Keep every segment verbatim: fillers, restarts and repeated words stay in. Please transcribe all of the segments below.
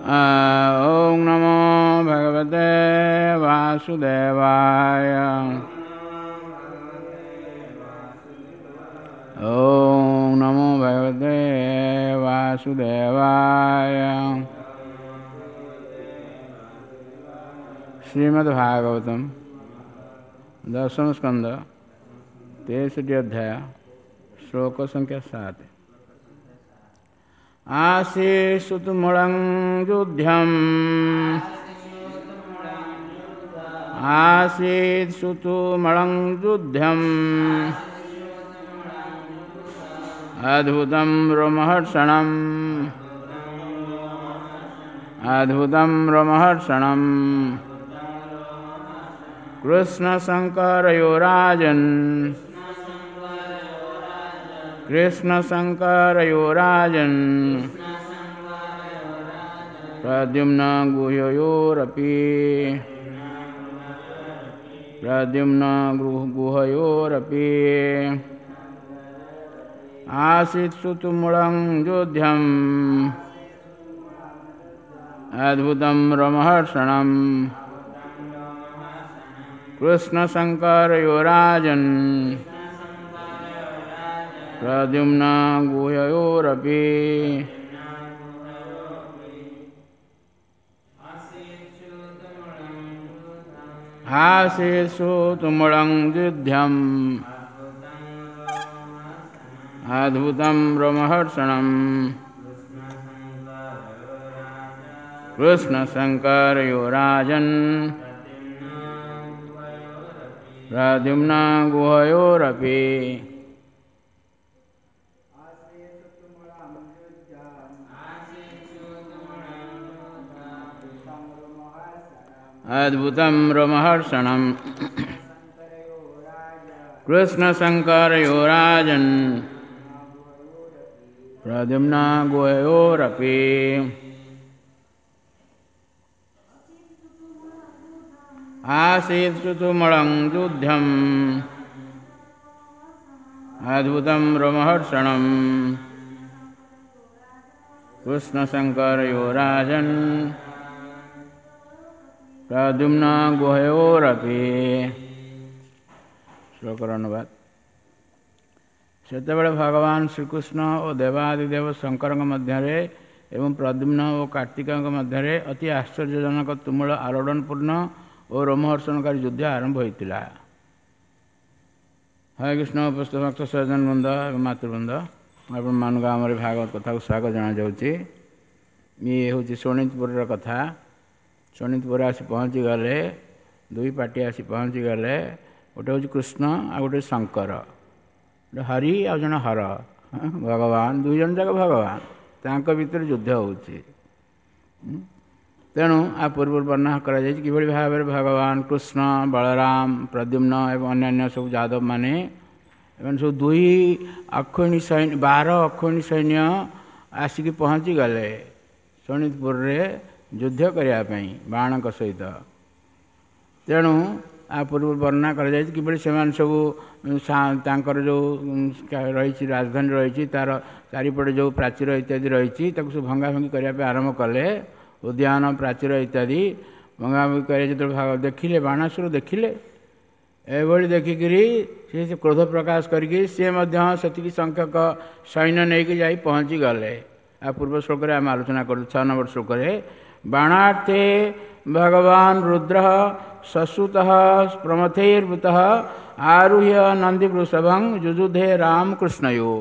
ॐ नमो भगवते वासुदेवाय। ॐ नमो भगवते वासुदेवाय। श्रीमद्भागवतम दशम स्कंद तेसठी अध्याय श्लोक संख्या सात। आसीत्सुतुमुलं युध्यम् आसीत्सुतुमुलं युध्यम् अद्भुतं रोमहर्षणम् अद्भुतं रोमहर्षणम् कृष्णशङ्करयो राजन् कृष्णशङ्करयो राजन् प्रद्युम्न गुहयोरपि प्रद्युम्न गुहयोरपि आसीत्सुतुमुलं युध्यम् अद्भुतं रोमहर्षणम् कृष्णशङ्करयो राजन् प्रद्युम्न गुहयोरपि। आसीत्सुतुमुलं युध्यम् अद्भुतं रोमहर्षणम् कृष्णशङ्करयो राजन् प्रद्युम्न गुहयोरपि। अद्भुतं रोमहर्षणम् कृष्णशङ्करयो राजन् प्रद्युम्न गुहयोरपि। आसीत्सुतुमुलं युध्यम् अद्भुतं रोमहर्षणम् कृष्णशङ्करयो राजन् प्रद्युम्न गुहयोरपि। ଶ୍ଲୋକର ଅନୁବାଦ। ସେତେବେଳେ ଭଗବାନ ଶ୍ରୀକୃଷ୍ଣ ଓ ଦେବାଦିଦେବ ଶଙ୍କରଙ୍କ ମଧ୍ୟରେ ଏବଂ ପ୍ରଦ୍ୟୁମ୍ନ ଓ କାର୍ତ୍ତିକଙ୍କ ମଧ୍ୟରେ ଅତି ଆଶ୍ଚର୍ଯ୍ୟଜନକ ତୁମୁଳ ଆଲୋଡ଼ନପୂର୍ଣ୍ଣ ଓ ରୋମହର୍ଷଣକାରୀ ଯୁଦ୍ଧ ଆରମ୍ଭ ହୋଇଥିଲା। ହରେ କୃଷ୍ଣ। ଉପସ୍ଥିତ ଭକ୍ତ ସଜ୍ଜନ ବୃନ୍ଦ ଏବଂ ମାତୃବୃନ୍ଦ, ଆପଣମାନଙ୍କୁ ଆମର ଭାଗବତ କଥାକୁ ସ୍ୱାଗତ ଜଣାଯାଉଛି। ଇଏ ହେଉଛି ଶୋଣିତପୁରର କଥା। ଶୋଣିତପୁର ଆସି ପହଞ୍ଚିଗଲେ, ଦୁଇ ପାର୍ଟି ଆସି ପହଞ୍ଚିଗଲେ। ଗୋଟେ ହେଉଛି କୃଷ୍ଣ ଆଉ ଗୋଟେ ଶଙ୍କର, ଗୋଟେ ହରି ଆଉ ଜଣେ ହର, ଭଗବାନ, ଦୁଇ ଜଣ ଯାକ ଭଗବାନ, ତାଙ୍କ ଭିତରେ ଯୁଦ୍ଧ ହେଉଛି। ତେଣୁ ଆ ପୂର୍ବରୁ ବର୍ଣ୍ଣନା କରାଯାଇଛି କିଭଳି ଭାବରେ ଭଗବାନ କୃଷ୍ଣ, ବଳରାମ, ପ୍ରଦ୍ୟୁମ୍ନ ଏବଂ ଅନ୍ୟାନ୍ୟ ସବୁ ଯାଦବମାନେ ଏମାନେ ସବୁ ଦୁଇ ଅକ୍ଷୋହିଣୀ ସୈନ୍ୟ, ବାର ଅକ୍ଷୋହିଣୀ ସୈନ୍ୟ ଆସିକି ପହଞ୍ଚିଗଲେ ଶୋଣିତପୁରରେ ଯୁଦ୍ଧ କରିବା ପାଇଁ ବାଣଙ୍କ ସହିତ। ତେଣୁ ଆ ପୂର୍ବରୁ ବର୍ଣ୍ଣନା କରାଯାଇଛି କିଭଳି ସେମାନେ ସବୁ ତାଙ୍କର ଯେଉଁ ରହିଛି ରାଜଧାନୀ ରହିଛି, ତା'ର ଚାରିପଟେ ଯେଉଁ ପ୍ରାଚୀର ଇତ୍ୟାଦି ରହିଛି ତାକୁ ସବୁ ଭଙ୍ଗାଭଙ୍ଗି କରିବା ପାଇଁ ଆରମ୍ଭ କଲେ। ଉଦ୍ୟାନ ପ୍ରାଚୀର ଇତ୍ୟାଦି ଭଙ୍ଗାଭଙ୍ଗି କରିବା ଯେତେବେଳେ ଦେଖିଲେ, ବାଣାସୁର ଦେଖିଲେ, ଏଭଳି ଦେଖିକିରି ସେ କ୍ରୋଧ ପ୍ରକାଶ କରିକି ସିଏ ମଧ୍ୟ ସେତିକି ସଂଖ୍ୟକ ସୈନ୍ୟ ନେଇକି ଯାଇ ପହଞ୍ଚିଗଲେ। ଆଉ ପୂର୍ବ ଶ୍ଲୋକରେ ଆମେ ଆଲୋଚନା କରୁ ଛଅ ନମ୍ବର ଶ୍ଲୋକରେ, ବାଣାର୍ଥେ ଭଗବାନ ରୁଦ୍ର ସସୁତଃ ପ୍ରମଥୈର୍ବୃତଃ ଆରୁହ୍ୟ ନନ୍ଦୀବୃଷଭଂ ଯୁଯୁଧେ ରାମ କୃଷ୍ଣୟୋ।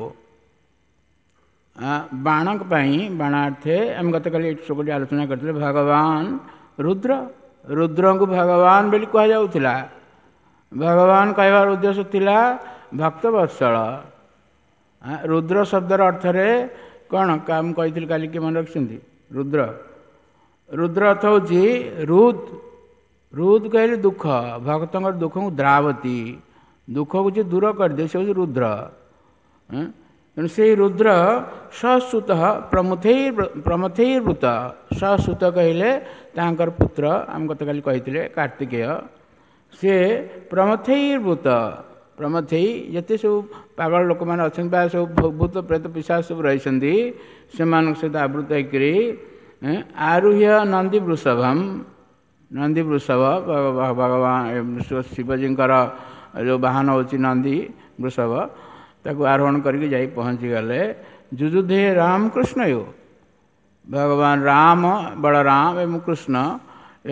ବାଣଙ୍କ ପାଇଁ, ବାଣାର୍ଥେ ଆମେ ଗତକାଲି ଏ ଶ୍ଲୋକଟି ଆଲୋଚନା କରିଥିଲେ। ଭଗବାନ ରୁଦ୍ର, ରୁଦ୍ରଙ୍କୁ ଭଗବାନ ବୋଲି କୁହାଯାଉଥିଲା। ଭଗବାନ କହିବାର ଉଦ୍ଦେଶ୍ୟ ଥିଲା ଭକ୍ତବତ୍ସଳ। ରୁଦ୍ର ଶବ୍ଦର ଅର୍ଥରେ କ'ଣ ମୁଁ କହିଥିଲି କାଲି, କିଏ ମନେ ରଖିଛନ୍ତି? ରୁଦ୍ର, ରୁଦ୍ର ଅର୍ଥ ହେଉଛି ରୁଦ୍। ରୁଦ୍ କହିଲେ ଦୁଃଖ, ଭକ୍ତଙ୍କର ଦୁଃଖକୁ ଦ୍ରାବତୀ, ଦୁଃଖକୁ ଯିଏ ଦୂର କରିଦିଏ ସେ ହେଉଛି ରୁଦ୍ର। ତେଣୁ ସେଇ ରୁଦ୍ର ସସୁତ ପ୍ରମୁଥୈ ପ୍ରମଥୈବୃତ। ସସୁତ କହିଲେ ତାଙ୍କର ପୁତ୍ର, ଆମେ ଗତକାଲି କହିଥିଲେ କାର୍ତ୍ତିକେୟ, ସେ ପ୍ରମଥୈବୃତ। ପ୍ରମଥେଇ ଯେତେ ସବୁ ପାଗଳ ଲୋକମାନେ ଅଛନ୍ତି ବା ସବୁ ଭୂତ ପ୍ରେତ ପିଶାଚ ସବୁ ରହିଛନ୍ତି, ସେମାନଙ୍କ ସହିତ ଆବୃତ ହେଇକରି ଆରୁହ୍ୟ ନନ୍ଦୀ ବୃଷଭମ୍, ନନ୍ଦୀ ବୃଷଭ ଭଗବାନ ଶିବଜୀଙ୍କର ଯେଉଁ ବାହନ ହେଉଛି ନନ୍ଦୀ ବୃଷଭ, ତାକୁ ଆରୋହଣ କରିକି ଯାଇ ପହଞ୍ଚିଗଲେ। ଯୁଯୁଧେ ରାମକୃଷ୍ଣ you, ଭଗବାନ ରାମ, ବଳରାମ ଏବଂ କୃଷ୍ଣ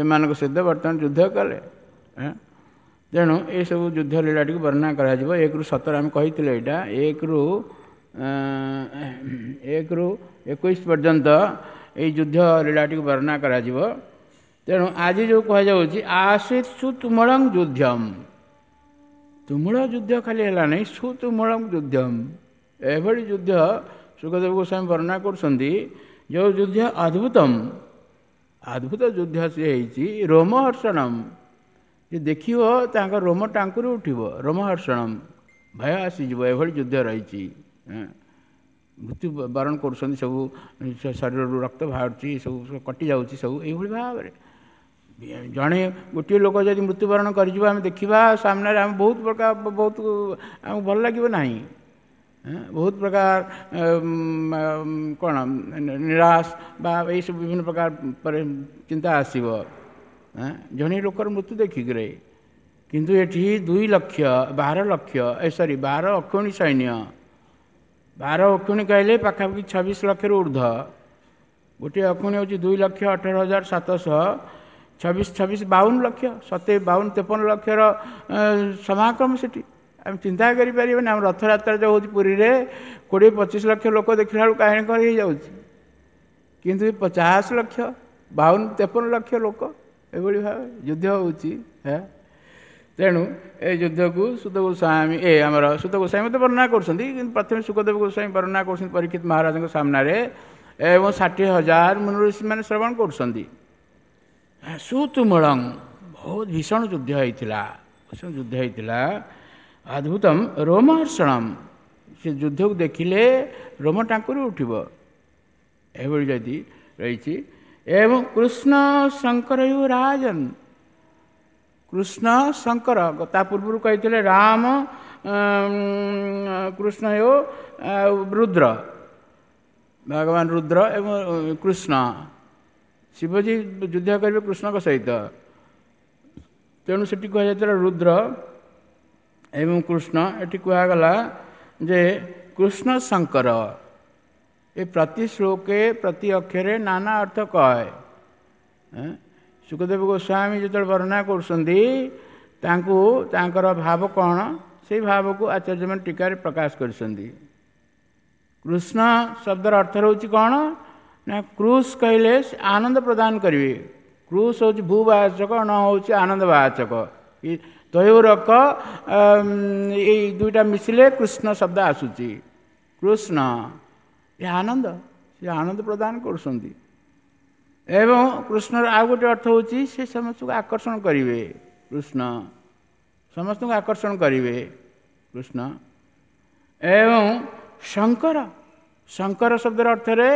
ଏମାନଙ୍କ ସହିତ ବର୍ତ୍ତମାନ ଯୁଦ୍ଧ କଲେ। ତେଣୁ ଏସବୁ ଯୁଦ୍ଧ ଲୀଳାଟିକୁ ବର୍ଣ୍ଣନା କରାଯିବ। ଏକରୁ ସତର ଆମେ କହିଥିଲେ, ଏଇଟା ଏକରୁ ଏକରୁ ଏକୋଇଶ ପର୍ଯ୍ୟନ୍ତ ଏଇ ଯୁଦ୍ଧ ଲୀଳାଟିକୁ ବର୍ଣ୍ଣନା କରାଯିବ। ତେଣୁ ଆଜି ଯେଉଁ କୁହାଯାଉଛି ଆସିତ ସୁତୁମଳଂ ଯୁଦ୍ଧମ, ତୁମୁଳ ଯୁଦ୍ଧ ଖାଲି ହେଲା ନାହିଁ, ସୁତୁମଳଂ ଯୁଦ୍ଧମ, ଏଭଳି ଯୁଦ୍ଧ ଶୁକଦେବ ଗୋସ୍ୱାମୀ ବର୍ଣ୍ଣନା କରୁଛନ୍ତି, ଯେଉଁ ଯୁଦ୍ଧ ଅଦ୍ଭୁତମ, ଅଦ୍ଭୁତ ଯୁଦ୍ଧ ସିଏ ହେଇଛି। ରୋମହର୍ଷଣମ, ଯେ ଦେଖିବ ତାଙ୍କ ରୋମ ଟାଙ୍କୁରି ଉଠିବ, ରୋମହର୍ଷଣମ, ଭୟ ଆସିଯିବ, ଏଭଳି ଯୁଦ୍ଧ ରହିଛି। ମୃତ୍ୟୁ ବରଣ କରୁଛନ୍ତି ସବୁ, ଶରୀରରୁ ରକ୍ତ ବାହାରୁଛି, ସବୁ କଟି ଯାଉଛି ସବୁ, ଏଇଭଳି ଭାବରେ ଜଣେ ଗୋଟିଏ ଲୋକ ଯଦି ମୃତ୍ୟୁବରଣ କରିଯିବ, ଆମେ ଦେଖିବା ସାମ୍ନାରେ, ଆମେ ବହୁତ ପ୍ରକାର ବହୁତ ଆମକୁ ଭଲ ଲାଗିବ ନାହିଁ, ବହୁତ ପ୍ରକାର କ'ଣ ନିରାଶ ବା ଏଇସବୁ ବିଭିନ୍ନ ପ୍ରକାର ଚିନ୍ତା ଆସିବ ଜଣେ ଲୋକର ମୃତ୍ୟୁ ଦେଖିକିରି। କିନ୍ତୁ ଏଠି ଦୁଇ ଲକ୍ଷ ବାର ଲକ୍ଷ ଏ ସରି ବାର ଅକ୍ଷୁଣୀ ସୈନ୍ୟ, ବାର ଅକ୍ଷୁଣୀ କହିଲେ ପାଖାପାଖି ଛବିଶ ଲକ୍ଷରୁ ଉର୍ଦ୍ଧ୍ୱ। ଗୋଟିଏ ଅକ୍ଷୁଣୀ ହେଉଛି ଦୁଇ ଲକ୍ଷ ଅଠର ହଜାର ସାତଶହ, ଛବିଶ ଛବିଶ ବାଉନ ଲକ୍ଷ, ସତେ ବାଉନ ତେପନ ଲକ୍ଷର ସମାଗମ ସେଠି ଆମେ ଚିନ୍ତା କରିପାରିବାନି। ଆମ ରଥଯାତ୍ରା ଯେଉଁ ହେଉଛି ପୁରୀରେ କୋଡ଼ିଏ ପଚିଶ ଲକ୍ଷ ଲୋକ ଦେଖିଲା ବେଳକୁ କାହିଁକି କ'ଣ ହେଇଯାଉଛି, କିନ୍ତୁ ପଚାଶ ଲକ୍ଷ ବାଉନ ତେପନ ଲକ୍ଷ ଲୋକ ଏଭଳି ଭାବେ ଯୁଦ୍ଧ ହେଉଛି। ତେଣୁ ଏ ଯୁଦ୍ଧକୁ ସୁତ ଗୋସ୍ୱାମୀ ଏ ଆମର ସୁତ ଗୋସ୍ୱାମୀ ତ ବର୍ଣ୍ଣନା କରୁଛନ୍ତି, କିନ୍ତୁ ପ୍ରଥମେ ଶୁକଦେବ ଗୋସ୍ୱାମୀ ବର୍ଣ୍ଣନା କରୁଛନ୍ତି ପରୀକ୍ଷିତ ମହାରାଜଙ୍କ ସାମ୍ନାରେ, ଏବଂ ଷାଠିଏ ହଜାର ମୁନି ଋଷିମାନେ ଶ୍ରବଣ କରୁଛନ୍ତି। ସୁତୁମୂଳଂ, ବହୁତ ଭୀଷଣ ଯୁଦ୍ଧ ହେଇଥିଲା, ଭୀଷଣ ଯୁଦ୍ଧ ହେଇଥିଲା। ଅଦ୍ଭୁତମ ରୋମହର୍ଷଣମ, ସେ ଯୁଦ୍ଧକୁ ଦେଖିଲେ ରୋମ ଟାଙ୍କୁରି ଉଠିବ, ଏଭଳି ଯଦି ରହିଛି। ଏବଂ କୃଷ୍ଣ ଶଙ୍କର ରାଜନ, କୃଷ୍ଣ ଶଙ୍କର ତା ପୂର୍ବରୁ କହିଥିଲେ ରାମ କୃଷ୍ଣ ହେଉ ଆଉ ରୁଦ୍ର, ଭଗବାନ ରୁଦ୍ର ଏବଂ କୃଷ୍ଣ, ଶିବଜୀ ଯୁଦ୍ଧ କରିବେ କୃଷ୍ଣଙ୍କ ସହିତ। ତେଣୁ ସେଠି କୁହାଯାଇଥିଲା ରୁଦ୍ର ଏବଂ କୃଷ୍ଣ, ଏଠି କୁହାଗଲା ଯେ କୃଷ୍ଣ ଶଙ୍କର। ଏ ପ୍ରତି ଶ୍ଲୋକେ ପ୍ରତି ଅକ୍ଷରେ ନାନା ଅର୍ଥ କହେ। ଶୁକଦେବ ଗୋସ୍ୱାମୀ ଯେତେବେଳେ ବର୍ଣ୍ଣନା କରୁଛନ୍ତି ତାଙ୍କୁ ତାଙ୍କର ଭାବ କ'ଣ, ସେଇ ଭାବକୁ ଆଚାର୍ଯ୍ୟମାନେ ଟୀକାରେ ପ୍ରକାଶ କରିଛନ୍ତି। କୃଷ୍ଣ ଶବ୍ଦର ଅର୍ଥ ରହୁଛି କ'ଣ ନା, କୃଷ କହିଲେ ଆନନ୍ଦ ପ୍ରଦାନ କରିବେ। କୃଷ ହେଉଛି ଭୂବାଚକ, ଣ ହେଉଛି ଆନନ୍ଦବାଚକ, ତୟୋରକ ଏଇ ଦୁଇଟା ମିଶିଲେ କୃଷ୍ଣ ଶବ୍ଦ ଆସୁଛି। କୃଷ୍ଣ ଏ ଆନନ୍ଦ, ସେ ଆନନ୍ଦ ପ୍ରଦାନ କରୁଛନ୍ତି। ଏବଂ କୃଷ୍ଣର ଆଉ ଗୋଟେ ଅର୍ଥ ହେଉଛି ସେ ସମସ୍ତଙ୍କୁ ଆକର୍ଷଣ କରିବେ, କୃଷ୍ଣ ସମସ୍ତଙ୍କୁ ଆକର୍ଷଣ କରିବେ କୃଷ୍ଣ। ଏବଂ ଶଙ୍କର, ଶଙ୍କର ଶବ୍ଦର ଅର୍ଥରେ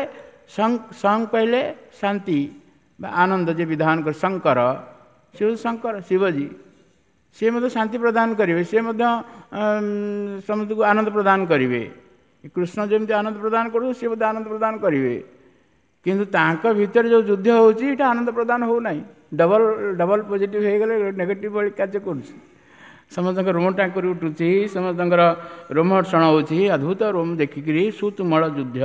ସଂ କହିଲେ ଶାନ୍ତି ବା ଆନନ୍ଦ, ଯେ ବିଧାନ କରି ଶଙ୍କର, ସେ ହେଉଛି ଶଙ୍କର ଶିବଜୀ, ସିଏ ମଧ୍ୟ ଶାନ୍ତି ପ୍ରଦାନ କରିବେ, ସିଏ ମଧ୍ୟ ସମସ୍ତଙ୍କୁ ଆନନ୍ଦ ପ୍ରଦାନ କରିବେ। କୃଷ୍ଣ ଯେମିତି ଆନନ୍ଦ ପ୍ରଦାନ କରୁଛନ୍ତି, ସିଏ ମଧ୍ୟ ଆନନ୍ଦ ପ୍ରଦାନ କରିବେ। କିନ୍ତୁ ତାଙ୍କ ଭିତରେ ଯେଉଁ ଯୁଦ୍ଧ ହେଉଛି ଏଇଟା ଆନନ୍ଦ ପ୍ରଦାନ ହେଉନାହିଁ, ଡବଲ ଡବଲ ପଜିଟିଭ୍ ହେଇଗଲେ ନେଗେଟିଭ୍ ଭଳି କାର୍ଯ୍ୟ କରୁଛି। ସମସ୍ତଙ୍କ ରୋମ ଟାଙ୍କୁରି ଉଠୁଛି, ସମସ୍ତଙ୍କର ରୋମହର୍ଷଣ ହେଉଛି, ଅଦ୍ଭୁତ ରୋମ ଦେଖିକିରି ସୁତୁମଳ ଯୁଦ୍ଧ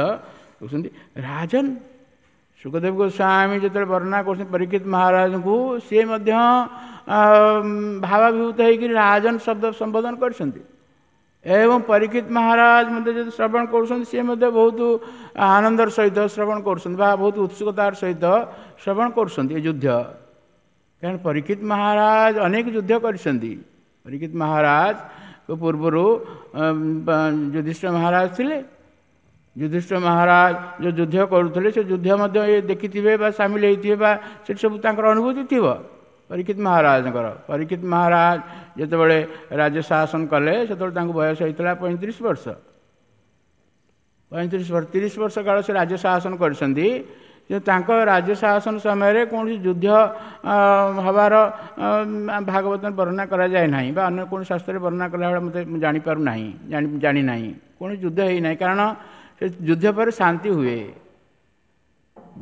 କହୁଛନ୍ତି ରାଜନ। ଶୁକଦେବ ଗୋସ୍ୱାମୀ ଯେତେବେଳେ ବର୍ଣ୍ଣନା କରୁଛନ୍ତି ପରୀକ୍ଷିତ ମହାରାଜଙ୍କୁ, ସିଏ ମଧ୍ୟ ଭାବାଭିଭୂତ ହେଇକିରି ରାଜନ ଶବ୍ଦ ସମ୍ବୋଧନ କରିଛନ୍ତି। ଏବଂ ପରୀକ୍ଷିତ ମହାରାଜ ମଧ୍ୟ ଯଦି ଶ୍ରବଣ କରୁଛନ୍ତି, ସିଏ ମଧ୍ୟ ବହୁତ ଆନନ୍ଦର ସହିତ ଶ୍ରବଣ କରୁଛନ୍ତି ବା ବହୁତ ଉତ୍ସୁକତାର ସହିତ ଶ୍ରବଣ କରୁଛନ୍ତି ଏ ଯୁଦ୍ଧ। କାରଣ ପରୀକ୍ଷିତ ମହାରାଜ ଅନେକ ଯୁଦ୍ଧ କରିଛନ୍ତି। ପରୀକ୍ଷିତ ମହାରାଜ ପୂର୍ବରୁ ଯୁଧିଷ୍ଠିର ମହାରାଜ ଥିଲେ। ଯୁଧିଷ୍ଠିର ମହାରାଜ ଯେଉଁ ଯୁଦ୍ଧ କରୁଥିଲେ, ସେ ଯୁଦ୍ଧ ମଧ୍ୟ ଏ ଦେଖିଥିବେ ବା ସାମିଲ ହେଇଥିବେ ବା ସେଠି ସବୁ ତାଙ୍କର ଅନୁଭୂତି ଥିବ ପରୀକ୍ଷିତ ମହାରାଜଙ୍କର। ପରୀକ୍ଷିତ ମହାରାଜ ଯେତେବେଳେ ରାଜ୍ୟ ଶାସନ କଲେ, ସେତେବେଳେ ତାଙ୍କୁ ବୟସ ହେଇଥିଲା ପଇଁତିରିଶ ବର୍ଷ, ପଇଁତିରିଶ ବର୍ଷ ତିରିଶ ବର୍ଷ କାଳ ସେ ରାଜ୍ୟ ଶାସନ କରିଛନ୍ତି। କିନ୍ତୁ ତାଙ୍କ ରାଜ୍ୟ ଶାସନ ସମୟରେ କୌଣସି ଯୁଦ୍ଧ ହେବାର ଭାଗବତ ବର୍ଣ୍ଣନା କରାଯାଏ ନାହିଁ ବା ଅନ୍ୟ କୌଣସି ଶାସ୍ତ୍ରରେ ବର୍ଣ୍ଣନା କଲାବେଳେ ମୋତେ ମୁଁ ଜାଣିପାରୁନାହିଁ, ଜାଣି ଜାଣିନାହିଁ କୌଣସି ଯୁଦ୍ଧ ହେଇନାହିଁ। କାରଣ ସେ ଯୁଦ୍ଧ ପରେ ଶାନ୍ତି ହୁଏ।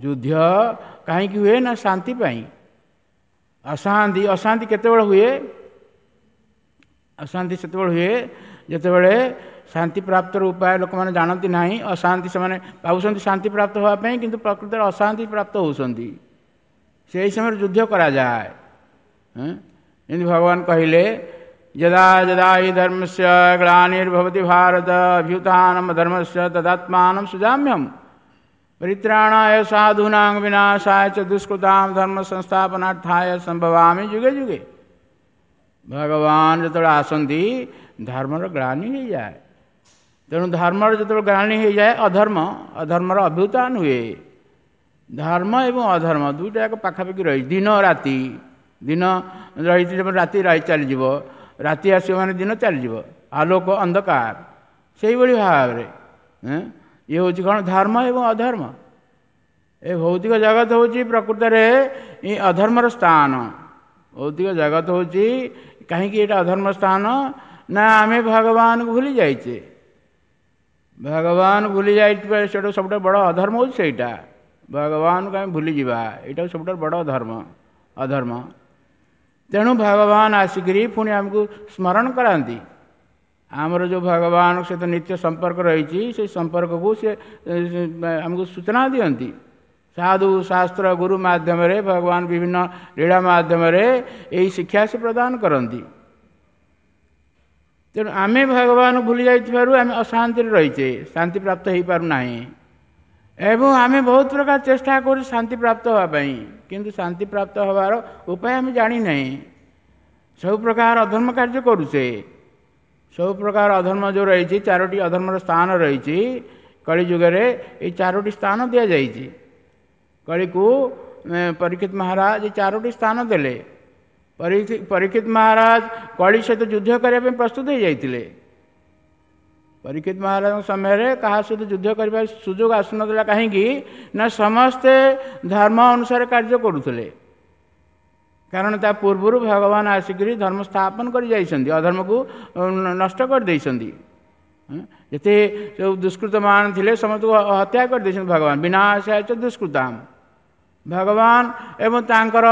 ଯୁଦ୍ଧ କାହିଁକି ହୁଏ ନା ଶାନ୍ତି ପାଇଁ। ଅଶାନ୍ତି ଅଶାନ୍ତି କେତେବେଳେ ହୁଏ? ଅଶାନ୍ତି ସେତେବେଳେ ହୁଏ ଯେତେବେଳେ ଶାନ୍ତି ପ୍ରାପ୍ତର ଉପାୟ ଲୋକମାନେ ଜାଣନ୍ତି ନାହିଁ। ଅଶାନ୍ତି ସେମାନେ ଭାବୁଛନ୍ତି ଶାନ୍ତି ପ୍ରାପ୍ତ ହେବା ପାଇଁ, କିନ୍ତୁ ପ୍ରକୃତରେ ଅଶାନ୍ତି ପ୍ରାପ୍ତ ହେଉଛନ୍ତି। ସେହି ସମୟରେ ଯୁଦ୍ଧ କରାଯାଏ। ଯେମିତି ଭଗବାନ କହିଲେ, ଯଦା ଯଦା ହି ଧର୍ମସ୍ୟ ଗ୍ଲାନିର୍ଭବତି ଭାରତ ଅଭ୍ୟୁତ୍ଥାନମ ଧର୍ମସ୍ୟ ତଦାତ୍ମାନಂ ସୃଜାମ୍ୟହମ୍ ପରିତ୍ରାଣାୟ ସାଧୂନାଂ ବିନାଶାୟ ଚ ଦୁଷ୍କୃତାଂ ଧର୍ମ ସଂସ୍ଥାପନାର୍ଥାୟ ସମ୍ଭବାମି ଯୁଗେ ଯୁଗେ। ଭଗବାନ ଯେତେବେଳେ ଆସନ୍ତି ଧର୍ମର ଗ୍ଲାନି ହେଇଯାଏ। ତେଣୁ ଧର୍ମର ଯେତେବେଳେ ଗ୍ଲାନି ହେଇଯାଏ, ଅଧର୍ମ ଅଧର୍ମର ଅଭ୍ୟୁତ୍ଥାନ ହୁଏ। ଧର୍ମ ଏବଂ ଅଧର୍ମ ଦୁଇଟା ଯାକ ପାଖାପାଖି ରହିଛି। ଦିନ ରାତି, ଦିନ ରହିଛି ରାତି ରହି ଚାଲିଯିବ, ରାତି ଆସିବ ମାନେ ଦିନ ଚାଲିଯିବ, ଆଲୋକ ଅନ୍ଧକାର। ସେଇଭଳି ଭାବରେ ଇଏ ହେଉଛି କ'ଣ? ଧର୍ମ ଏବଂ ଅଧର୍ମ। ଏ ଭୌତିକ ଜଗତ ହେଉଛି ପ୍ରକୃତରେ ଏ ଅଧର୍ମର ସ୍ଥାନ। ଭୌତିକ ଜଗତ ହେଉଛି କାହିଁକି ଏଇଟା ଅଧର୍ମ ସ୍ଥାନ? ନା ଆମେ ଭଗବାନଙ୍କୁ ଭୁଲି ଯାଇଛେ। ଭଗବାନ ଭୁଲି ଯାଇଥିବା ସେଇଟା ସବୁଠାରୁ ବଡ଼ ଅଧର୍ମ ହେଉଛି ସେଇଟା। ଭଗବାନଙ୍କୁ ଆମେ ଭୁଲିଯିବା, ଏଇଟା ସବୁଠାରୁ ବଡ଼ ଧର୍ମ ଅଧର୍ମ। ତେଣୁ ଭଗବାନ ଆସିକରି ପୁଣି ଆମକୁ ସ୍ମରଣ କରାନ୍ତି। ଆମର ଯେଉଁ ଭଗବାନଙ୍କ ସହିତ ନିତ୍ୟ ସମ୍ପର୍କ ରହିଛି, ସେଇ ସମ୍ପର୍କକୁ ସେ ଆମକୁ ସୂଚନା ଦିଅନ୍ତି। ସାଧୁ ଶାସ୍ତ୍ର ଗୁରୁ ମାଧ୍ୟମରେ ଭଗବାନ ବିଭିନ୍ନ ଲୀଳା ମାଧ୍ୟମରେ ଏହି ଶିକ୍ଷା ସେ ପ୍ରଦାନ କରନ୍ତି। ତେଣୁ ଆମେ ଭଗବାନଙ୍କୁ ଭୁଲି ଯାଇଥିବାରୁ ଆମେ ଅଶାନ୍ତିରେ ରହିଛେ, ଶାନ୍ତି ପ୍ରାପ୍ତ ହେଇପାରୁନାହିଁ। ଏବଂ ଆମେ ବହୁତ ପ୍ରକାର ଚେଷ୍ଟା କରୁ ଶାନ୍ତି ପ୍ରାପ୍ତ ହେବା ପାଇଁ, କିନ୍ତୁ ଶାନ୍ତି ପ୍ରାପ୍ତ ହେବାର ଉପାୟ ଆମେ ଜାଣିନାହିଁ। ସବୁ ପ୍ରକାର ଅଧର୍ମ କାର୍ଯ୍ୟ କରୁଛେ। ସବୁ ପ୍ରକାର ଅଧର୍ମ ଯେଉଁ ରହିଛି, ଚାରୋଟି ଅଧର୍ମର ସ୍ଥାନ ରହିଛି କଳିଯୁଗରେ। ଏଇ ଚାରୋଟି ସ୍ଥାନ ଦିଆଯାଇଛି କଳିକୁ। ପରୀକ୍ଷିତ ମହାରାଜ ଏଇ ଚାରୋଟି ସ୍ଥାନ ଦେଲେ। ପରୀକ୍ଷିତ ମହାରାଜ କଳି ସହିତ ଯୁଦ୍ଧ କରିବା ପାଇଁ ପ୍ରସ୍ତୁତ ହେଇଯାଇଥିଲେ। ପରୀକ୍ଷିତ ମହାରାଜଙ୍କ ସମୟରେ କାହା ସହିତ ଯୁଦ୍ଧ କରିବା ସୁଯୋଗ ଆସୁନଥିଲା। କାହିଁକି ନା ସମସ୍ତେ ଧର୍ମ ଅନୁସାରେ କାର୍ଯ୍ୟ କରୁଥିଲେ। କାରଣ ତା ପୂର୍ବରୁ ଭଗବାନ ଆସିକରି ଧର୍ମ ସ୍ଥାପନ କରି ଯାଇଛନ୍ତି, ଅଧର୍ମକୁ ନଷ୍ଟ କରିଦେଇଛନ୍ତି। ଯେତେ ସବୁ ଦୁଷ୍କୃତମାନ ଥିଲେ ସମସ୍ତଙ୍କୁ ହତ୍ୟା କରିଦେଇଛନ୍ତି ଭଗବାନ। ବିନାଶାୟ ଚ ଦୁଷ୍କୃତାମ। ଭଗବାନ ଏବଂ ତାଙ୍କର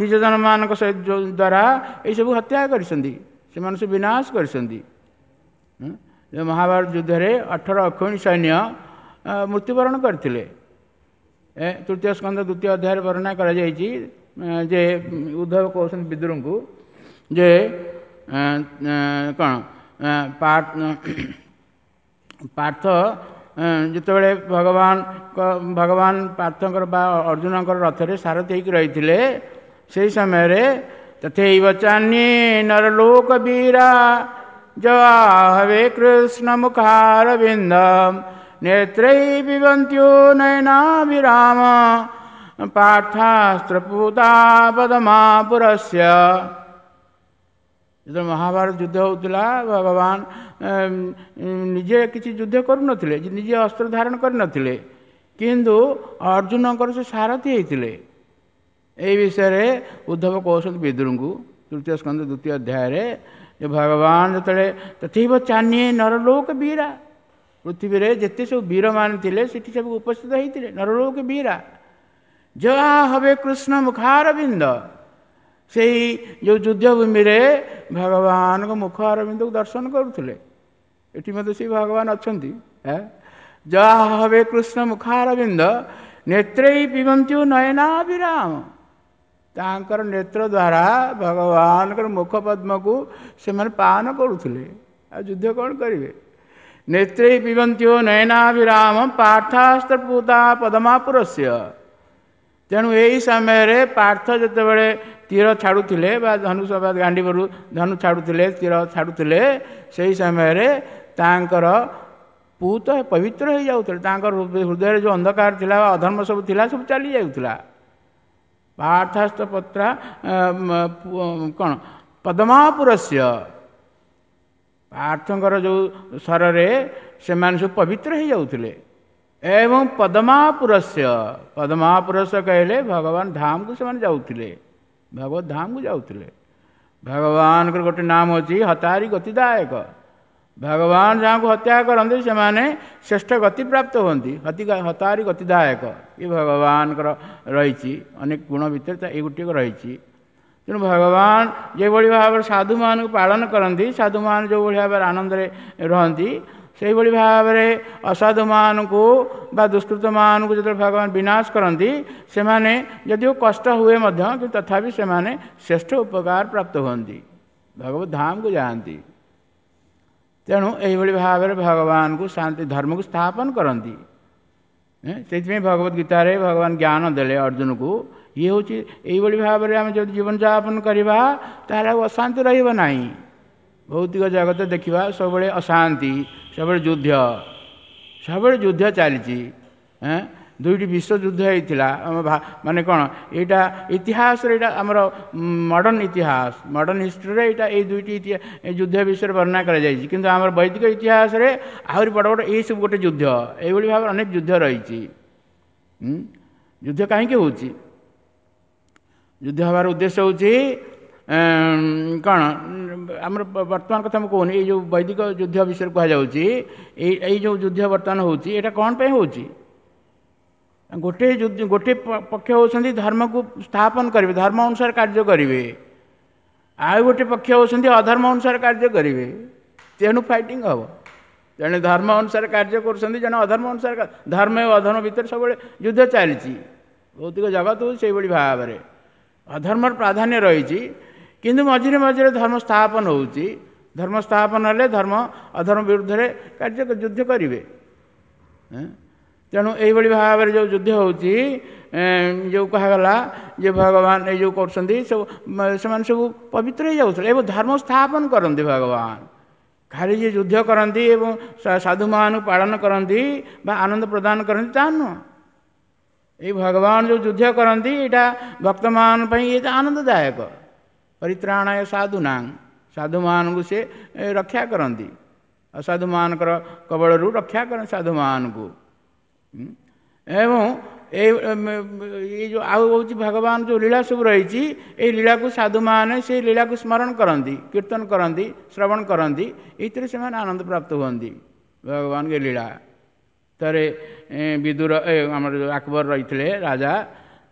ନିଜ ଜନମାନଙ୍କ ସହିତ ଦ୍ୱାରା ଏଇସବୁ ହତ୍ୟା କରିଛନ୍ତି, ସେମାନେ ସବୁ ବିନାଶ କରିଛନ୍ତି। ମହାଭାରତ ଯୁଦ୍ଧରେ ଅଠର ଅକ୍ଷୌହିଣୀ ସୈନ୍ୟ ମୃତ୍ୟୁବରଣ କରିଥିଲେ। ଏ ତୃତୀୟ ସ୍କନ୍ଧ ଦ୍ୱିତୀୟ ଅଧ୍ୟାୟରେ ବର୍ଣ୍ଣନା କରାଯାଇଛି ଯେ ଉଦ୍ଧବ କହୁଛନ୍ତି ବିଦୁରଙ୍କୁ ଯେ କ'ଣ ପାର୍ଥ ଯେତେବେଳେ ଭଗବାନଙ୍କ ଭଗବାନ ପାର୍ଥଙ୍କର ବା ଅର୍ଜୁନଙ୍କର ରଥରେ ସାରଥି ହେଇକି ରହିଥିଲେ, ସେହି ସମୟରେ ତଥୈବ ଚାନ୍ୟେ ନରଲୋକ ବୀରା ଜବାହବେ କୃଷ୍ଣ ମୁଖାରବିନ୍ଦം ନେତ୍ରୈ ପିବନ୍ତ୍ୟୋ ନୟନାଭିରାମ ପାର୍ଥାସ୍ତ୍ରପୂତା ପଦ୍ମାପୁରସ୍ୟ। ଯେତେବେଳେ ମହାଭାରତ ଯୁଦ୍ଧ ହେଉଥିଲା, ଭଗବାନ ନିଜେ କିଛି ଯୁଦ୍ଧ କରୁନଥିଲେ, ନିଜେ ଅସ୍ତ୍ର ଧାରଣ କରିନଥିଲେ, କିନ୍ତୁ ଅର୍ଜୁନଙ୍କର ସେ ସାରଥି ହେଇଥିଲେ। ଏଇ ବିଷୟରେ ଉଦ୍ଧବ କହୁଛନ୍ତି ବିଦୁରଙ୍କୁ ତୃତୀୟ ସ୍କନ୍ଧ ଦ୍ୱିତୀୟ ଅଧ୍ୟାୟରେ ଯେ ଭଗବାନ ଯେତେବେଳେ ତଥୈବ ଚାନ୍ୟେ ନରଲୋକ ବୀରା, ପୃଥିବୀରେ ଯେତେ ସବୁ ବୀରମାନେ ଥିଲେ ସେଠି ସବୁ ଉପସ୍ଥିତ ହେଇଥିଲେ ନରଲୋକ ବୀରା। ଯାହା ହବେ କୃଷ୍ଣ ମୁଖାରବିନ୍ଦ, ସେଇ ଯେଉଁ ଯୁଦ୍ଧଭୂମିରେ ଭଗବାନଙ୍କ ମୁଖ ଅରବିନ୍ଦକୁ ଦର୍ଶନ କରୁଥିଲେ। ଏଠି ମଧ୍ୟ ସେଇ ଭଗବାନ ଅଛନ୍ତି। ଯାହା ହବେ କୃଷ୍ଣ ମୁଖାରବିନ୍ଦ ନେତ୍ରୈ ପିବନ୍ତ୍ୟୁ ନୟନାଭିରାମ, ତାଙ୍କର ନେତ୍ର ଦ୍ୱାରା ଭଗବାନଙ୍କର ମୁଖ ପଦ୍ମକୁ ସେମାନେ ପାନ କରୁଥିଲେ। ଆଉ ଯୁଦ୍ଧ କ'ଣ କରିବେ? ନେତ୍ରୈ ପିବନ୍ତ୍ୟୁ ନୟନାଭିରାମ ପାର୍ଥାସ୍ତ୍ରପୂତା ପଦ୍ମାପୁରସ୍ୟ। ତେଣୁ ଏହି ସମୟରେ ପାର୍ଥ ଯେତେବେଳେ ତୀର ଛାଡ଼ୁଥିଲେ ବା ଧନୁଷ ବା ଗାଣ୍ଡିବରୁ ଧନୁ ଛାଡ଼ୁଥିଲେ, ତୀର ଛାଡ଼ୁଥିଲେ, ସେହି ସମୟରେ ତାଙ୍କର ପୂତ ପବିତ୍ର ହେଇଯାଉଥିଲେ। ତାଙ୍କର ହୃଦୟରେ ଯେଉଁ ଅନ୍ଧକାର ଥିଲା ବା ଅଧର୍ମ ସବୁ ଥିଲା ସବୁ ଚାଲି ଯାଉଥିଲା। ପାର୍ଥାସ୍ତ ପତ୍ରା କ'ଣ ପଦ୍ମାପୁରସ୍ୟ, ପାର୍ଥଙ୍କର ଯେଉଁ ସ୍ୱରରେ ସେମାନେ ସବୁ ପବିତ୍ର ହେଇଯାଉଥିଲେ। ଏବଂ ପଦ୍ମାପୁରସ୍ୟ, ପଦ୍ମାପୁରସ୍ୟ କହିଲେ ଭଗବାନ ଧାମକୁ ସେମାନେ ଯାଉଥିଲେ, ଭଗବତ ଧାମକୁ ଯାଉଥିଲେ। ଭଗବାନଙ୍କର ଗୋଟେ ନାମ ଅଛି ହତାରି ଗତିଦାୟକ। ଭଗବାନ ଯାହାକୁ ହତ୍ୟା କରନ୍ତି ସେମାନେ ଶ୍ରେଷ୍ଠ ଗତି ପ୍ରାପ୍ତ ହୁଅନ୍ତି। ହତି ହତାରି ଗତିଦାୟକ ଏ ଭଗବାନଙ୍କର ରହିଛି ଅନେକ ଗୁଣ ଭିତରେ ତା ଏଇ ଗୋଟିଏ ରହିଛି। ତେଣୁ ଭଗବାନ ଯେଭଳି ଭାବରେ ସାଧୁମାନଙ୍କୁ ପାଳନ କରନ୍ତି, ସାଧୁମାନେ ଯେଉଁଭଳି ଭାବରେ ଆନନ୍ଦରେ ରହନ୍ତି, ସେଇଭଳି ଭାବରେ ଅସାଧୁମାନଙ୍କୁ ବା ଦୁଷ୍କୃତମାନଙ୍କୁ ଯେତେବେଳେ ଭଗବାନ ବିନାଶ କରନ୍ତି, ସେମାନେ ଯଦିଓ କଷ୍ଟ ହୁଏ ମଧ୍ୟ, କିନ୍ତୁ ତଥାପି ସେମାନେ ଶ୍ରେଷ୍ଠ ଉପକାର ପ୍ରାପ୍ତ ହୁଅନ୍ତି, ଭଗବତ ଧାମକୁ ଯାଆନ୍ତି। ତେଣୁ ଏଇଭଳି ଭାବରେ ଭଗବାନଙ୍କୁ ଶାନ୍ତି ଧର୍ମକୁ ସ୍ଥାପନ କରନ୍ତି। ସେଇଥିପାଇଁ ଭଗବତ ଗୀତାରେ ଭଗବାନ ଜ୍ଞାନ ଦେଲେ ଅର୍ଜୁନକୁ। ଇଏ ହେଉଛି ଏଇଭଳି ଭାବରେ ଆମେ ଯଦି ଜୀବନଯାପନ କରିବା ତାହେଲେ ଆଉ ଅଶାନ୍ତି ରହିବ ନାହିଁ। ଭୌତିକ ଜଗତ ଦେଖିବା ସବୁବେଳେ ଅଶାନ୍ତି, ସବୁବେଳେ ଯୁଦ୍ଧ, ସବୁବେଳେ ଯୁଦ୍ଧ ଚାଲିଛି। ଦୁଇଟି ବିଶ୍ୱଯୁଦ୍ଧ ହେଇଥିଲା ଆମ, ମାନେ କ'ଣ ଏଇଟା ଇତିହାସରେ, ଏଇଟା ଆମର ମଡ଼ର୍ଣ୍ଣ ଇତିହାସ, ମଡ଼ର୍ଣ୍ଣ ହିଷ୍ଟ୍ରିରେ ଏଇଟା ଏଇ ଦୁଇଟି ଯୁଦ୍ଧ ବିଷୟରେ ବର୍ଣ୍ଣନା କରାଯାଇଛି। କିନ୍ତୁ ଆମର ବୈଦିକ ଇତିହାସରେ ଆହୁରି ବଡ଼ ବଡ଼ ଏଇସବୁ ଗୋଟେ ଯୁଦ୍ଧ, ଏଇଭଳି ଭାବରେ ଅନେକ ଯୁଦ୍ଧ ରହିଛି। ଯୁଦ୍ଧ କାହିଁକି ହେଉଛି? ଯୁଦ୍ଧ ହେବାର ଉଦ୍ଦେଶ୍ୟ ହେଉଛି କ'ଣ? ଆମର ବର୍ତ୍ତମାନ କଥା ମୁଁ କହୁନି, ଏଇ ଯେଉଁ ବୈଦିକ ଯୁଦ୍ଧ ବିଷୟରେ କୁହାଯାଉଛି। ଏଇ ଏଇ ଯେଉଁ ଯୁଦ୍ଧ ବର୍ତ୍ତମାନ ହେଉଛି, ଏଇଟା କ'ଣ ପାଇଁ ହେଉଛି? ଗୋଟେ ଯୁଦ୍ଧ, ଗୋଟେ ପକ୍ଷ ହେଉଛନ୍ତି ଧର୍ମକୁ ସ୍ଥାପନ କରିବେ, ଧର୍ମ ଅନୁସାରେ କାର୍ଯ୍ୟ କରିବେ, ଆଉ ଗୋଟେ ପକ୍ଷ ହେଉଛନ୍ତି ଅଧର୍ମ ଅନୁସାରେ କାର୍ଯ୍ୟ କରିବେ। ତେଣୁ ଫାଇଟିଂ ହେବ। ଜଣେ ଧର୍ମ ଅନୁସାରେ କାର୍ଯ୍ୟ କରୁଛନ୍ତି, ଜଣେ ଅଧର୍ମ ଅନୁସାରେ। ଧର୍ମ ଓ ଅଧର୍ମ ଭିତରେ ସବୁବେଳେ ଯୁଦ୍ଧ ଚାଲିଛି। ଭୌତିକ ଜଗତ ହେଉଛି ସେଇଭଳି ଭାବରେ ଅଧର୍ମର ପ୍ରାଧାନ୍ୟ ରହିଛି, କିନ୍ତୁ ମଝିରେ ମଝିରେ ଧର୍ମ ସ୍ଥାପନ ହେଉଛି। ଧର୍ମ ସ୍ଥାପନ ହେଲେ ଧର୍ମ ଅଧର୍ମ ବିରୁଦ୍ଧରେ କାର୍ଯ୍ୟ ଯୁଦ୍ଧ କରିବେ। ତେଣୁ ଏଇଭଳି ଭାବରେ ଯେଉଁ ଯୁଦ୍ଧ ହେଉଛି, ଯେଉଁ କୁହାଗଲା ଯେ ଭଗବାନ ଏଇ ଯେଉଁ କରୁଛନ୍ତି ସବୁ, ସେମାନେ ସବୁ ପବିତ୍ର ହେଇଯାଉଥିଲେ ଏବଂ ଧର୍ମ ସ୍ଥାପନ କରନ୍ତି। ଭଗବାନ ଖାଲି ଯେ ଯୁଦ୍ଧ କରନ୍ତି ଏବଂ ସାଧୁମାନଙ୍କୁ ପାଳନ କରନ୍ତି ବା ଆନନ୍ଦ ପ୍ରଦାନ କରନ୍ତି ତାହା ନୁହଁ। ଏଇ ଭଗବାନ ଯେଉଁ ଯୁଦ୍ଧ କରନ୍ତି ଏଇଟା ଭକ୍ତମାନଙ୍କ ପାଇଁ ଏଇଟା ଆନନ୍ଦଦାୟକ। ପରିତ୍ରାଣାୟ ସାଧୁନାଂ, ସାଧୁମାନଙ୍କୁ ସେ ରକ୍ଷା କରନ୍ତି, ଅସାଧୁମାନଙ୍କର କବଳରୁ ରକ୍ଷା କରନ୍ତି ସାଧୁମାନଙ୍କୁ। ଏବଂ ଏଇ ଏଇ ଯେଉଁ ଆଉ ହେଉଛି ଭଗବାନ ଯେଉଁ ଲୀଳା ସବୁ ରହିଛି, ଏଇ ଲୀଳାକୁ ସାଧୁମାନେ ସେଇ ଲୀଳାକୁ ସ୍ମରଣ କରନ୍ତି, କୀର୍ତ୍ତନ କରନ୍ତି, ଶ୍ରବଣ କରନ୍ତି, ଏଇଥିରେ ସେମାନେ ଆନନ୍ଦ ପ୍ରାପ୍ତ ହୁଅନ୍ତି ଭଗବାନଙ୍କ ଲୀଳା। ଥରେ ବିଦୁର ଆମର ଯେଉଁ ଆକବର ରହିଥିଲେ ରାଜା,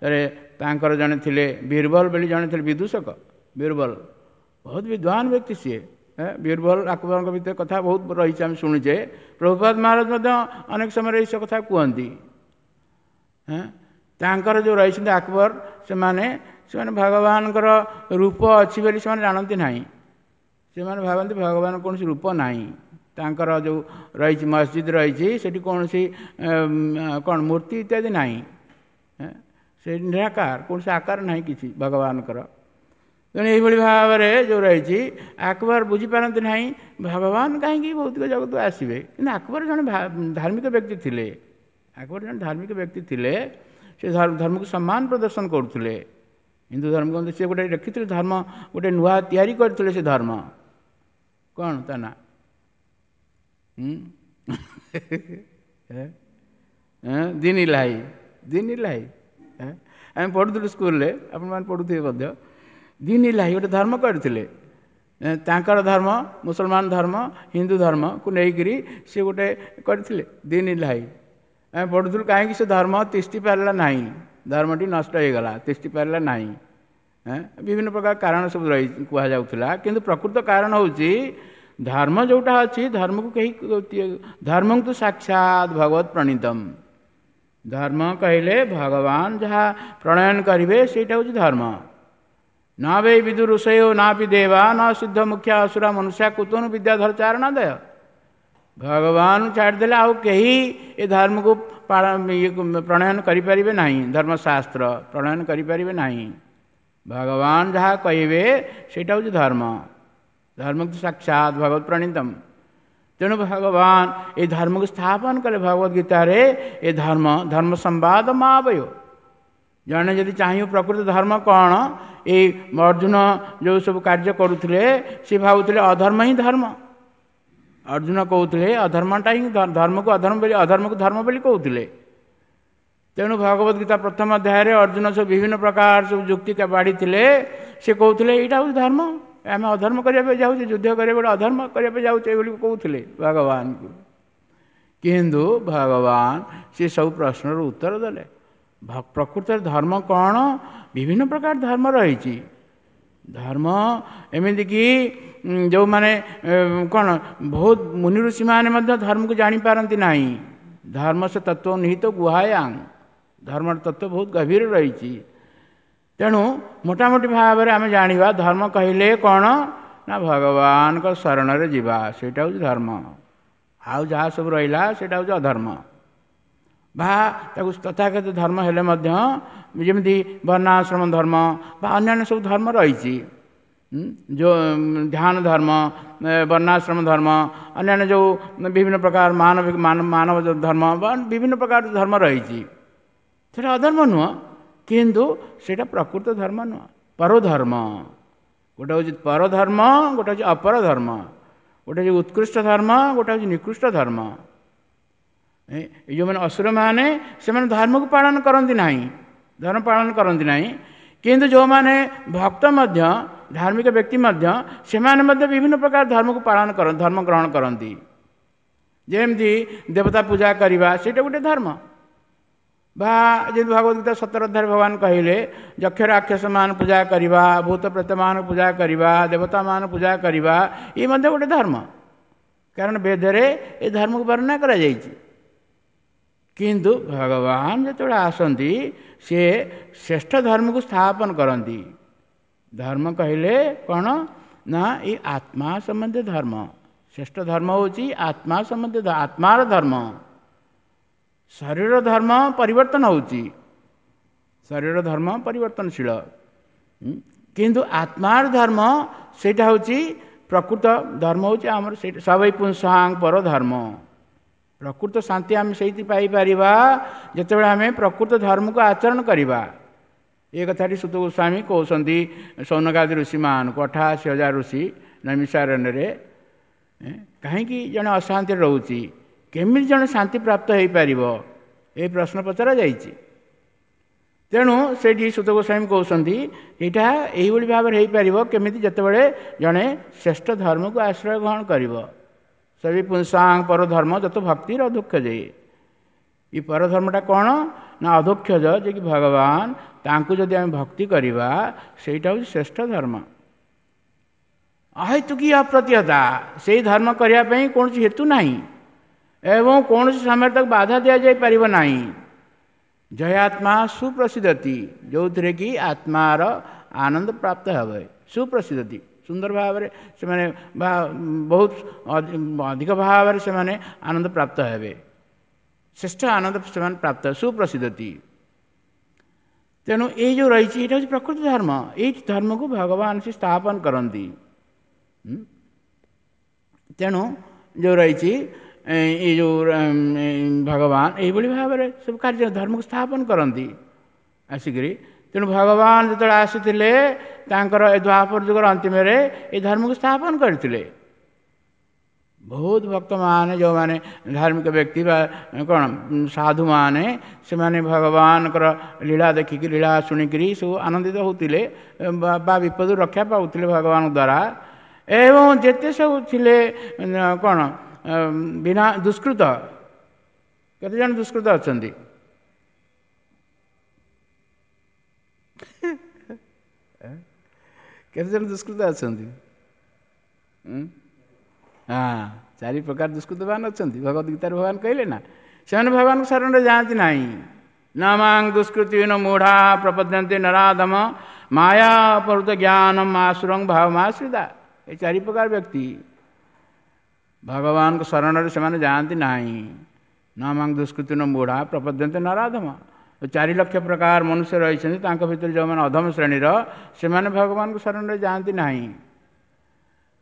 ଥରେ ତାଙ୍କର ଜଣେ ଥିଲେ ବୀରବଲ ବୋଲି ଜଣେ ଥିଲେ ବିଦୂଷକ। ବୀରବଲ ବହୁତ ବିଦ୍ୱାନ ବ୍ୟକ୍ତି ସିଏ। ବୀରବଲ ଆକବରଙ୍କ ଭିତରେ କଥା ବହୁତ ରହିଛି, ଆମେ ଶୁଣୁଛେ। ପ୍ରଭୁପାଦ ମହାରାଜ ମଧ୍ୟ ଅନେକ ସମୟରେ ଏଇସବୁ କଥା କୁହନ୍ତି। ତାଙ୍କର ଯେଉଁ ରହିଛନ୍ତି ଆକବର, ସେମାନେ ସେମାନେ ଭଗବାନଙ୍କର ରୂପ ଅଛି ବୋଲି ସେମାନେ ଜାଣନ୍ତି ନାହିଁ। ସେମାନେ ଭାବନ୍ତି ଭଗବାନ କୌଣସି ରୂପ ନାହିଁ। ତାଙ୍କର ଯେଉଁ ରହିଛି ମସଜିଦ ରହିଛି, ସେଠି କୌଣସି କ'ଣ ମୂର୍ତ୍ତି ଇତ୍ୟାଦି ନାହିଁ, ସେ ନିରାକାର, କୌଣସି ଆକାର ନାହିଁ କିଛି ଭଗବାନଙ୍କର। ତେଣୁ ଏଇଭଳି ଭାବରେ ଯେଉଁ ରହିଛି ଆକବର ବୁଝିପାରନ୍ତି ନାହିଁ ଭଗବାନ କାହିଁକି ଭୌତିକ ଜଗତକୁ ଆସିବେ। କିନ୍ତୁ ଆକବର ଜଣେ ଧାର୍ମିକ ବ୍ୟକ୍ତି ଥିଲେ, ଆକବର ଜଣେ ଧାର୍ମିକ ବ୍ୟକ୍ତି ଥିଲେ, ସେ ଧର୍ମକୁ ସମ୍ମାନ ପ୍ରଦର୍ଶନ କରୁଥିଲେ। ହିନ୍ଦୁ ଧର୍ମ ସେ ଗୋଟେ ରଖିଥିଲେ, ଧର୍ମ ଗୋଟେ ନୂଆ ତିଆରି କରିଥିଲେ। ସେ ଧର୍ମ କ'ଣ ତା ନା? ଦିନ ଇଲାହି, ଦିନ ଇଲାହି ଆମେ ପଢ଼ୁଥିଲୁ ସ୍କୁଲରେ, ଆପଣମାନେ ପଢ଼ୁଥିବେ ମଧ୍ୟ। ଦିନ ଇଲାହି ଗୋଟେ ଧର୍ମ କରିଥିଲେ। ତାଙ୍କର ଧର୍ମ ମୁସଲମାନ ଧର୍ମ ହିନ୍ଦୁ ଧର୍ମକୁ ନେଇକରି ସେ ଗୋଟେ କରିଥିଲେ ଦିନ ଇଲାହି। ଆମେ ପଢ଼ୁଥିଲୁ କାହିଁକି ସେ ଧର୍ମ ତିଷ୍ଠି ପାରିଲା ନାହିଁ, ଧର୍ମଟି ନଷ୍ଟ ହେଇଗଲା, ତିଷ୍ଠି ପାରିଲା ନାହିଁ। ବିଭିନ୍ନ ପ୍ରକାର କାରଣ ସବୁ ରହି କୁହାଯାଉଥିଲା, କିନ୍ତୁ ପ୍ରକୃତ କାରଣ ହେଉଛି ଧର୍ମ ଯେଉଁଟା ଅଛି, ଧର୍ମକୁ କେହି, ଧର୍ମକୁ ସାକ୍ଷାତ ଭଗବତ ପ୍ରଣୀତମ। ଧର୍ମ କହିଲେ ଭଗବାନ ଯାହା ପ୍ରଣୟନ କରିବେ ସେଇଟା ହେଉଛି ଧର୍ମ। ନା ବେ ବିଦୁ ଋଷୟ ନା ପି ଦେବା ନା ସିଦ୍ଧ ମୁଖ୍ୟ ଅସୁରା ମନୁଷ୍ୟ କୁତୁନ ବିଦ୍ୟାଧର ଚାରଣାଦୟ। ଭଗବାନ ଛାଡ଼ିଦେଲେ ଆଉ କେହି ଏ ଧର୍ମକୁ ପ୍ରଣୟନ କରିପାରିବେ ନାହିଁ, ଧର୍ମଶାସ୍ତ୍ର ପ୍ରଣୟନ କରିପାରିବେ ନାହିଁ। ଭଗବାନ ଯାହା କହିବେ ସେଇଟା ହେଉଛି ଧର୍ମ। ଧର୍ମକୁ ସାକ୍ଷାତ ଭଗବତ ପ୍ରଣୀତମ। ତେଣୁ ଭଗବାନ ଏ ଧର୍ମକୁ ସ୍ଥାପନ କଲେ ଭଗବତ ଗୀତାରେ। ଏ ଧର୍ମ ଧର୍ମ ସମ୍ବାଦ ମାବୟ। ଜଣେ ଯଦି ଚାହିଁବ ପ୍ରକୃତ ଧର୍ମ କ'ଣ, ଏଇ ଅର୍ଜୁନ ଯେଉଁ ସବୁ କାର୍ଯ୍ୟ କରୁଥିଲେ ସେ ଭାବୁଥିଲେ ଅଧର୍ମ ହିଁ ଧର୍ମ। ଅର୍ଜୁନ କହୁଥିଲେ ଅଧର୍ମଟା ହିଁ ଧର୍ମକୁ ଅଧର୍ମ ବୋଲି, ଅଧର୍ମକୁ ଧର୍ମ ବୋଲି କହୁଥିଲେ। ତେଣୁ ଭଗବତ ଗୀତା ପ୍ରଥମ ଅଧ୍ୟାୟରେ ଅର୍ଜୁନ ସବୁ ବିଭିନ୍ନ ପ୍ରକାର ସବୁ ଯୁକ୍ତି ବାଢ଼ିଥିଲେ। ସେ କହୁଥିଲେ ଏଇଟା ହେଉଛି ଧର୍ମ, ଆମେ ଅଧର୍ମ କରିବା ପାଇଁ ଯାଉଛେ, ଯୁଦ୍ଧ କରିବା ଗୋଟେ ଅଧର୍ମ କରିବା ପାଇଁ ଯାଉଛେ ବୋଲି କହୁଥିଲେ ଭଗବାନଙ୍କୁ। କିନ୍ତୁ ଭଗବାନ ସେ ସବୁ ପ୍ରଶ୍ନର ଉତ୍ତର ଦେଲେ। ପ୍ରକୃତରେ ଧର୍ମ କ'ଣ? ବିଭିନ୍ନ ପ୍ରକାର ଧର୍ମ ରହିଛି। ଧର୍ମ ଏମିତିକି ଯେଉଁମାନେ କ'ଣ ବହୁତ ମୁନି ଋଷିମାନେ ମଧ୍ୟ ଧର୍ମକୁ ଜାଣିପାରନ୍ତି ନାହିଁ। ଧର୍ମ ସେ ତତ୍ତ୍ୱ ନିହିତ ଗୁହାୟାଂ, ଧର୍ମର ତତ୍ତ୍ୱ ବହୁତ ଗଭୀର ରହିଛି। ତେଣୁ ମୋଟାମୋଟି ଭାବରେ ଆମେ ଜାଣିବା ଧର୍ମ କହିଲେ କ'ଣ ନା ଭଗବାନଙ୍କ ଶରଣରେ ଯିବା, ସେଇଟା ହେଉଛି ଧର୍ମ। ଆଉ ଯାହା ସବୁ ରହିଲା ସେଇଟା ହେଉଛି ଅଧର୍ମ। ବା ତାକୁ ତଥାକଥିତ ଧର୍ମ ହେଲେ ମଧ୍ୟ ଯେମିତି ବର୍ଣ୍ଣାଶ୍ରମ ଧର୍ମ ବା ଅନ୍ୟାନ୍ୟ ସବୁ ଧର୍ମ ରହିଛି, ଯେଉଁ ଧ୍ୟାନ ଧର୍ମ, ବର୍ଣ୍ଣାଶ୍ରମ ଧର୍ମ, ଅନ୍ୟାନ୍ୟ ଯେଉଁ ବିଭିନ୍ନ ପ୍ରକାର ମାନବିକ ମାନବ ଧର୍ମ ବା ବିଭିନ୍ନ ପ୍ରକାର ଧର୍ମ ରହିଛି, ସେଇଟା ଅଧର୍ମ ନୁହଁ, କିନ୍ତୁ ସେଇଟା ପ୍ରକୃତ ଧର୍ମ ନୁହଁ, ପରଧର୍ମ। ଗୋଟେ ହେଉଛି ପରଧର୍ମ, ଗୋଟେ ହେଉଛି ଅପର ଧର୍ମ। ଗୋଟେ ହେଉଛି ଉତ୍କୃଷ୍ଟ ଧର୍ମ, ଗୋଟେ ହେଉଛି ନିକୃଷ୍ଟ ଧର୍ମ। ଏ ଯେଉଁମାନେ ଅସୁରମାନେ ସେମାନେ ଧର୍ମକୁ ପାଳନ କରନ୍ତି ନାହିଁ, ଧର୍ମ ପାଳନ କରନ୍ତି ନାହିଁ। କିନ୍ତୁ ଯେଉଁମାନେ ଭକ୍ତ ମଧ୍ୟ, ଧାର୍ମିକ ବ୍ୟକ୍ତି ମଧ୍ୟ, ସେମାନେ ମଧ୍ୟ ବିଭିନ୍ନ ପ୍ରକାର ଧର୍ମକୁ ପାଳନ କରନ୍ତି, ଧର୍ମ ଗ୍ରହଣ କରନ୍ତି। ଯେମିତି ଦେବତା ପୂଜା କରିବା, ସେଇଟା ଗୋଟେ ଧର୍ମ। ବା ଯେମିତି ଭଗବତ ଗୀତା ସତର ଅଧ୍ୟାୟରେ ଭଗବାନ କହିଲେ ଯକ୍ଷ ରାକ୍ଷସମାନ ପୂଜା କରିବା, ଭୂତ ପ୍ରେତମାନ ପୂଜା କରିବା, ଦେବତାମାନ ପୂଜା କରିବା, ଇଏ ମଧ୍ୟ ଗୋଟେ ଧର୍ମ। କାରଣ ବେଦରେ ଏ ଧର୍ମକୁ ବର୍ଣ୍ଣନା କରାଯାଇଛି। କିନ୍ତୁ ଭଗବାନ ଯେତେବେଳେ ଆସନ୍ତି ସେ ଶ୍ରେଷ୍ଠ ଧର୍ମକୁ ସ୍ଥାପନ କରନ୍ତି। ଧର୍ମ କହିଲେ କ'ଣ ନା ଏଇ ଆତ୍ମା ସମ୍ବନ୍ଧୀୟ ଧର୍ମ। ଶ୍ରେଷ୍ଠ ଧର୍ମ ହେଉଛି ଆତ୍ମା ସମ୍ବନ୍ଧୀୟ, ଆତ୍ମାର ଧର୍ମ। ଶରୀର ଧର୍ମ ପରିବର୍ତ୍ତନ ହେଉଛି, ଶରୀର ଧର୍ମ ପରିବର୍ତ୍ତନଶୀଳ, କିନ୍ତୁ ଆତ୍ମାର ଧର୍ମ ସେଇଟା ହେଉଛି ପ୍ରକୃତ ଧର୍ମ। ହେଉଛି ଆମର ସେଇଟା ସବୈ ପୁଂସାଂ ପର ଧର୍ମ। ପ୍ରକୃତ ଶାନ୍ତି ଆମେ ସେଇଠି ପାଇପାରିବା ଯେତେବେଳେ ଆମେ ପ୍ରକୃତ ଧର୍ମକୁ ଆଚରଣ କରିବା। ଏ କଥାଟି ସୁତ ଗୋସ୍ୱାମୀ କହୁଛନ୍ତି ସୌନକାଦି ଋଷିମାନଙ୍କୁ, ଅଠାଅଶୀ ହଜାର ଋଷି ନୈମିଷାରଣ୍ୟରେ। କାହିଁକି ଜଣେ ଅଶାନ୍ତିରେ ରହୁଛି, କେମିତି ଜଣେ ଶାନ୍ତି ପ୍ରାପ୍ତ ହେଇପାରିବ, ଏ ପ୍ରଶ୍ନ ପଚରା ଯାଇଛି। ତେଣୁ ସେଇଠି ସୁତ ଗୋସ୍ୱାମୀ କହୁଛନ୍ତି ଏଇଟା ଏଇଭଳି ଭାବରେ ହେଇପାରିବ କେମିତି, ଯେତେବେଳେ ଜଣେ ଶ୍ରେଷ୍ଠ ଧର୍ମକୁ ଆଶ୍ରୟ ଗ୍ରହଣ କରିବ। ସବି ପୁଂସାଂ ପରଧର୍ମ ଯତ ଭକ୍ତିର ଅଧୋକ୍ଷ ଯାଇ। ଏ ପରଧର୍ମଟା କ'ଣ ନା ଅଧୋକ୍ଷଜ, ଯେ କି ଭଗବାନ, ତାଙ୍କୁ ଯଦି ଆମେ ଭକ୍ତି କରିବା ସେଇଟା ହେଉଛି ଶ୍ରେଷ୍ଠ ଧର୍ମ। ଅହେତୁକୀ ଅପ୍ରତିହତା, ସେଇ ଧର୍ମ କରିବା ପାଇଁ କୌଣସି ହେତୁ ନାହିଁ ଏବଂ କୌଣସି ସମୟରେ ତାକୁ ବାଧା ଦିଆଯାଇପାରିବ ନାହିଁ। ଜୟାତ୍ମା ସୁପ୍ରସିଦ୍ଧତି, ଯେଉଁଥିରେ କି ଆତ୍ମାର ଆନନ୍ଦ ପ୍ରାପ୍ତ ହେବ। ସୁପ୍ରସିଦ୍ଧତି, ସୁନ୍ଦର ଭାବରେ ସେମାନେ ବା ବହୁତ ଅଧିକ ଭାବରେ ସେମାନେ ଆନନ୍ଦ ପ୍ରାପ୍ତ ହେବେ, ଶ୍ରେଷ୍ଠ ଆନନ୍ଦ ସେମାନେ ପ୍ରାପ୍ତ, ସୁପ୍ରସିଦ୍ଧତି। ତେଣୁ ଏଇ ଯେଉଁ ରହିଛି ଏଇଟା ହେଉଛି ପ୍ରକୃତ ଧର୍ମ। ଏଇ ଧର୍ମକୁ ଭଗବାନ ସେ ସ୍ଥାପନ କରନ୍ତି। ତେଣୁ ଯେଉଁ ରହିଛି ଏଇ ଯେଉଁ ଭଗବାନ ଏଇଭଳି ଭାବରେ ସବୁ କାର୍ଯ୍ୟ ଧର୍ମକୁ ସ୍ଥାପନ କରନ୍ତି ଆସିକରି। ତେଣୁ ଭଗବାନ ଯେତେବେଳେ ଆସିଥିଲେ ତାଙ୍କର ଏ ଦ୍ୱାପର ଯୁଗର ଅନ୍ତିମରେ ଏ ଧର୍ମକୁ ସ୍ଥାପନ କରିଥିଲେ। ବହୁତ ଭକ୍ତମାନେ, ଯେଉଁମାନେ ଧାର୍ମିକ ବ୍ୟକ୍ତି ବା କ'ଣ ସାଧୁମାନେ, ସେମାନେ ଭଗବାନଙ୍କର ଲୀଳା ଦେଖିକି, ଲୀଳା ଶୁଣିକିରି ସବୁ ଆନନ୍ଦିତ ହେଉଥିଲେ ବା ବିପଦରୁ ରକ୍ଷା ପାଉଥିଲେ ଭଗବାନଙ୍କ ଦ୍ୱାରା। ଏବଂ ଯେତେ ସବୁ ଥିଲେ କ'ଣ ବିନା ଦୁଷ୍କୃତ, କେତେ ଜଣ ଦୁଷ୍କୃତ ଅଛନ୍ତି? କେତେ ଜଣ ଦୁଷ୍କୃତ ଅଛନ୍ତି? ହଁ, ଚାରି ପ୍ରକାର ଦୁଷ୍କୃତବାନ ଅଛନ୍ତି। ଭଗବତ ଗୀତାରେ ଭଗବାନ କହିଲେ ନା, ସେମାନେ ଭଗବାନଙ୍କ ଶରଣରେ ଯାଆନ୍ତି ନାହିଁ। ନ ମାଂ ଦୁଷ୍କୃତି ନ ମୂଢ଼ା ପ୍ରପଦ୍ୟନ୍ତେ ନରାଧମ ମାୟା ଅପହୃତ ଜ୍ଞାନ ମାସୁରଂ ଭାବମାଶ୍ରିତା। ଏ ଚାରି ପ୍ରକାର ବ୍ୟକ୍ତି ଭଗବାନଙ୍କ ଶରଣରେ ସେମାନେ ଯାଆନ୍ତି ନାହିଁ। ନ ମାଂ ଦୁଷ୍କୃତି ନ ମୂଢ଼ା ପ୍ରପଦ୍ୟନ୍ତେ ନରାଧମ। ଚାରି ଲକ୍ଷ ପ୍ରକାର ମନୁଷ୍ୟ ରହିଛନ୍ତି, ତାଙ୍କ ଭିତରେ ଯେଉଁମାନେ ଅଧମ ଶ୍ରେଣୀର ସେମାନେ ଭଗବାନଙ୍କ ଶରଣରେ ଯାଆନ୍ତି ନାହିଁ।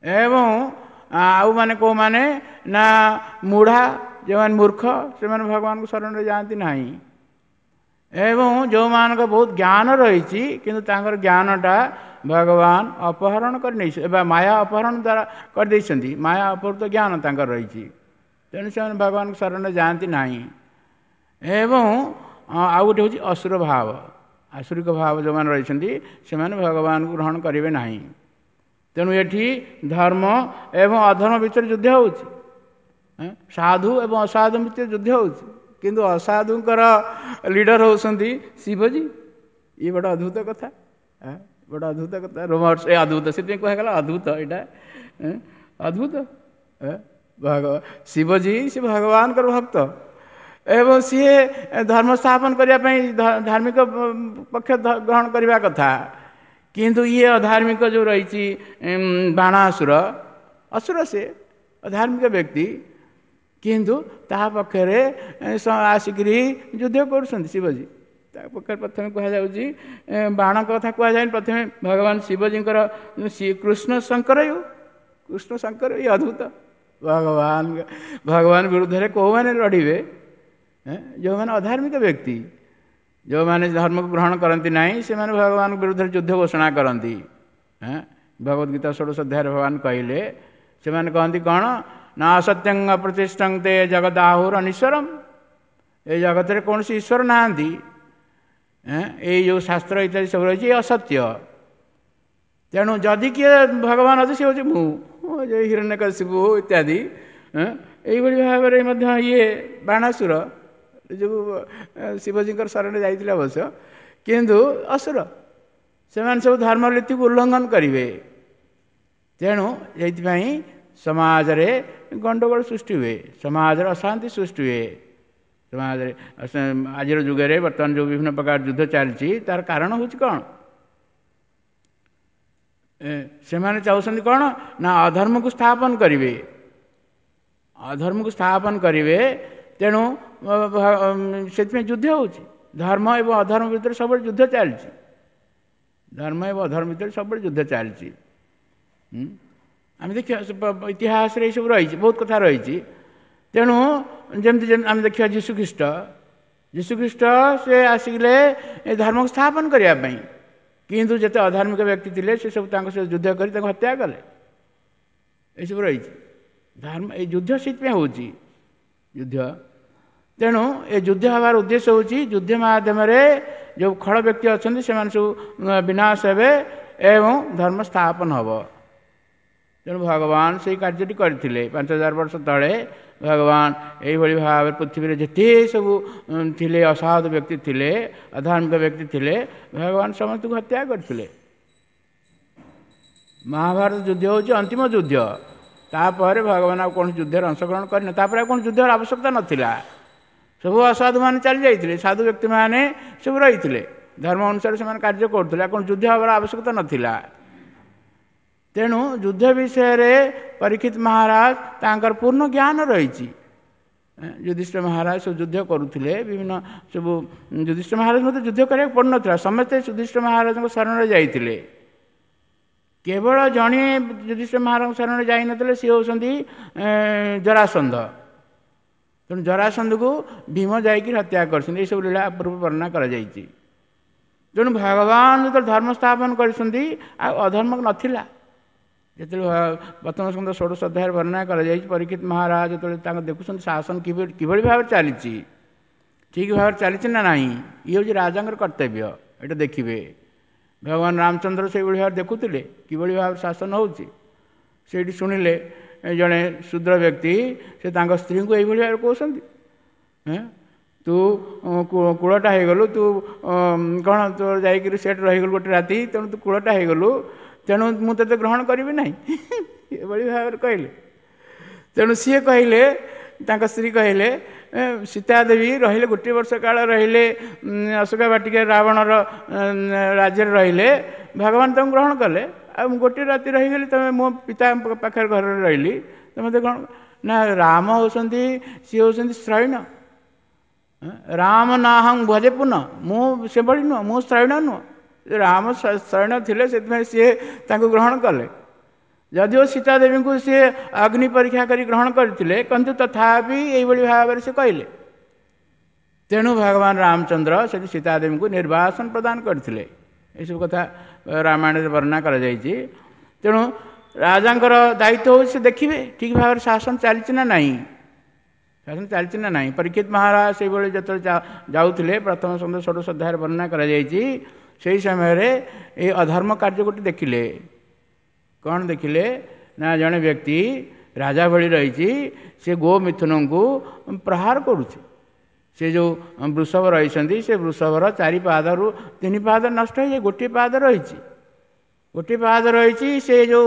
ଏବଂ ଆଉ ମାନେ କେଉଁମାନେ ନା ମୂଢ଼ା, ଯେଉଁମାନେ ମୂର୍ଖ, ସେମାନେ ଭଗବାନଙ୍କ ଶରଣରେ ଯାଆନ୍ତି ନାହିଁ। ଏବଂ ଯେଉଁମାନଙ୍କ ବହୁତ ଜ୍ଞାନ ରହିଛି କିନ୍ତୁ ତାଙ୍କର ଜ୍ଞାନଟା ଭଗବାନ ଅପହରଣ କରି ନେଇ ବା ମାୟା ଅପହରଣ ଦ୍ୱାରା କରିଦେଇଛନ୍ତି, ମାୟା ଅପହୃତ ଜ୍ଞାନ ତାଙ୍କର ରହିଛି, ତେଣୁ ସେମାନେ ଭଗବାନଙ୍କ ଶରଣରେ ଯାଆନ୍ତି ନାହିଁ। ଏବଂ ଆଉ ଗୋଟେ ହେଉଛି ଅସୁର ଭାବ, ଆସୁରିକ ଭାବ ଯେଉଁମାନେ ରହିଛନ୍ତି ସେମାନେ ଭଗବାନଙ୍କୁ ଗ୍ରହଣ କରିବେ ନାହିଁ। ତେଣୁ ଏଠି ଧର୍ମ ଏବଂ ଅଧର୍ମ ଭିତରେ ଯୁଦ୍ଧ ହେଉଛି, ସାଧୁ ଏବଂ ଅସାଧୁ ଭିତରେ ଯୁଦ୍ଧ ହେଉଛି। କିନ୍ତୁ ଅସାଧୁଙ୍କର ଲିଡର ହେଉଛନ୍ତି ଶିବଜୀ। ଇଏ ବଡ଼ ଅଦ୍ଭୁତ କଥା, ବଡ଼ ଅଦ୍ଭୁତ କଥା। ରୋମର୍ସ ଏ ଅଦ୍ଭୁତ, ସେଥିପାଇଁ କୁହାଗଲା ଅଦ୍ଭୁତ। ଏଇଟା ଅଦ୍ଭୁତ। ଭଗ ଶିବଜୀ ସେ ଭଗବାନଙ୍କର ଭକ୍ତ ଏବଂ ସିଏ ଧର୍ମ ସ୍ଥାପନ କରିବା ପାଇଁ ଧାର୍ମିକ ପକ୍ଷ ଗ୍ରହଣ କରିବା କଥା। କିନ୍ତୁ ଇଏ ଅଧାର୍ମିକ ଯେଉଁ ରହିଛି ବାଣାସୁର, ଅସୁର, ସେ ଅଧାର୍ମିକ ବ୍ୟକ୍ତି, କିନ୍ତୁ ତାହା ପକ୍ଷରେ ଆସିକିରି ଯୁଦ୍ଧ କରୁଛନ୍ତି ଶିବଜୀ। ତା ପକ୍ଷରେ ପ୍ରଥମେ କୁହାଯାଉଛି, ବାଣଙ୍କ କଥା କୁହାଯାଏନି, ପ୍ରଥମେ ଭଗବାନ ଶିବଜୀଙ୍କର କୃଷ୍ଣ ଶଙ୍କର, କୃଷ୍ଣ ଶଙ୍କର। ଇଏ ଅଦ୍ଭୁତ। ଭଗବାନ ଭଗବାନ ବିରୁଦ୍ଧରେ କେଉଁମାନେ ଲଢ଼ିବେ? ଯେଉଁମାନେ ଅଧାର୍ମିକ ବ୍ୟକ୍ତି, ଯେଉଁମାନେ ଧର୍ମକୁ ଗ୍ରହଣ କରନ୍ତି ନାହିଁ, ସେମାନେ ଭଗବାନଙ୍କ ବିରୁଦ୍ଧରେ ଯୁଦ୍ଧ ଘୋଷଣା କରନ୍ତି। ଭଗବତ ଗୀତା ଷୋଡ଼ଶ ଅଧ୍ୟାୟରେ ଭଗବାନ କହିଲେ, ସେମାନେ କହନ୍ତି କ'ଣ ନା ଅସତ୍ୟଂ ଅପ୍ରତିଷ୍ଠଂ ତେ ଜଗଦାହୁର ଅନିଶ୍ୱରମ। ଏ ଜଗତରେ କୌଣସି ଈଶ୍ୱର ନାହାନ୍ତି, ଏଇ ଯେଉଁ ଶାସ୍ତ୍ର ଇତ୍ୟାଦି ସବୁ ରହିଛି ଏ ଅସତ୍ୟ। ତେଣୁ ଯଦି କିଏ ଭଗବାନ ଅଛି, ସେ ହେଉଛି ମୁଁ, ହିରଣ୍ୟକଶିପୁ ଇତ୍ୟାଦି। ଏଇଭଳି ଭାବରେ ମଧ୍ୟ ଇଏ ବାଣାସୁର ଯେଉଁ ଶିବଜୀଙ୍କର ଶରଣରେ ଯାଇଥିଲେ ଅବଶ୍ୟ, କିନ୍ତୁ ଅସୁର, ସେମାନେ ସବୁ ଧର୍ମନୀତିକୁ ଉଲ୍ଲଙ୍ଘନ କରିବେ। ତେଣୁ ଏଇଥିପାଇଁ ସମାଜରେ ଗଣ୍ଡଗୋଳ ସୃଷ୍ଟି ହୁଏ, ସମାଜରେ ଅଶାନ୍ତି ସୃଷ୍ଟି ହୁଏ। ସମାଜରେ ଆଜିର ଯୁଗରେ ବର୍ତ୍ତମାନ ଯେଉଁ ବିଭିନ୍ନ ପ୍ରକାର ଯୁଦ୍ଧ ଚାଲିଛି, ତାର କାରଣ ହେଉଛି କ'ଣ? ସେମାନେ ଚାହୁଁଛନ୍ତି କ'ଣ ନା ଅଧର୍ମକୁ ସ୍ଥାପନ କରିବେ, ଅଧର୍ମକୁ ସ୍ଥାପନ କରିବେ। ତେଣୁ ସେଥିପାଇଁ ଯୁଦ୍ଧ ହେଉଛି। ଧର୍ମ ଏବଂ ଅଧର୍ମ ଭିତରେ ସବୁବେଳେ ଯୁଦ୍ଧ ଚାଲିଛି। ଧର୍ମ ଏବଂ ଅଧର୍ମ ଭିତରେ ସବୁବେଳେ ଯୁଦ୍ଧ ଚାଲିଛି। ଆମେ ଦେଖିବା ଇତିହାସରେ ଏଇସବୁ ରହିଛି, ବହୁତ କଥା ରହିଛି। ତେଣୁ ଯେମିତି ଆମେ ଦେଖିବା ଯୀଶୁଖ୍ରୀଷ୍ଟ, ଯୀଶୁଖ୍ରୀଷ୍ଟ ସେ ଆସିଲେ ଏ ଧର୍ମକୁ ସ୍ଥାପନ କରିବା ପାଇଁ, କିନ୍ତୁ ଯେତେ ଅଧାର୍ମିକ ବ୍ୟକ୍ତି ଥିଲେ ସେ ସବୁ ତାଙ୍କ ସହିତ ଯୁଦ୍ଧ କରି ତାଙ୍କୁ ହତ୍ୟା କଲେ। ଏସବୁ ରହିଛି ଧର୍ମ। ଏଇ ଯୁଦ୍ଧ ସେଥିପାଇଁ ହେଉଛି ଯୁଦ୍ଧ। ତେଣୁ ଏ ଯୁଦ୍ଧ ହେବାର ଉଦ୍ଦେଶ୍ୟ ହେଉଛି ଯୁଦ୍ଧ ମାଧ୍ୟମରେ ଯେଉଁ ଖଳ ବ୍ୟକ୍ତି ଅଛନ୍ତି ସେମାନେ ସବୁ ବିନାଶ ହେବେ ଏବଂ ଧର୍ମ ସ୍ଥାପନ ହେବ। ତେଣୁ ଭଗବାନ ସେଇ କାର୍ଯ୍ୟଟି କରିଥିଲେ ପାଞ୍ଚ ହଜାର ବର୍ଷ ତଳେ। ଭଗବାନ ଏଇଭଳି ଭାବରେ ପୃଥିବୀରେ ଯେତେ ସବୁ ଥିଲେ ଅସାଧୁ ବ୍ୟକ୍ତି ଥିଲେ, ଅଧାର୍ମିକ ବ୍ୟକ୍ତି ଥିଲେ, ଭଗବାନ ସମସ୍ତଙ୍କୁ ହତ୍ୟା କରିଥିଲେ। ମହାଭାରତ ଯୁଦ୍ଧ ହେଉଛି ଅନ୍ତିମ ଯୁଦ୍ଧ। ତାପରେ ଭଗବାନ ଆଉ କୌଣସି ଯୁଦ୍ଧରେ ଅଂଶଗ୍ରହଣ କରିନ, ତାପରେ ଆଉ କୌଣସି ଯୁଦ୍ଧର ଆବଶ୍ୟକତା ନଥିଲା। ସବୁ ଅସାଧୁମାନେ ଚାଲି ଯାଇଥିଲେ, ସାଧୁ ବ୍ୟକ୍ତିମାନେ ସବୁ ରହିଥିଲେ, ଧର୍ମ ଅନୁସାରେ ସେମାନେ କାର୍ଯ୍ୟ କରୁଥିଲେ, ଆଉ କୌଣସି ଯୁଦ୍ଧ ହେବାର ଆବଶ୍ୟକତା ନଥିଲା। ତେଣୁ ଯୁଦ୍ଧ ବିଷୟରେ ପରୀକ୍ଷିତ ମହାରାଜ ତାଙ୍କର ପୂର୍ଣ୍ଣ ଜ୍ଞାନ ରହିଛି। ଯୁଧିଷ୍ଠିର ମହାରାଜ ସବୁ ଯୁଦ୍ଧ କରୁଥିଲେ ବିଭିନ୍ନ ସବୁ। ଯୁଧିଷ୍ଠିର ମହାରାଜ ମଧ୍ୟ ଯୁଦ୍ଧ କରିବାକୁ ପଡ଼ୁନଥିଲା, ସମସ୍ତେ ଯୁଧିଷ୍ଠିର ମହାରାଜଙ୍କ ଶରଣରେ ଯାଇଥିଲେ। କେବଳ ଜଣେ ଯୁଧିଷ୍ଠିର ମହାରାଜଙ୍କ ଶରଣରେ ଯାଇନଥିଲେ, ସିଏ ହେଉଛନ୍ତି ଜରାସନ୍ଧ। ତେଣୁ ଜରାସନ୍ଧକୁ ଭୀମ ଯାଇକି ହତ୍ୟା କରିଛନ୍ତି। ଏସବୁ ଲୀଳା ପୂର୍ବ ବର୍ଣ୍ଣନା କରାଯାଇଛି। ତେଣୁ ଭଗବାନ ଯେତେବେଳେ ଧର୍ମ ସ୍ଥାପନ କରିଛନ୍ତି, ଆଉ ଅଧର୍ମ ନଥିଲା। ଯେତେବେଳେ ପ୍ରଥମ ସ୍କନ୍ଧ ଷୋଡ଼ଶ ଅଧ୍ୟାୟରେ ବର୍ଣ୍ଣନା କରାଯାଇଛି, ପରୀକ୍ଷିତ ମହାରାଜ ଯେତେବେଳେ ତାଙ୍କୁ ଦେଖୁଛନ୍ତି ଶାସନ କିଭଳି କିଭଳି ଭାବରେ ଚାଲିଛି, ଠିକ୍ ଭାବରେ ଚାଲିଛି ନା ନାହିଁ, ଇଏ ହେଉଛି ରାଜାଙ୍କର କର୍ତ୍ତବ୍ୟ, ଏଇଟା ଦେଖିବେ। ଭଗବାନ ରାମଚନ୍ଦ୍ର ସେଇଭଳି ଭାବରେ ଦେଖୁଥିଲେ କିଭଳି ଭାବରେ ଶାସନ ହେଉଛି। ସେଇଠି ଶୁଣିଲେ ଜଣେ ଶୂଦ୍ର ବ୍ୟକ୍ତି ସେ ତାଙ୍କ ସ୍ତ୍ରୀଙ୍କୁ ଏଇଭଳି ଭାବରେ କହୁଛନ୍ତି, ତୁ କୂଳଟା ହେଇଗଲୁ, ତୁ କ'ଣ ତୋର ଯାଇକିରି ସେଠି ରହିଗଲୁ ଗୋଟେ ରାତି, ତେଣୁ ତୁ କୂଳଟା ହେଇଗଲୁ, ତେଣୁ ମୁଁ ତୋତେ ଗ୍ରହଣ କରିବି ନାହିଁ, ଏଭଳି ଭାବରେ କହିଲେ। ତେଣୁ ସିଏ କହିଲେ, ତାଙ୍କ ସ୍ତ୍ରୀ କହିଲେ, ସୀତା ଦେବୀ ରହିଲେ ଗୋଟିଏ ବର୍ଷ କାଳ ରହିଲେ ଅଶୋକା ବାଟିକା ରାବଣର ରାଜ୍ୟରେ ରହିଲେ, ଭଗବାନ ତାଙ୍କୁ ଗ୍ରହଣ କଲେ, ଆଉ ମୁଁ ଗୋଟିଏ ରାତି ରହିଗଲି, ତୁମେ ମୋ ପିତା ପାଖରେ ଘରରେ ରହିଲି, ତୁମେ ମୋତେ ଗ୍ରହଣ ନା। ରାମ ହେଉଛନ୍ତି, ସିଏ ହେଉଛନ୍ତି ଶ୍ରୈଣ, ରାମ ନାହଂ ଭଜେ ପୁନଃ, ମୁଁ ସେଭଳି ନୁହଁ, ମୁଁ ଶ୍ରୈଣ ନୁହଁ। ରାମ ଶ୍ରୈଣ ଥିଲେ, ସେଥିପାଇଁ ସିଏ ତାଙ୍କୁ ଗ୍ରହଣ କଲେ। ଯଦିଓ ସୀତା ଦେବୀଙ୍କୁ ସିଏ ଅଗ୍ନି ପରୀକ୍ଷା କରି ଗ୍ରହଣ କରିଥିଲେ, କିନ୍ତୁ ତଥାପି ଏଇଭଳି ଭାବରେ ସେ କହିଲେ। ତେଣୁ ଭଗବାନ ରାମଚନ୍ଦ୍ର ସେଠି ସୀତା ଦେବୀଙ୍କୁ ନିର୍ବାସନ ପ୍ରଦାନ କରିଥିଲେ। ଏସବୁ କଥା ରାମାୟଣରେ ବର୍ଣ୍ଣନା କରାଯାଇଛି। ତେଣୁ ରାଜାଙ୍କର ଦାୟିତ୍ୱ ହେଉଛି ସେ ଦେଖିବେ ଠିକ୍ ଭାବରେ ଶାସନ ଚାଲିଛି ନା ନାହିଁ, ଶାସନ ଚାଲିଛି ନା ନାହିଁ। ପରୀକ୍ଷିତ ମହାରାଜ ସେଇଭଳି ଯେତେବେଳେ ଯାଉଥିଲେ, ପ୍ରଥମ ସ୍କନ୍ଧ ଷୋଡ଼ଶ ଅଧ୍ୟାୟରେ ବର୍ଣ୍ଣନା କରାଯାଇଛି, ସେହି ସମୟରେ ଏଇ ଅଧର୍ମ କାର୍ଯ୍ୟ ଗୋଟେ ଦେଖିଲେ। କ'ଣ ଦେଖିଲେ ନା ଜଣେ ବ୍ୟକ୍ତି ରାଜା ଭଳି ରହିଛି, ସେ ଗୋ ମିଥୁନଙ୍କୁ ପ୍ରହାର କରୁଛି। ସେ ଯେଉଁ ବୃଷଭ ରହିଛନ୍ତି, ସେ ବୃଷଭର ଚାରି ପାଦରୁ ତିନି ପାଦ ନଷ୍ଟ ହେଇଯାଇ ଗୋଟିଏ ପାଦ ରହିଛି, ଗୋଟିଏ ପାଦ ରହିଛି। ସେ ଯେଉଁ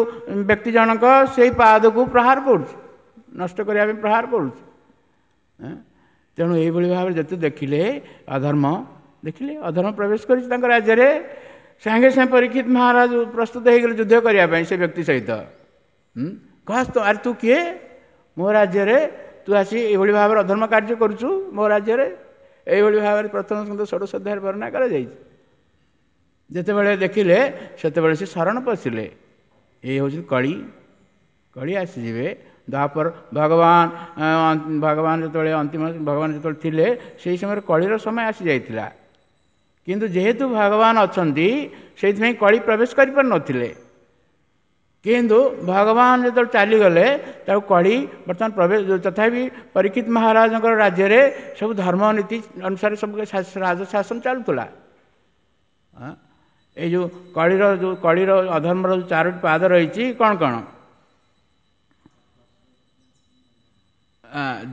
ବ୍ୟକ୍ତି ଜଣକ ସେଇ ପାଦକୁ ପ୍ରହାର କରୁଛି, ନଷ୍ଟ କରିବା ପାଇଁ ପ୍ରହାର କରୁଛି। ତେଣୁ ଏଇଭଳି ଭାବରେ ଯେତେ ଦେଖିଲେ ଅଧର୍ମ ଦେଖିଲେ, ଅଧର୍ମ ପ୍ରବେଶ କରିଛି ତାଙ୍କ ରାଜ୍ୟରେ, ସାଙ୍ଗେ ସାଙ୍ଗେ ପରୀକ୍ଷିତ ମହାରାଜ ପ୍ରସ୍ତୁତ ହେଇଗଲେ ଯୁଦ୍ଧ କରିବା ପାଇଁ ସେ ବ୍ୟକ୍ତି ସହିତ। କହ, ଆରେ ତୁ କିଏ? ମୋ ରାଜ୍ୟରେ ତୁ ଆସି ଏଇଭଳି ଭାବରେ ଅଧର୍ମ କାର୍ଯ୍ୟ କରୁଛୁ ମୋ ରାଜ୍ୟରେ? ଏଇଭଳି ଭାବରେ ପ୍ରଥମ ସ୍କନ୍ଧ ଷୋଡ଼ଶ ଅଧ୍ୟାୟରେ ବର୍ଣ୍ଣନା କରାଯାଇଛି। ଯେତେବେଳେ ଦେଖିଲେ ସେତେବେଳେ ସେ ଶରଣ ପଶିଲେ। ଏଇ ହେଉଛି କଳି, କଳି ଆସିଯିବେ। ତାପରେ ଭଗବାନ ଭଗବାନ ଯେତେବେଳେ ଅନ୍ତିମ ଭଗବାନ ଯେତେବେଳେ ଥିଲେ, ସେଇ ସମୟରେ କଳିର ସମୟ ଆସିଯାଇଥିଲା। କିନ୍ତୁ ଯେହେତୁ ଭଗବାନ ଅଛନ୍ତି, ସେଇଥିପାଇଁ କଳି ପ୍ରବେଶ କରିପାରୁନଥିଲେ। କିନ୍ତୁ ଭଗବାନ ଯେତେବେଳେ ଚାଲିଗଲେ, ତାକୁ କଳି ବର୍ତ୍ତମାନ ପ୍ରବେଶ। ତଥାପି ପରୀକ୍ଷିତ ମହାରାଜଙ୍କର ରାଜ୍ୟରେ ସବୁ ଧର୍ମ ନୀତି ଅନୁସାରେ ସବୁ ରାଜ ଶାସନ ଚାଲୁଥିଲା। ଏଇ ଯେଉଁ କଳିର ଯେଉଁ କଳିର ଅଧର୍ମର ଯେଉଁ ଚାରୋଟି ପାଦ ରହିଛି, କ'ଣ କ'ଣ?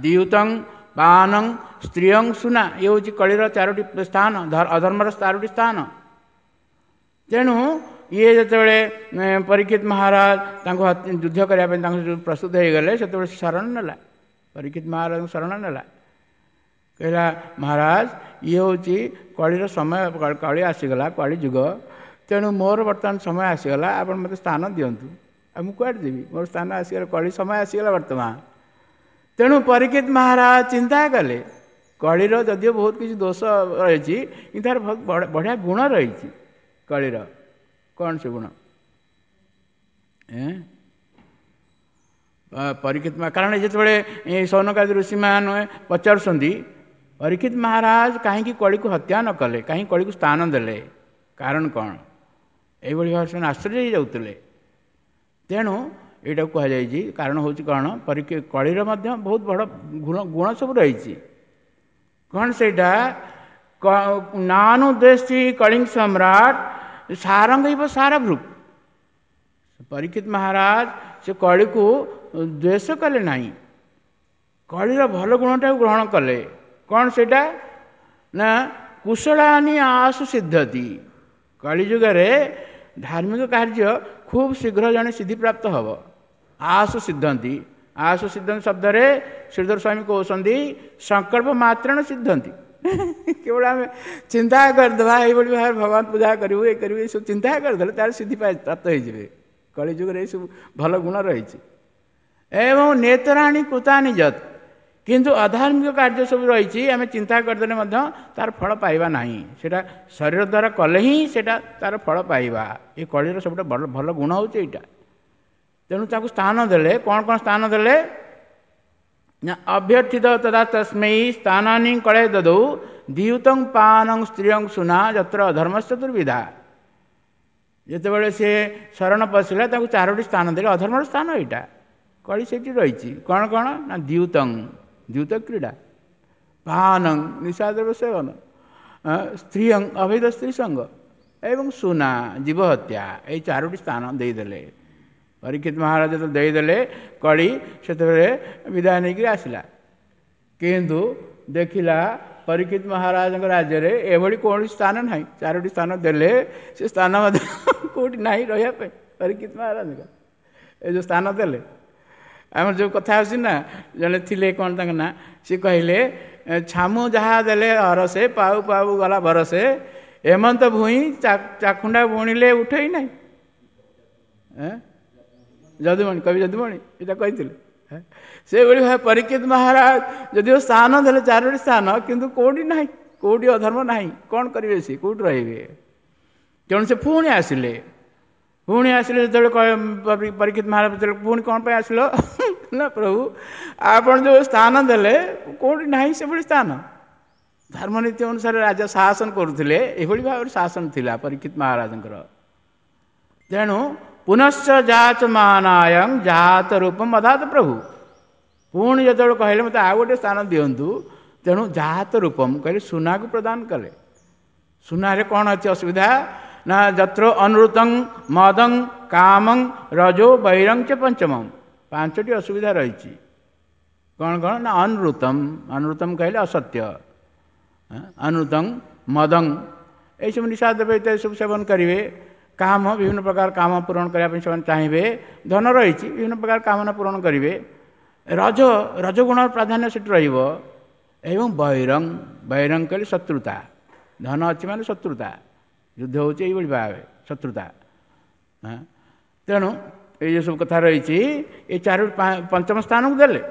ଦ୍ୟୁତଂ ପାନଂ ସ୍ତ୍ରୀୟଂ ସୁନା, ଇଏ ହେଉଛି କଳିର ଚାରୋଟି ସ୍ଥାନ, ଅଧର୍ମର ଚାରୋଟି ସ୍ଥାନ। ତେଣୁ ଇଏ ଯେତେବେଳେ ପରୀକ୍ଷିତ ମହାରାଜ ତାଙ୍କୁ ଯୁଦ୍ଧ କରିବା ପାଇଁ ତାଙ୍କୁ ପ୍ରସ୍ତୁତ ହେଇଗଲେ, ସେତେବେଳେ ସେ ଶରଣ ନେଲା, ପରୀକ୍ଷିତ ମହାରାଜଙ୍କୁ ଶରଣ ନେଲା। କହିଲା, ମହାରାଜ, ଇଏ ହେଉଛି କଳିର ସମୟ, କଳି ଆସିଗଲା, କଳି ଯୁଗ। ତେଣୁ ମୋର ବର୍ତ୍ତମାନ ସମୟ ଆସିଗଲା, ଆପଣ ମୋତେ ସ୍ଥାନ ଦିଅନ୍ତୁ। ଆଉ ମୁଁ କୁଆଡ଼େ ଯିବି? ମୋର ସ୍ଥାନ ଆସିଗଲା, କଳି ସମୟ ଆସିଗଲା ବର୍ତ୍ତମାନ। ତେଣୁ ପରୀକ୍ଷିତ ମହାରାଜ ଚିନ୍ତା କଲେ, କଳିର ଯଦିଓ ବହୁତ କିଛି ଦୋଷ ରହିଛି, କିନ୍ତୁ ତାର ବହୁତ ବଢ଼ିଆ ଗୁଣ ରହିଛି। କଳିର କ'ଣ ସେ ଗୁଣ? ପରୀକ୍ଷିତ, କାରଣ ଯେତେବେଳେ ସୌନକାଦି ଋଷିମାନେ ପଚାରୁଛନ୍ତି ପରୀକ୍ଷିତ ମହାରାଜ କାହିଁକି କଳିକୁ ହତ୍ୟା ନ କଲେ, କାହିଁକି କଳିକୁ ସ୍ଥାନ ଦେଲେ, କାରଣ କ'ଣ, ଏଇଭଳି ଭାବରେ ସେମାନେ ଆଶ୍ଚର୍ଯ୍ୟ ହେଇଯାଉଥିଲେ। ତେଣୁ ଏଇଟାକୁ କୁହାଯାଇଛି, କାରଣ ହେଉଛି କ'ଣ, ପରୀକ୍ଷା କଳିର ମଧ୍ୟ ବହୁତ ବଡ଼ ଗୁଣ ଗୁଣ ସବୁ ରହିଛି। କ'ଣ ସେଇଟା? ନାନୁଦ୍ଦେଶୀ କଳିଙ୍ଗ ସମ୍ରାଟ ସାରଙ୍ଗ ଇବ ସାରଭୃକ୍। ପରୀକ୍ଷିତ ମହାରାଜ ସେ କଳିକୁ ଦ୍ୱେଷ କଲେ ନାହିଁ, କଳିର ଭଲ ଗୁଣଟାକୁ ଗ୍ରହଣ କଲେ। କ'ଣ ସେଇଟା ନା, କୁଶଳାନି ଆସୁ ସିଦ୍ଧତି। କଳିଯୁଗରେ ଧାର୍ମିକ କାର୍ଯ୍ୟ ଖୁବ୍ ଶୀଘ୍ର ଜଣେ ସିଦ୍ଧିପ୍ରାପ୍ତ ହେବ। ଆସୁ ସିଦ୍ଧନ୍ତି, ଆସୁ ସିଦ୍ଧନ୍ତି ଶବ୍ଦରେ ଶ୍ରୀଧର ସ୍ୱାମୀ କହୁଛନ୍ତି ସଂକଳ୍ପ ମାତ୍ରେଣ ସିଦ୍ଧନ୍ତି। କେବଳ ଆମେ ଚିନ୍ତା କରିଦେବା, ଏଇଭଳି ଭାବରେ ଭଗବାନ ପୂଜା କରିବୁ, ଏ କରିବୁ, ଏସବୁ ଚିନ୍ତା କରିଦେଲେ ତାହେଲେ ସିଦ୍ଧି ପ୍ରାପ୍ତ ହେଇଯିବେ। କଳିଯୁଗରେ ଏସବୁ ଭଲ ଗୁଣ ରହିଛି। ଏବଂ ନେତରାଣୀ କୃତାନି ଯତ୍, କିନ୍ତୁ ଅଧାର୍ମିକ କାର୍ଯ୍ୟ ସବୁ ରହିଛି, ଆମେ ଚିନ୍ତା କରିଦେଲେ ମଧ୍ୟ ତାର ଫଳ ପାଇବା ନାହିଁ। ସେଇଟା ଶରୀର ଦ୍ୱାରା କଲେ ହିଁ ସେଇଟା ତାର ଫଳ ପାଇବା। ଏ କଳିର ସବୁଠୁ ଭଲ ଭଲ ଗୁଣ ହେଉଛି ଏଇଟା। ତେଣୁ ତାକୁ ସ୍ଥାନ ଦେଲେ। କ'ଣ କ'ଣ ସ୍ଥାନ ଦେଲେ ନା, ଅଭ୍ୟର୍ଥିତ ତଦା ତସ୍ମୈ ସ୍ଥାନାନି କଳେ ଦଦৌ ଦ୍ୟୁତଂ ପାନଂ ସ୍ତ୍ରୀୟଂ ସୁନା ଯତ୍ର ଅଧର୍ମ ଚତୁର୍ବିଧା। ଯେତେବେଳେ ସେ ଶରଣ ପଶିଲା, ତାକୁ ଚାରୋଟି ସ୍ଥାନ ଦେଲେ। ଅଧର୍ମର ସ୍ଥାନ ଏଇଟା, କଳି ସେଇଠି ରହିଛି। କ'ଣ କ'ଣ ନା, ଦ୍ୟୁତଂ ଦ୍ୟୁତ କ୍ରୀଡ଼ା, ପାନଂ ନିଶାଦ୍ରବ୍ୟ ସେବନ, ସ୍ତ୍ରୀୟଂ ଅବୈଧ ସ୍ତ୍ରୀ ସଙ୍ଗ, ଏବଂ ସୁନା ଜୀବ ହତ୍ୟା। ଏଇ ଚାରୋଟି ସ୍ଥାନ ଦେଇଦେଲେ ପରୀକ୍ଷିତ ମହାରାଜ। ଯେତେବେଳେ ଦେଇଦେଲେ, କଳି ସେତେବେଳେ ବିଦାୟ ନେଇକରି ଆସିଲା। କିନ୍ତୁ ଦେଖିଲା ପରୀକ୍ଷିତ ମହାରାଜଙ୍କ ରାଜ୍ୟରେ ଏଭଳି କୌଣସି ସ୍ଥାନ ନାହିଁ। ଚାରୋଟି ସ୍ଥାନ ଦେଲେ, ସେ ସ୍ଥାନ ମଧ୍ୟ କେଉଁଠି ନାହିଁ ରହିବା ପାଇଁ ପରୀକ୍ଷିତ ମହାରାଜଙ୍କ। ଏ ଯେଉଁ ସ୍ଥାନ ଦେଲେ, ଆମର ଯେଉଁ କଥା ଆସୁଛି ନା, ଜଣେ ଥିଲେ, କ'ଣ ତାଙ୍କ ନାଁ, ସେ କହିଲେ, ଛାମୁ ଯାହା ଦେଲେ ହରସେ, ପାଉ ପାଉ ଗଲା ଭରସେ, ଏମନ୍ତ ଭୂଇଁ ଚାଖୁଣ୍ଡା ବୁଣିଲେ ଉଠେଇ ନାହିଁ। ଯଦୁମଣି, କବି ଯଦୁମଣି ଏଇଟା କହିଥିଲେ। ସେଭଳି ଭାବେ ପରୀକ୍ଷିତ ମହାରାଜ ଯଦିଓ ସ୍ଥାନ ଦେଲେ ଚାରୋଟି ସ୍ଥାନ, କିନ୍ତୁ କେଉଁଠି ନାହିଁ, କେଉଁଠି ଅଧର୍ମ ନାହିଁ। କ'ଣ କରିବେ ସେ? କେଉଁଠି ରହିବେ? ତେଣୁ ସେ ପୁଣି ଆସିଲେ। ପୁଣି ଆସିଲେ ଯେତେବେଳେ, ପରୀକ୍ଷିତ ମହାରାଜ ଯେତେବେଳେ ପୁଣି କ'ଣ ପାଇଁ ଆସିଲ ନା, ପ୍ରଭୁ, ଆପଣ ଯେଉଁ ସ୍ଥାନ ଦେଲେ କେଉଁଠି ନାହିଁ ସେଭଳି ସ୍ଥାନ। ଧର୍ମନୀତି ଅନୁସାରେ ରାଜା ଶାସନ କରୁଥିଲେ, ଏଭଳି ଭାବରେ ଶାସନ ଥିଲା ପରୀକ୍ଷିତ ମହାରାଜଙ୍କର। ତେଣୁ ପୁନଶ୍ଚ ଯାଚମାନାୟଂ ଜାତ ରୂପ ଅଧାତ ପ୍ରଭୁ। ପୁଣି ଯେତେବେଳେ କହିଲେ ମୋତେ ଆଉ ଗୋଟେ ସ୍ଥାନ ଦିଅନ୍ତୁ, ତେଣୁ ଜାତ ରୂପମ କହିଲେ ସୁନାକୁ ପ୍ରଦାନ କଲେ। ସୁନାରେ କ'ଣ ଅଛି ଅସୁବିଧା ନା ଯତ୍ର ଅନୁୃତଂ ମଦଂ କାମଂ ରଜୋ ବୈରଂ ଚ ପଞ୍ଚମଂ। ପାଞ୍ଚଟି ଅସୁବିଧା ରହିଛି। କ'ଣ କ'ଣ ନା ଅନୁୃତମ, ଅନୁୃତମ କହିଲେ ଅସତ୍ୟ, ଅନୁୃତଂ ମଦଂ ଏଇସବୁ ନିଶା ଦ୍ରବ୍ୟ ଇତ୍ୟାଦି ସବୁ ସେବନ କରିବେ। କାମ, ବିଭିନ୍ନ ପ୍ରକାର କାମ ପୂରଣ କରିବା ପାଇଁ ସେମାନେ ଚାହିଁବେ। ଧନ ରହିଛି, ବିଭିନ୍ନ ପ୍ରକାର କାମନା ପୂରଣ କରିବେ। ରଜ, ରଜଗୁଣର ପ୍ରାଧାନ୍ୟ ସେଠି ରହିବ। ଏବଂ ବୈରଂ, ବୈରଂ କହିଲେ ଶତ୍ରୁତା। ଧନ ଅଛି ମାନେ ଶତ୍ରୁତା, ଯୁଦ୍ଧ ହେଉଛି ଏଇଭଳି ଭାବେ ଶତ୍ରୁତା। ତେଣୁ ଏଇ ଯେଉଁ ସବୁ କଥା ରହିଛି, ଏ ଚାରୋଟି ପଞ୍ଚମ ସ୍ଥାନକୁ ଦେଲେ।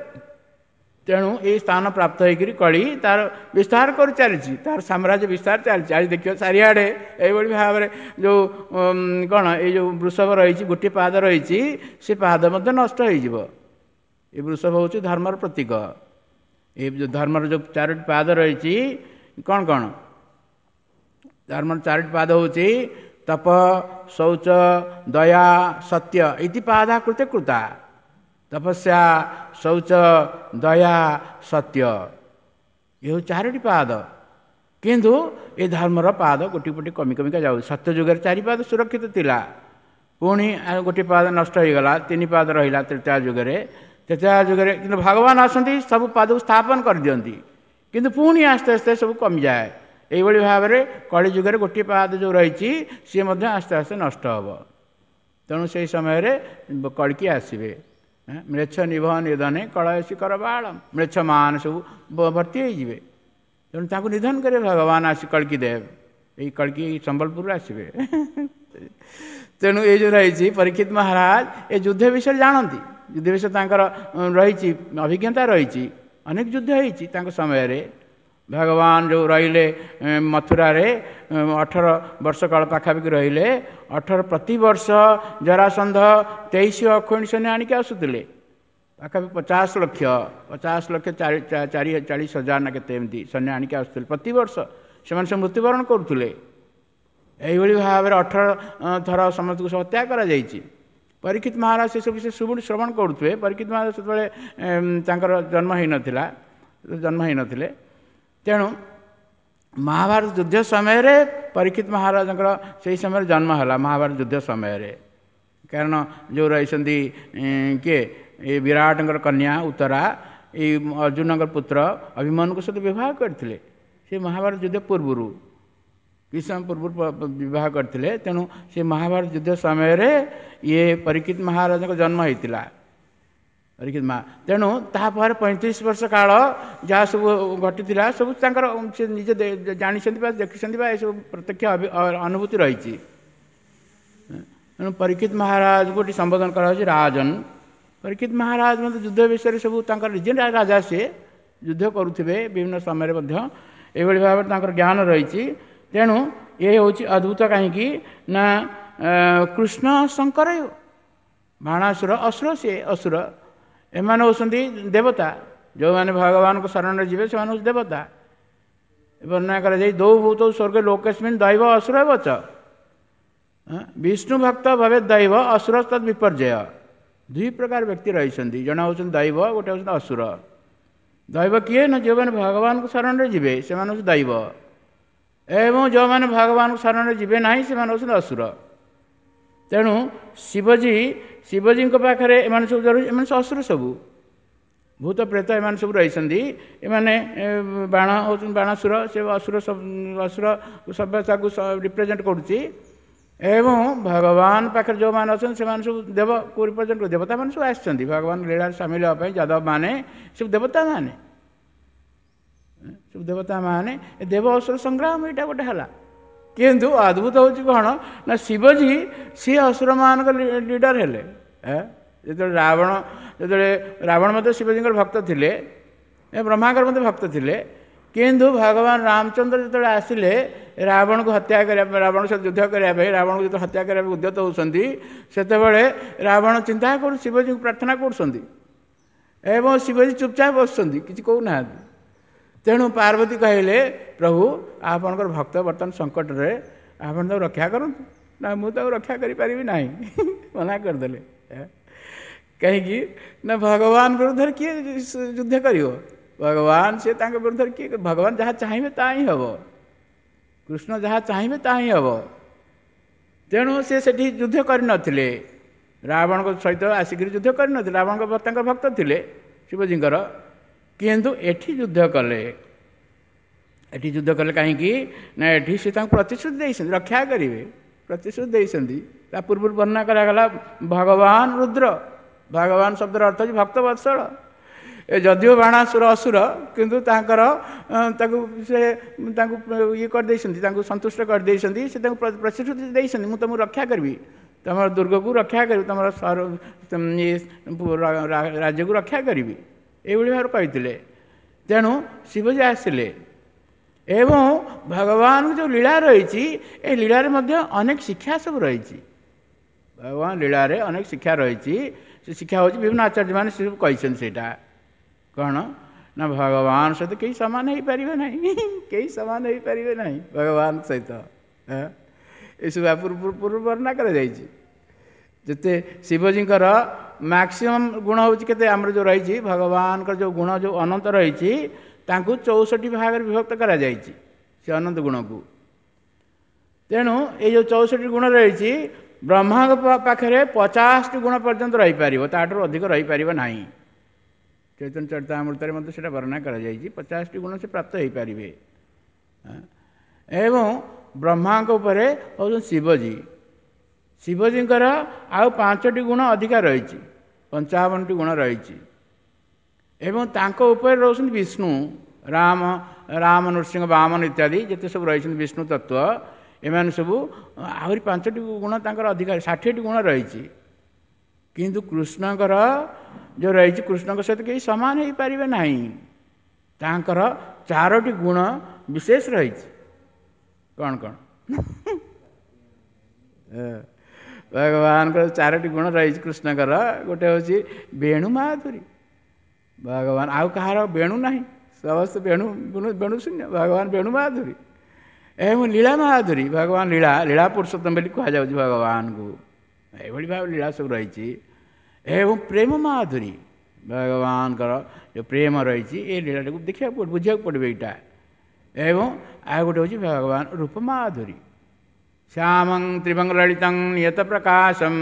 ତେଣୁ ଏଇ ସ୍ଥାନ ପ୍ରାପ୍ତ ହେଇକରି କଳି ତାର ବିସ୍ତାର କରି ଚାଲିଛି, ତାର ସାମ୍ରାଜ୍ୟ ବିସ୍ତାର ଚାଲିଛି। ଆଜି ଦେଖିବ ଚାରିଆଡ଼େ ଏଇଭଳି ଭାବରେ ଯେଉଁ କ'ଣ ଏଇ ଯେଉଁ ବୃଷଭ ରହିଛି, ଗୋଟିଏ ପାଦ ରହିଛି, ସେ ପାଦ ମଧ୍ୟ ନଷ୍ଟ ହେଇଯିବ। ଏ ବୃଷଭ ହେଉଛି ଧର୍ମର ପ୍ରତୀକ। ଏ ଯେଉଁ ଧର୍ମର ଯେଉଁ ଚାରୋଟି ପାଦ ରହିଛି, କ'ଣ କ'ଣ ଧର୍ମର ଚାରୋଟି ପାଦ ହେଉଛି ତପ, ଶୌଚ, ଦୟା, ସତ୍ୟ। ଇତି ପାଦା କୃତେ କୃତା। ତପସ୍ୟା, ଶୌଚ, ଦୟା, ସତ୍ୟ, ଏ ହେଉଛି ଚାରୋଟି ପାଦ। କିନ୍ତୁ ଏ ଧର୍ମର ପାଦ ଗୋଟି ଗୋଟି କମି କମିକା ଯାଉଛି। ସତ୍ୟ ଯୁଗରେ ଚାରି ପାଦ ସୁରକ୍ଷିତ ଥିଲା, ପୁଣି ଗୋଟିଏ ପାଦ ନଷ୍ଟ ହୋଇଗଲା, ତିନି ପାଦ ରହିଲା ତ୍ରେତୟା ଯୁଗରେ। ତ୍ରେତୟା ଯୁଗରେ କିନ୍ତୁ ଭଗବାନ ଆସନ୍ତି, ସବୁ ପାଦକୁ ସ୍ଥାପନ କରିଦିଅନ୍ତି, କିନ୍ତୁ ପୁଣି ଆସ୍ତେ ଆସ୍ତେ ସବୁ କମିଯାଏ। ଏଇଭଳି ଭାବରେ କଳି ଯୁଗରେ ଗୋଟିଏ ପାଦ ଯେଉଁ ରହିଛି, ସିଏ ମଧ୍ୟ ଆସ୍ତେ ଆସ୍ତେ ନଷ୍ଟ ହେବ। ତେଣୁ ସେଇ ସମୟରେ କଳିକି ଆସିବେ। ମ୍ଲେଚ୍ଛ ନିଭ ନିଧନେ କଳୟସି କର ବାଳ, ମ୍ଲେଚ୍ଛମାନେ ସବୁ ଭର୍ତ୍ତି ହେଇଯିବେ। ତେଣୁ ତାଙ୍କୁ ନିଧନ କରିବେ ଭଗବାନ ଆସି କଳ୍କି ଦେବ। ଏଇ କଳ୍କି ସମ୍ବଲପୁରରୁ ଆସିବେ। ତେଣୁ ଏଇ ଯେଉଁ ରହିଛି ପରୀକ୍ଷିତ ମହାରାଜ ଏ ଯୁଦ୍ଧ ବିଷୟରେ ଜାଣନ୍ତି, ଯୁଦ୍ଧ ବିଷୟରେ ତାଙ୍କର ରହିଛି ଅଭିଜ୍ଞତା ରହିଛି, ଅନେକ ଯୁଦ୍ଧ ହେଇଛି ତାଙ୍କ ସମୟରେ। ଭଗବାନ ଯେଉଁ ରହିଲେ ମଥୁରାରେ ଅଠର ବର୍ଷ କାଳ ପାଖାପାଖି ରହିଲେ। ଅଠର ପ୍ରତିବର୍ଷ ଜରାସନ୍ଧ ତେଇଶ ଅକ୍ଷୌହିଣୀ ସୈନ୍ୟ ଆଣିକି ଆସୁଥିଲେ, ପାଖାପାଖି ପଚାଶ ଲକ୍ଷ ପଚାଶ ଲକ୍ଷ ଚାରି ଚାରି ଚାଳିଶ ହଜାର ନା କେତେ ଏମିତି ସୈନ୍ୟ ଆଣିକି ଆସୁଥିଲେ ପ୍ରତିବର୍ଷ। ସେମାନେ ସବୁ ମୃତ୍ୟୁବରଣ କରୁଥିଲେ। ଏଇଭଳି ଭାବରେ ଅଠର ଥର ସମସ୍ତଙ୍କୁ ହତ୍ୟା କରାଯାଇଛି। ପରୀକ୍ଷିତ ମହାରାଜ ସେସବୁ ବିଷୟ ଶୁଣି ଶ୍ରବଣ କରୁଥିବେ। ପରୀକ୍ଷିତ ମହାରାଜ ସେତେବେଳେ ତାଙ୍କର ଜନ୍ମ ହେଇନଥିଲା, ଜନ୍ମ ହେଇନଥିଲେ। ତେଣୁ ମହାଭାରତ ଯୁଦ୍ଧ ସମୟରେ ପରୀକ୍ଷିତ ମହାରାଜଙ୍କର ସେଇ ସମୟରେ ଜନ୍ମ ହେଲା, ମହାଭାରତ ଯୁଦ୍ଧ ସମୟରେ। କାରଣ ଯେଉଁ ରହିଛନ୍ତି କିଏ, ଏ ବିରାଟଙ୍କର କନ୍ୟା ଉତ୍ତରା, ଏଇ ଅର୍ଜୁନଙ୍କର ପୁତ୍ର ଅଭିମନ୍ୟୁଙ୍କ ସହିତ ବିବାହ କରିଥିଲେ। ସେ ମହାଭାରତ ଯୁଦ୍ଧ ପୂର୍ବରୁ, କିଛି ସମୟ ପୂର୍ବରୁ ବିବାହ କରିଥିଲେ। ତେଣୁ ସେ ମହାଭାରତ ଯୁଦ୍ଧ ସମୟରେ ଇଏ ପରୀକ୍ଷିତ ମହାରାଜଙ୍କ ଜନ୍ମ ହେଇଥିଲା, ପରୀକ୍ଷିତ ମହା। ତେଣୁ ତାପରେ ପଇଁତିରିଶ ବର୍ଷ କାଳ ଯାହା ସବୁ ଘଟିଥିଲା ସବୁ ତାଙ୍କର ସେ ନିଜେ ଜାଣିଛନ୍ତି ବା ଦେଖିଛନ୍ତି ବା ଏସବୁ ପ୍ରତ୍ୟକ୍ଷ ଅନୁଭୂତି ରହିଛି। ତେଣୁ ପରୀକ୍ଷିତ ମହାରାଜଙ୍କୁ ଏଠି ସମ୍ବୋଧନ କରାଯାଉଛି ରାଜନ। ପରୀକ୍ଷିତ ମହାରାଜ ମଧ୍ୟ ଯୁଦ୍ଧ ବିଷୟରେ ସବୁ ତାଙ୍କର ନିଜେ ରାଜା, ସିଏ ଯୁଦ୍ଧ କରୁଥିବେ ବିଭିନ୍ନ ସମୟରେ ମଧ୍ୟ। ଏଇଭଳି ଭାବରେ ତାଙ୍କର ଜ୍ଞାନ ରହିଛି। ତେଣୁ ଏ ହେଉଛି ଅଦ୍ଭୁତ, କାହିଁକି ନା କୃଷ୍ଣ ଶଙ୍କର ବାଣାସୁର ଅସୁର, ସିଏ ଅସୁର, ଏମାନେ ହେଉଛନ୍ତି ଦେବତା। ଯେଉଁମାନେ ଭଗବାନଙ୍କ ଶରଣରେ ଯିବେ ସେମାନେ ହେଉଛନ୍ତି ଦେବତା। ବର୍ଣ୍ଣନା କରାଯାଇ ଦୌ ଭୂତ ସ୍ୱର୍ଗ ଲୋକେସ୍ମିନ୍ ଦୈବ ଅସୁର ବଚ, ବିଷ୍ଣୁ ଭକ୍ତ ଭବେ ଦୈବ ଅସୁର ତଦ୍ ବିପର୍ଯ୍ୟୟ। ଦୁଇ ପ୍ରକାର ବ୍ୟକ୍ତି ରହିଛନ୍ତି, ଜଣେ ହେଉଛନ୍ତି ଦୈବ, ଗୋଟେ ହେଉଛନ୍ତି ଅସୁର। ଦୈବ କିଏ ନା ଯେଉଁମାନେ ଭଗବାନଙ୍କ ଶରଣରେ ଯିବେ ସେମାନେ ହେଉଛନ୍ତି ଦୈବ, ଏବଂ ଯେଉଁମାନେ ଭଗବାନଙ୍କ ଶରଣରେ ଯିବେ ନାହିଁ ସେମାନେ ହେଉଛନ୍ତି ଅସୁର। ତେଣୁ ଶିବଜୀ, ଶିବଜୀଙ୍କ ପାଖରେ ଏମାନେ ସବୁ, ଏମାନେ ସବୁ ଅସୁର, ସବୁ ଭୂତ ପ୍ରେତ ଏମାନେ ସବୁ ରହିଛନ୍ତି। ଏମାନେ ବାଣ ହେଉଛନ୍ତି ବାଣାସୁର, ସେ ଅସୁର ଅସୁର ସଭ୍ୟତାକୁ ରିପ୍ରେଜେଣ୍ଟ କରୁଛି। ଏବଂ ଭଗବାନ ପାଖରେ ଯେଉଁମାନେ ଅଛନ୍ତି ସେମାନେ ସବୁ ଦେବକୁ ରିପ୍ରେଜେଣ୍ଟ କରୁ, ଦେବତାମାନେ ସବୁ ଆସିଛନ୍ତି ଭଗବାନ ଲୀଳାରେ ସାମିଲ ହେବା ପାଇଁ। ଯାଦବମାନେ ସବୁ ଦେବତାମାନେ, ସବୁ ଦେବତାମାନେ, ଦେବ ଅସୁର ସଂଗ୍ରାମ ଏଇଟା ଗୋଟେ ହେଲା। କିନ୍ତୁ ଅଦ୍ଭୁତ ହେଉଛି କ'ଣ ନା ଶିବଜୀ ସିଏ ଅସୁରମାନଙ୍କ ଲିଡର ହେଲେ। ଯେତେବେଳେ ରାବଣ, ଯେତେବେଳେ ରାବଣ ମଧ୍ୟ ଶିବଜୀଙ୍କର ଭକ୍ତ ଥିଲେ, ବ୍ରହ୍ମାଙ୍କର ମଧ୍ୟ ଭକ୍ତ ଥିଲେ, କିନ୍ତୁ ଭଗବାନ ରାମଚନ୍ଦ୍ର ଯେତେବେଳେ ଆସିଲେ ରାବଣକୁ ହତ୍ୟା କରିବା ପାଇଁ, ରାବଣ ସହିତ ଯୁଦ୍ଧ କରିବା ପାଇଁ, ରାବଣକୁ ଯେତେବେଳେ ହତ୍ୟା କରିବା ପାଇଁ ଉଦ୍ୟତ ହେଉଛନ୍ତି, ସେତେବେଳେ ରାବଣ ଚିନ୍ତା କରୁ ଶିବଜୀଙ୍କୁ ପ୍ରାର୍ଥନା କରୁଛନ୍ତି ଏବଂ ଶିବଜୀ ଚୁପଚାପ ବସୁଛନ୍ତି, କିଛି କହୁନାହାନ୍ତି। ତେଣୁ ପାର୍ବତୀ କହିଲେ, ପ୍ରଭୁ ଆପଣଙ୍କର ଭକ୍ତ ବର୍ତ୍ତମାନ ସଙ୍କଟରେ, ଆପଣ ତାକୁ ରକ୍ଷା କରନ୍ତୁ। ନା ମୁଁ ତାକୁ ରକ୍ଷା କରିପାରିବି ନାହିଁ, ମନା କରିଦେଲେ। କାହିଁକି ନା ଭଗବାନ ବିରୁଦ୍ଧରେ କିଏ ଯୁଦ୍ଧ କରିବ? ଭଗବାନ ସେ ତାଙ୍କ ବିରୁଦ୍ଧରେ କିଏ? ଭଗବାନ ଯାହା ଚାହିଁବେ ତାହା ହିଁ ହେବ, କୃଷ୍ଣ ଯାହା ଚାହିଁବେ ତାହା ହିଁ ହେବ। ତେଣୁ ସେ ସେଠି ଯୁଦ୍ଧ କରିନଥିଲେ, ରାବଣଙ୍କ ସହିତ ଆସିକରି ଯୁଦ୍ଧ କରିନଥିଲେ। ରାବଣଙ୍କ ତାଙ୍କର ଭକ୍ତ ଥିଲେ ଶିବଜୀଙ୍କର, କିନ୍ତୁ ଏଠି ଯୁଦ୍ଧ କଲେ। ଏଠି ଯୁଦ୍ଧ କଲେ କାହିଁକି ନା ଏଠି ସେ ତାଙ୍କୁ ପ୍ରତିଶ୍ରୁତି ଦେଇଛନ୍ତି ରକ୍ଷା କରିବେ, ପ୍ରତିଶ୍ରୁତି ଦେଇଛନ୍ତି। ତା ପୂର୍ବରୁ ବର୍ଣ୍ଣନା କରାଗଲା ଭଗବାନ ରୁଦ୍ର। ଭଗବାନ ଶବ୍ଦର ଅର୍ଥ ହେଉଛି ଭକ୍ତ ବତ୍ସଳ। ଏ ଯଦିଓ ବାଣାସୁର ଅସୁର, କିନ୍ତୁ ତାଙ୍କର ତାକୁ ସେ ତାଙ୍କୁ ଇଏ କରିଦେଇଛନ୍ତି, ତାଙ୍କୁ ସନ୍ତୁଷ୍ଟ କରିଦେଇଛନ୍ତି। ସେ ତାଙ୍କୁ ପ୍ରତିଶ୍ରୁତି ଦେଇଛନ୍ତି, ମୁଁ ତୁମକୁ ରକ୍ଷା କରିବି, ତୁମର ଦୁର୍ଗକୁ ରକ୍ଷା କରିବି, ତୁମର ରାଜ୍ୟକୁ ରକ୍ଷା କରିବି, ଏଇଭଳି ଭାବରେ କହିଥିଲେ। ତେଣୁ ଶିବଜୀ ଆସିଲେ। ଏବଂ ଭଗବାନଙ୍କ ଯେଉଁ ଲୀଳା ରହିଛି, ଏ ଲୀଳାରେ ମଧ୍ୟ ଅନେକ ଶିକ୍ଷା ସବୁ ରହିଛି। ଭଗବାନ ଲୀଳାରେ ଅନେକ ଶିକ୍ଷା ରହିଛି। ସେ ଶିକ୍ଷା ହେଉଛି ବିଭିନ୍ନ ଆଚାର୍ଯ୍ୟମାନେ ସେ ସବୁ କହିଛନ୍ତି। ସେଇଟା କ'ଣ ନା ଭଗବାନ ସହିତ କେହି ସମାନ ହେଇପାରିବେ ନାହିଁ, କେହି ସମାନ ହେଇପାରିବେ ନାହିଁ ଭଗବାନ ସହିତ। ଏସବୁ ପୂର୍ବ ପୂର୍ବ ବର୍ଣ୍ଣନା କରାଯାଇଛି। ଯେତେ ଶିବଜୀଙ୍କର ମ୍ୟାକ୍ସିମମ୍ ଗୁଣ ହେଉଛି କେତେ, ଆମର ଯେଉଁ ରହିଛି ଭଗବାନଙ୍କର ଯେଉଁ ଗୁଣ ଯେଉଁ ଅନନ୍ତ ରହିଛି, ତାଙ୍କୁ ଚଉଷଠି ଭାଗରେ ବିଭକ୍ତ କରାଯାଇଛି ସେ ଅନନ୍ତ ଗୁଣକୁ। ତେଣୁ ଏଇ ଯେଉଁ ଚଉଷଠି ଗୁଣ ରହିଛି, ବ୍ରହ୍ମାଙ୍କ ପାଖରେ ପଚାଶଟି ଗୁଣ ପର୍ଯ୍ୟନ୍ତ ରହିପାରିବ, ତାଠାରୁ ଅଧିକ ରହିପାରିବ ନାହିଁ। ଚୈତନ୍ୟ ଚରିତାମୃତରେ ମଧ୍ୟ ସେଇଟା ବର୍ଣ୍ଣନା କରାଯାଇଛି, ପଚାଶଟି ଗୁଣ ସେ ପ୍ରାପ୍ତ ହେଇପାରିବେ। ଏବଂ ବ୍ରହ୍ମାଙ୍କ ଉପରେ ହେଉଛନ୍ତି ଶିବଜୀ। ଶିବଜୀଙ୍କର ଆଉ ପାଞ୍ଚଟି ଗୁଣ ଅଧିକା ରହିଛି, ପଞ୍ଚାବନଟି ଗୁଣ ରହିଛି। ଏବଂ ତାଙ୍କ ଉପରେ ରହୁଛନ୍ତି ବିଷ୍ଣୁ, ରାମ, ରାମ, ନୃସିଂହ, ବାମନ ଇତ୍ୟାଦି ଯେତେ ସବୁ ରହିଛନ୍ତି ବିଷ୍ଣୁ ତତ୍ତ୍ୱ, ଏମାନେ ସବୁ ଆହୁରି ପାଞ୍ଚଟି ଗୁଣ ତାଙ୍କର ଅଧିକା, ଷାଠିଏଟି ଗୁଣ ରହିଛି। କିନ୍ତୁ କୃଷ୍ଣଙ୍କର ଯେଉଁ ରହିଛି, କୃଷ୍ଣଙ୍କ ସହିତ କେହି ସମାନ ହେଇପାରିବେ ନାହିଁ। ତାଙ୍କର ଚାରୋଟି ଗୁଣ ବିଶେଷ ରହିଛି। କ'ଣ କ'ଣ ଭଗବାନଙ୍କର ଚାରୋଟି ଗୁଣ ରହିଛି କୃଷ୍ଣଙ୍କର? ଗୋଟେ ହେଉଛି ବେଣୁ ମାଧୁରୀ। ଭଗବାନ ଆଉ କାହାର ବେଣୁ ନାହିଁ, ସମସ୍ତେ ବେଣୁ ବେଣୁ ଶୂନ୍ୟ, ଭଗବାନ ବେଣୁ ମାଧୁରୀ। ଏବଂ ଲୀଳା ମାଧୁରୀ, ଭଗବାନ ଲୀଳା, ଲୀଳା ପୁରୁଷୋତ୍ତମ ବୋଲି କୁହାଯାଉଛି ଭଗବାନଙ୍କୁ। ଏଇଭଳି ଭାବେ ଲୀଳା ସବୁ ରହିଛି। ଏବଂ ପ୍ରେମ ମାଧୁରୀ, ଭଗବାନଙ୍କର ଯେଉଁ ପ୍ରେମ ରହିଛି, ଏ ଲୀଳାଟାକୁ ଦେଖିବାକୁ ବୁଝିବାକୁ ପଡ଼ିବ ଏଇଟା। ଏବଂ ଆଉ ଗୋଟେ ହେଉଛି ଭଗବାନ ରୂପ ମାଧୁରୀ। ଶ୍ୟାମଂ ତ୍ରିଭଙ୍ଗ ଲଳିତଂ ନିୟତ ପ୍ରକାଶಂ,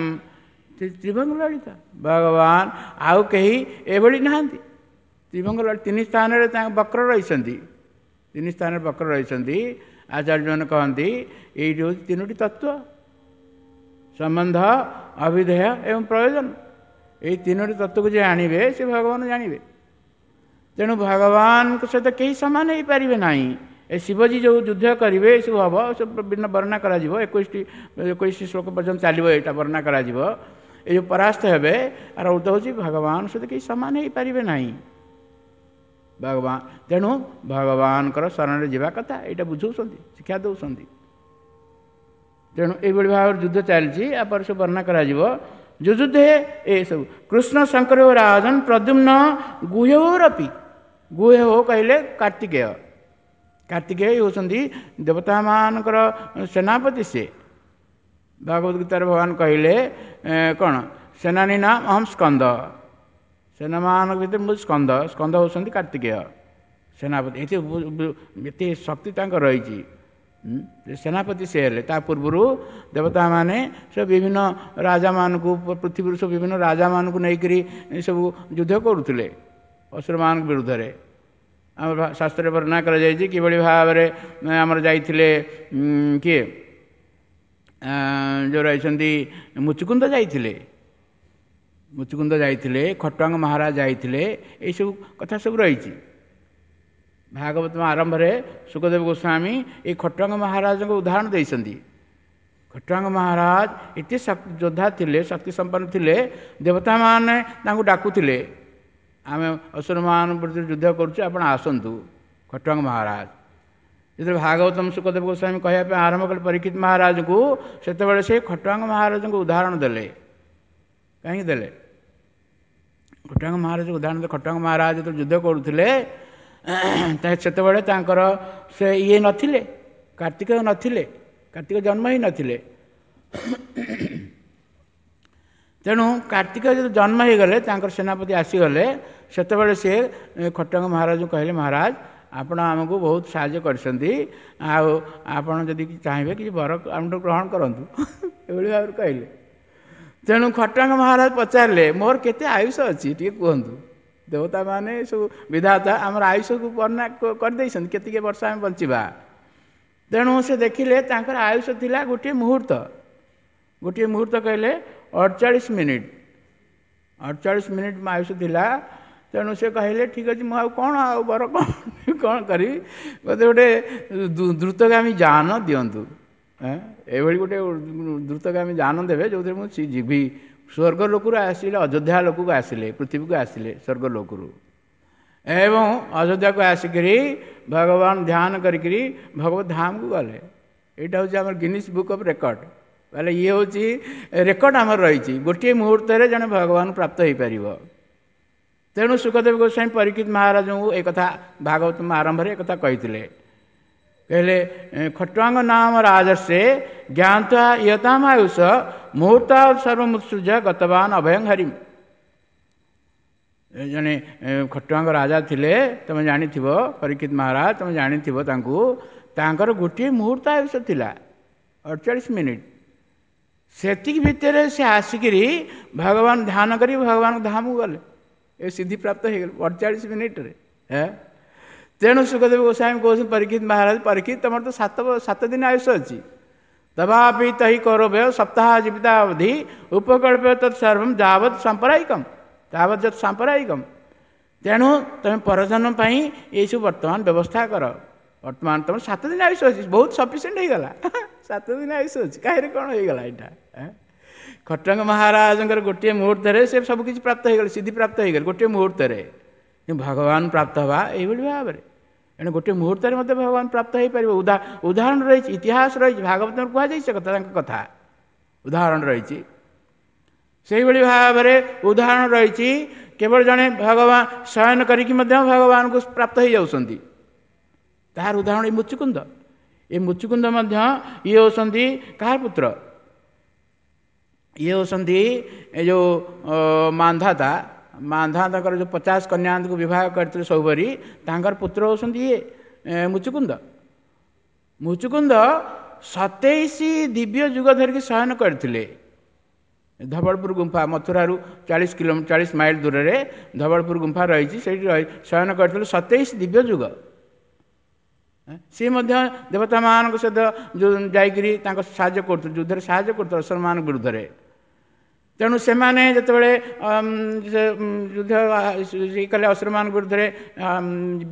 ତ୍ରିଭଙ୍ଗ ଲଳିତ ଭଗବାନ ଆଉ କେହି ଏଭଳି ନାହାନ୍ତି। ତ୍ରିଭଙ୍ଗ ତିନି ସ୍ଥାନରେ ତାଙ୍କ ବକ୍ର ରହିଛନ୍ତି, ତିନି ସ୍ଥାନରେ ବକ୍ର ରହିଛନ୍ତି। ଆଚାର୍ଯ୍ୟମାନେ କହନ୍ତି ଏଇଠି ହେଉଛି ତିନୋଟି ତତ୍ତ୍ୱ, ସମ୍ବନ୍ଧ, ଅଭିଧେୟ ଏବଂ ପ୍ରୟୋଜନ। ଏଇ ତିନୋଟି ତତ୍ତ୍ୱକୁ ଯିଏ ଆଣିବେ ସେ ଭଗବାନ ଜାଣିବେ। ତେଣୁ ଭଗବାନଙ୍କ ସହିତ କେହି ସମାନ ହେଇପାରିବେ ନାହିଁ। ଏ ଶିବଜୀ ଯେଉଁ ଯୁଦ୍ଧ କରିବେ ଏସବୁ ହେବ, ସବୁ ବିଭିନ୍ନ ବର୍ଣ୍ଣନା କରାଯିବ। ଏକୋଇଶଟି ଏକୋଇଶ ଶ୍ଲୋକ ପର୍ଯ୍ୟନ୍ତ ଚାଲିବ ଏଇଟା ବର୍ଣ୍ଣନା କରାଯିବ। ଏ ଯେଉଁ ପରାସ୍ତ ହେବେ, ଆର ଅର୍ଥ ହେଉଛି ଭଗବାନ ସହିତ କେହି ସମାନ ହେଇପାରିବେ ନାହିଁ ଭଗବାନ। ତେଣୁ ଭଗବାନଙ୍କର ଶରଣରେ ଯିବା କଥା, ଏଇଟା ବୁଝାଉଛନ୍ତି, ଶିକ୍ଷା ଦେଉଛନ୍ତି। ତେଣୁ ଏଇଭଳି ଭାବରେ ଯୁଦ୍ଧ ଚାଲିଛି, ଆପରେ ସବୁ ବର୍ଣ୍ଣନା କରାଯିବ। ଯୁଯୁଧେ ଏସବୁ କୃଷ୍ଣ ଶଙ୍କର ରାଜନ ପ୍ରଦ୍ୟୁମ୍ନ ଗୁହ୍ୟରପି। ଗୁହ୍ୟ କହିଲେ କାର୍ତ୍ତିକେୟ। କାର୍ତ୍ତିକେୟ ହେଉଛନ୍ତି ଦେବତାମାନଙ୍କର ସେନାପତି। ସେ ଭାଗବତ ଗୀତାରେ ଭଗବାନ କହିଲେ କ'ଣ, ସେନାନୀ ନାମ ଅହಂ ସ୍କନ୍ଦ, ସେନାମାନଙ୍କ ଭିତରେ ମୁଁ ସ୍କନ୍ଦ। ସ୍କନ୍ଦ ହେଉଛନ୍ତି କାର୍ତ୍ତିକେୟ ସେନାପତି। ଏତେ ଏତେ ଶକ୍ତି ତାଙ୍କର ରହିଛି, ସେନାପତି ସେ ହେଲେ। ତା ପୂର୍ବରୁ ଦେବତାମାନେ ସେ ବିଭିନ୍ନ ରାଜାମାନଙ୍କୁ, ପୃଥିବୀରୁ ସବୁ ବିଭିନ୍ନ ରାଜାମାନଙ୍କୁ ନେଇକରି ସବୁ ଯୁଦ୍ଧ କରୁଥିଲେ ଅସୁରମାନଙ୍କ ବିରୁଦ୍ଧରେ। ଆମର ଶାସ୍ତ୍ରରେ ବର୍ଣ୍ଣନା କରାଯାଇଛି କିଭଳି ଭାବରେ ଆମର ଯାଇଥିଲେ କିଏ ଯେଉଁ ରହିଛନ୍ତି ମୁଚୁକୁନ୍ଦ ଯାଇଥିଲେ, ମୁଚୁକୁନ୍ଦ ଯାଇଥିଲେ, ଖଟୁଆଙ୍ଗ ମହାରାଜ ଯାଇଥିଲେ, ଏଇସବୁ କଥା ସବୁ ରହିଛି। ଭାଗବତ ଆରମ୍ଭରେ ଶୁକଦେବ ଗୋସ୍ୱାମୀ ଏଇ ଖଟୁଆଙ୍ଗ ମହାରାଜଙ୍କ ଉଦାହରଣ ଦେଇଛନ୍ତି। ଖଟୁଆଙ୍ଗ ମହାରାଜ ଏତେ ଯୋଦ୍ଧା ଥିଲେ, ଶକ୍ତି ସମ୍ପନ୍ନ ଥିଲେ, ଦେବତାମାନେ ତାଙ୍କୁ ଡାକୁଥିଲେ, ଆମେ ଅସୁରମାନଙ୍କ ବିରୁଦ୍ଧରେ ଯୁଦ୍ଧ କରୁଛୁ, ଆପଣ ଆସନ୍ତୁ ଖଟୁଆଙ୍ଗ ମହାରାଜ। ଯେତେବେଳେ ଭାଗବତମ ଶୁକଦେବ ଗୋସ୍ୱାମୀ କହିବା ପାଇଁ ଆରମ୍ଭ କଲେ ପରୀକ୍ଷିତ ମହାରାଜଙ୍କୁ, ସେତେବେଳେ ସେ ଖଟୁଆଙ୍ଗ ମହାରାଜଙ୍କୁ ଉଦାହରଣ ଦେଲେ। କାହିଁକି ଦେଲେ ଖଟୁଆଙ୍ଗ ମହାରାଜଙ୍କୁ ଉଦାହରଣ ଦେଲେ? ଖଟୁଆଙ୍ଗ ମହାରାଜ ଯେତେବେଳେ ଯୁଦ୍ଧ କରୁଥିଲେ ସେତେବେଳେ ତାଙ୍କର ସେ ଇଏ ନଥିଲେ, କାର୍ତ୍ତିକ ନଥିଲେ, କାର୍ତ୍ତିକ ଜନ୍ମ ହିଁ ନଥିଲେ। ତେଣୁ କାର୍ତ୍ତିକ ଯେତେବେଳେ ଜନ୍ମ ହେଇଗଲେ, ତାଙ୍କର ସେନାପତି ଆସିଗଲେ, ସେତେବେଳେ ସେ ଖଟୁଆଙ୍ଗ ମହାରାଜଙ୍କୁ କହିଲେ, ମହାରାଜ ଆପଣ ଆମକୁ ବହୁତ ସାହାଯ୍ୟ କରିଛନ୍ତି, ଆଉ ଆପଣ ଯଦି ଚାହିଁବେ କିଛି ବର ଆମଠୁ ଗ୍ରହଣ କରନ୍ତୁ, ଏଭଳି ଭାବରେ କହିଲେ। ତେଣୁ ଖଟାଙ୍ଗ ମହାରାଜ ପଚାରିଲେ, ମୋର କେତେ ଆୟୁଷ ଅଛି ଟିକେ କୁହନ୍ତୁ। ଦେବତାମାନେ ସବୁ ବିଧାତା ଆମର ଆୟୁଷକୁ ବର୍ଣ୍ଣନା କରିଦେଇଛନ୍ତି, କେତିକି ବର୍ଷ ଆମେ ବଞ୍ଚିବା। ତେଣୁ ସେ ଦେଖିଲେ ତାଙ୍କର ଆୟୁଷ ଥିଲା ଗୋଟିଏ ମୁହୂର୍ତ୍ତ, ଗୋଟିଏ ମୁହୂର୍ତ୍ତ କହିଲେ ଅଡ଼ଚାଳିଶ ମିନିଟ୍, ଅଡ଼ଚାଳିଶ ମିନିଟ୍ ଆୟୁଷ ଥିଲା। ତେଣୁ ସେ କହିଲେ ଠିକ୍ ଅଛି, ମୁଁ ଆଉ କ'ଣ ଆଉ ବର କ'ଣ କ'ଣ କରିବି, ମୋତେ ଗୋଟେ ଦ୍ରୁତଗାମୀ ଯାନ ଦିଅନ୍ତୁ, ଏଭଳି ଗୋଟେ ଦ୍ରୁତଗାମୀ ଯାନ ଦେବେ ଯେଉଁଥିରେ ମୁଁ ଯିବି। ସ୍ୱର୍ଗ ଲୋକରୁ ଆସିଲେ, ଅଯୋଧ୍ୟା ଲୋକକୁ ଆସିଲେ, ପୃଥିବୀକୁ ଆସିଲେ ସ୍ୱର୍ଗ ଲୋକରୁ, ଏବଂ ଅଯୋଧ୍ୟାକୁ ଆସିକରି ଭଗବାନ ଧ୍ୟାନ କରିକିରି ଭଗବତ ଧାମକୁ ଗଲେ। ଏଇଟା ହେଉଛି ଆମର ଗିନିସ୍ ବୁକ୍ ଅଫ୍ ରେକର୍ଡ଼। ବୋଇଲେ ଇଏ ହେଉଛି ରେକର୍ଡ଼ ଆମର ରହିଛି, ଗୋଟିଏ ମୁହୂର୍ତ୍ତରେ ଜଣେ ଭଗବାନ ପ୍ରାପ୍ତ ହୋଇପାରିବ। ତେଣୁ ଶୁକଦେବ ଗୋସ୍ୱାମୀ ପରୀକ୍ଷିତ ମହାରାଜଙ୍କୁ ଏକଥା ଭାଗବତ ଆରମ୍ଭରେ ଏକଥା କହିଥିଲେ। କହିଲେ ଖଟ୍ୱାଙ୍ଗ ନାମ ରାଜର୍ଷେ ଜ୍ଞାତ୍ୱା ଇୟତାମ ଆୟୁଷ ମୁହୂର୍ତ୍ତ ସର୍ବମୁତ୍ସୃଜ ଗତବାନ ଅଭୟଂ ହରିମ। ଜଣେ ଖଟ୍ୱାଙ୍ଗ ରାଜା ଥିଲେ, ତୁମେ ଜାଣିଥିବ, ପରୀକ୍ଷିତ ମହାରାଜ ତୁମେ ଜାଣିଥିବ ତାଙ୍କୁ। ତାଙ୍କର ଗୋଟିଏ ମୁହୂର୍ତ୍ତ ଆୟୁଷ ଥିଲା ଅଡ଼ଚାଳିଶ ମିନିଟ୍। ସେତିକି ଭିତରେ ସେ ଆସିକିରି ଭଗବାନ ଧ୍ୟାନ କରି ଭଗବାନଙ୍କ ଧାମକୁ ଗଲେ, ଏ ସିଦ୍ଧି ପ୍ରାପ୍ତ ହେଇଗଲେ ଅଡ଼ଚାଳିଶ ମିନିଟ୍ରେ। ତେଣୁ ଶୁକଦେବ ଗୋସ୍ୱାମୀ କହୁଛନ୍ତି ପରୀକ୍ଷିତ ମହାରାଜ, ପରୀକ୍ଷିତ ତୁମର ତ ସାତ ସାତ ଦିନ ଆୟୁଷ ଅଛି, ତବାପି ତହି କୌରବ୍ୟ ସପ୍ତାହ ଜୀବିତା ଅବଧି ଉପକଳ୍ପ ତତ୍ ସର୍ବಂ ଯାବତ୍ ସାମ୍ପ୍ରଦାୟିକମ୍ ତାବତ୍ ଯତ୍ ସାମ୍ପ୍ରଦାୟିକମ୍। ତେଣୁ ତୁମେ ପରଜନ୍ମ ପାଇଁ ଏଇସବୁ ବର୍ତ୍ତମାନ ବ୍ୟବସ୍ଥା କର। ବର୍ତ୍ତମାନ ତୁମର ସାତ ଦିନ ଆୟୁଷ ଅଛି, ବହୁତ ସଫିସିଏଣ୍ଟ ହେଇଗଲା, ସାତ ଦିନ ଆୟୁଷ ଅଛି, କାହିଁରେ କ'ଣ ହେଇଗଲା ଏଇଟା। ଖଟଙ୍ଗ ମହାରାଜଙ୍କର ଗୋଟିଏ ମୁହୂର୍ତ୍ତରେ ସେ ସବୁକିଛି ପ୍ରାପ୍ତ ହେଇଗଲେ, ସିଦ୍ଧି ପ୍ରାପ୍ତ ହେଇଗଲେ ଗୋଟିଏ ମୁହୂର୍ତ୍ତରେ। ଭଗବାନ ପ୍ରାପ୍ତ ହେବା ଏଇଭଳି ଭାବରେ, ଏଣୁ ଗୋଟିଏ ମୁହୂର୍ତ୍ତରେ ମଧ୍ୟ ଭଗବାନ ପ୍ରାପ୍ତ ହେଇପାରିବ। ଉଦାହରଣ ରହିଛି, ଇତିହାସ ରହିଛି, ଭାଗବତରେ କୁହାଯାଇଛି ସେ କଥା, ତାଙ୍କ କଥା ଉଦାହରଣ ରହିଛି। ସେଇଭଳି ଭାବରେ ଉଦାହରଣ ରହିଛି, କେବଳ ଜଣେ ଭଗବାନ ଶୟନ କରିକି ମଧ୍ୟ ଭଗବାନଙ୍କୁ ପ୍ରାପ୍ତ ହେଇଯାଉଛନ୍ତି। ତାହାର ଉଦାହରଣ ଏ ମୁଚୁକୁନ୍ଦ। ଏ ମୁଚୁକୁନ୍ଦ ମଧ୍ୟ ଇଏ ହେଉଛନ୍ତି କାହାର ପୁତ୍ର? ଇଏ ହେଉଛନ୍ତି ଏ ଯେଉଁ ମାନ୍ଧାତା, ମାନ୍ଧାତାଙ୍କର ଯେଉଁ ପଚାଶ କନ୍ୟାଙ୍କୁ ବିବାହ କରିଥିଲେ ସୌବରୀ, ତାଙ୍କର ପୁତ୍ର ହେଉଛନ୍ତି ଇଏ ମୁଚୁକୁନ୍ଦ। ମୁଚୁକୁନ୍ଦ ସତେଇଶ ଦିବ୍ୟ ଯୁଗ ଧରିକି ଶୟନ କରିଥିଲେ ଧବଳପୁର ଗୁମ୍ଫା, ମଥୁରାରୁ ଚାଳିଶ କିଲୋମିଟର ଚାଳିଶ ମାଇଲ ଦୂରରେ ଧବଳପୁର ଗୁମ୍ଫା ରହିଛି, ସେଇଠି ରହି ଶୟନ କରିଥିଲେ ସତେଇଶ ଦିବ୍ୟ ଯୁଗ। ସିଏ ମଧ୍ୟ ଦେବତାମାନଙ୍କ ସହିତ ଯେଉଁ ଯାଇକରି ତାଙ୍କ ସାହାଯ୍ୟ କରୁଥିଲେ, ଯୁଦ୍ଧରେ ସାହାଯ୍ୟ କରୁଥିଲେ ଅସୁରମାନଙ୍କ ବିରୁଦ୍ଧରେ। ତେଣୁ ସେମାନେ ଯେତେବେଳେ ଯୁଦ୍ଧ କଲେ ଅସୁରମାନଙ୍କ ବିରୁଦ୍ଧରେ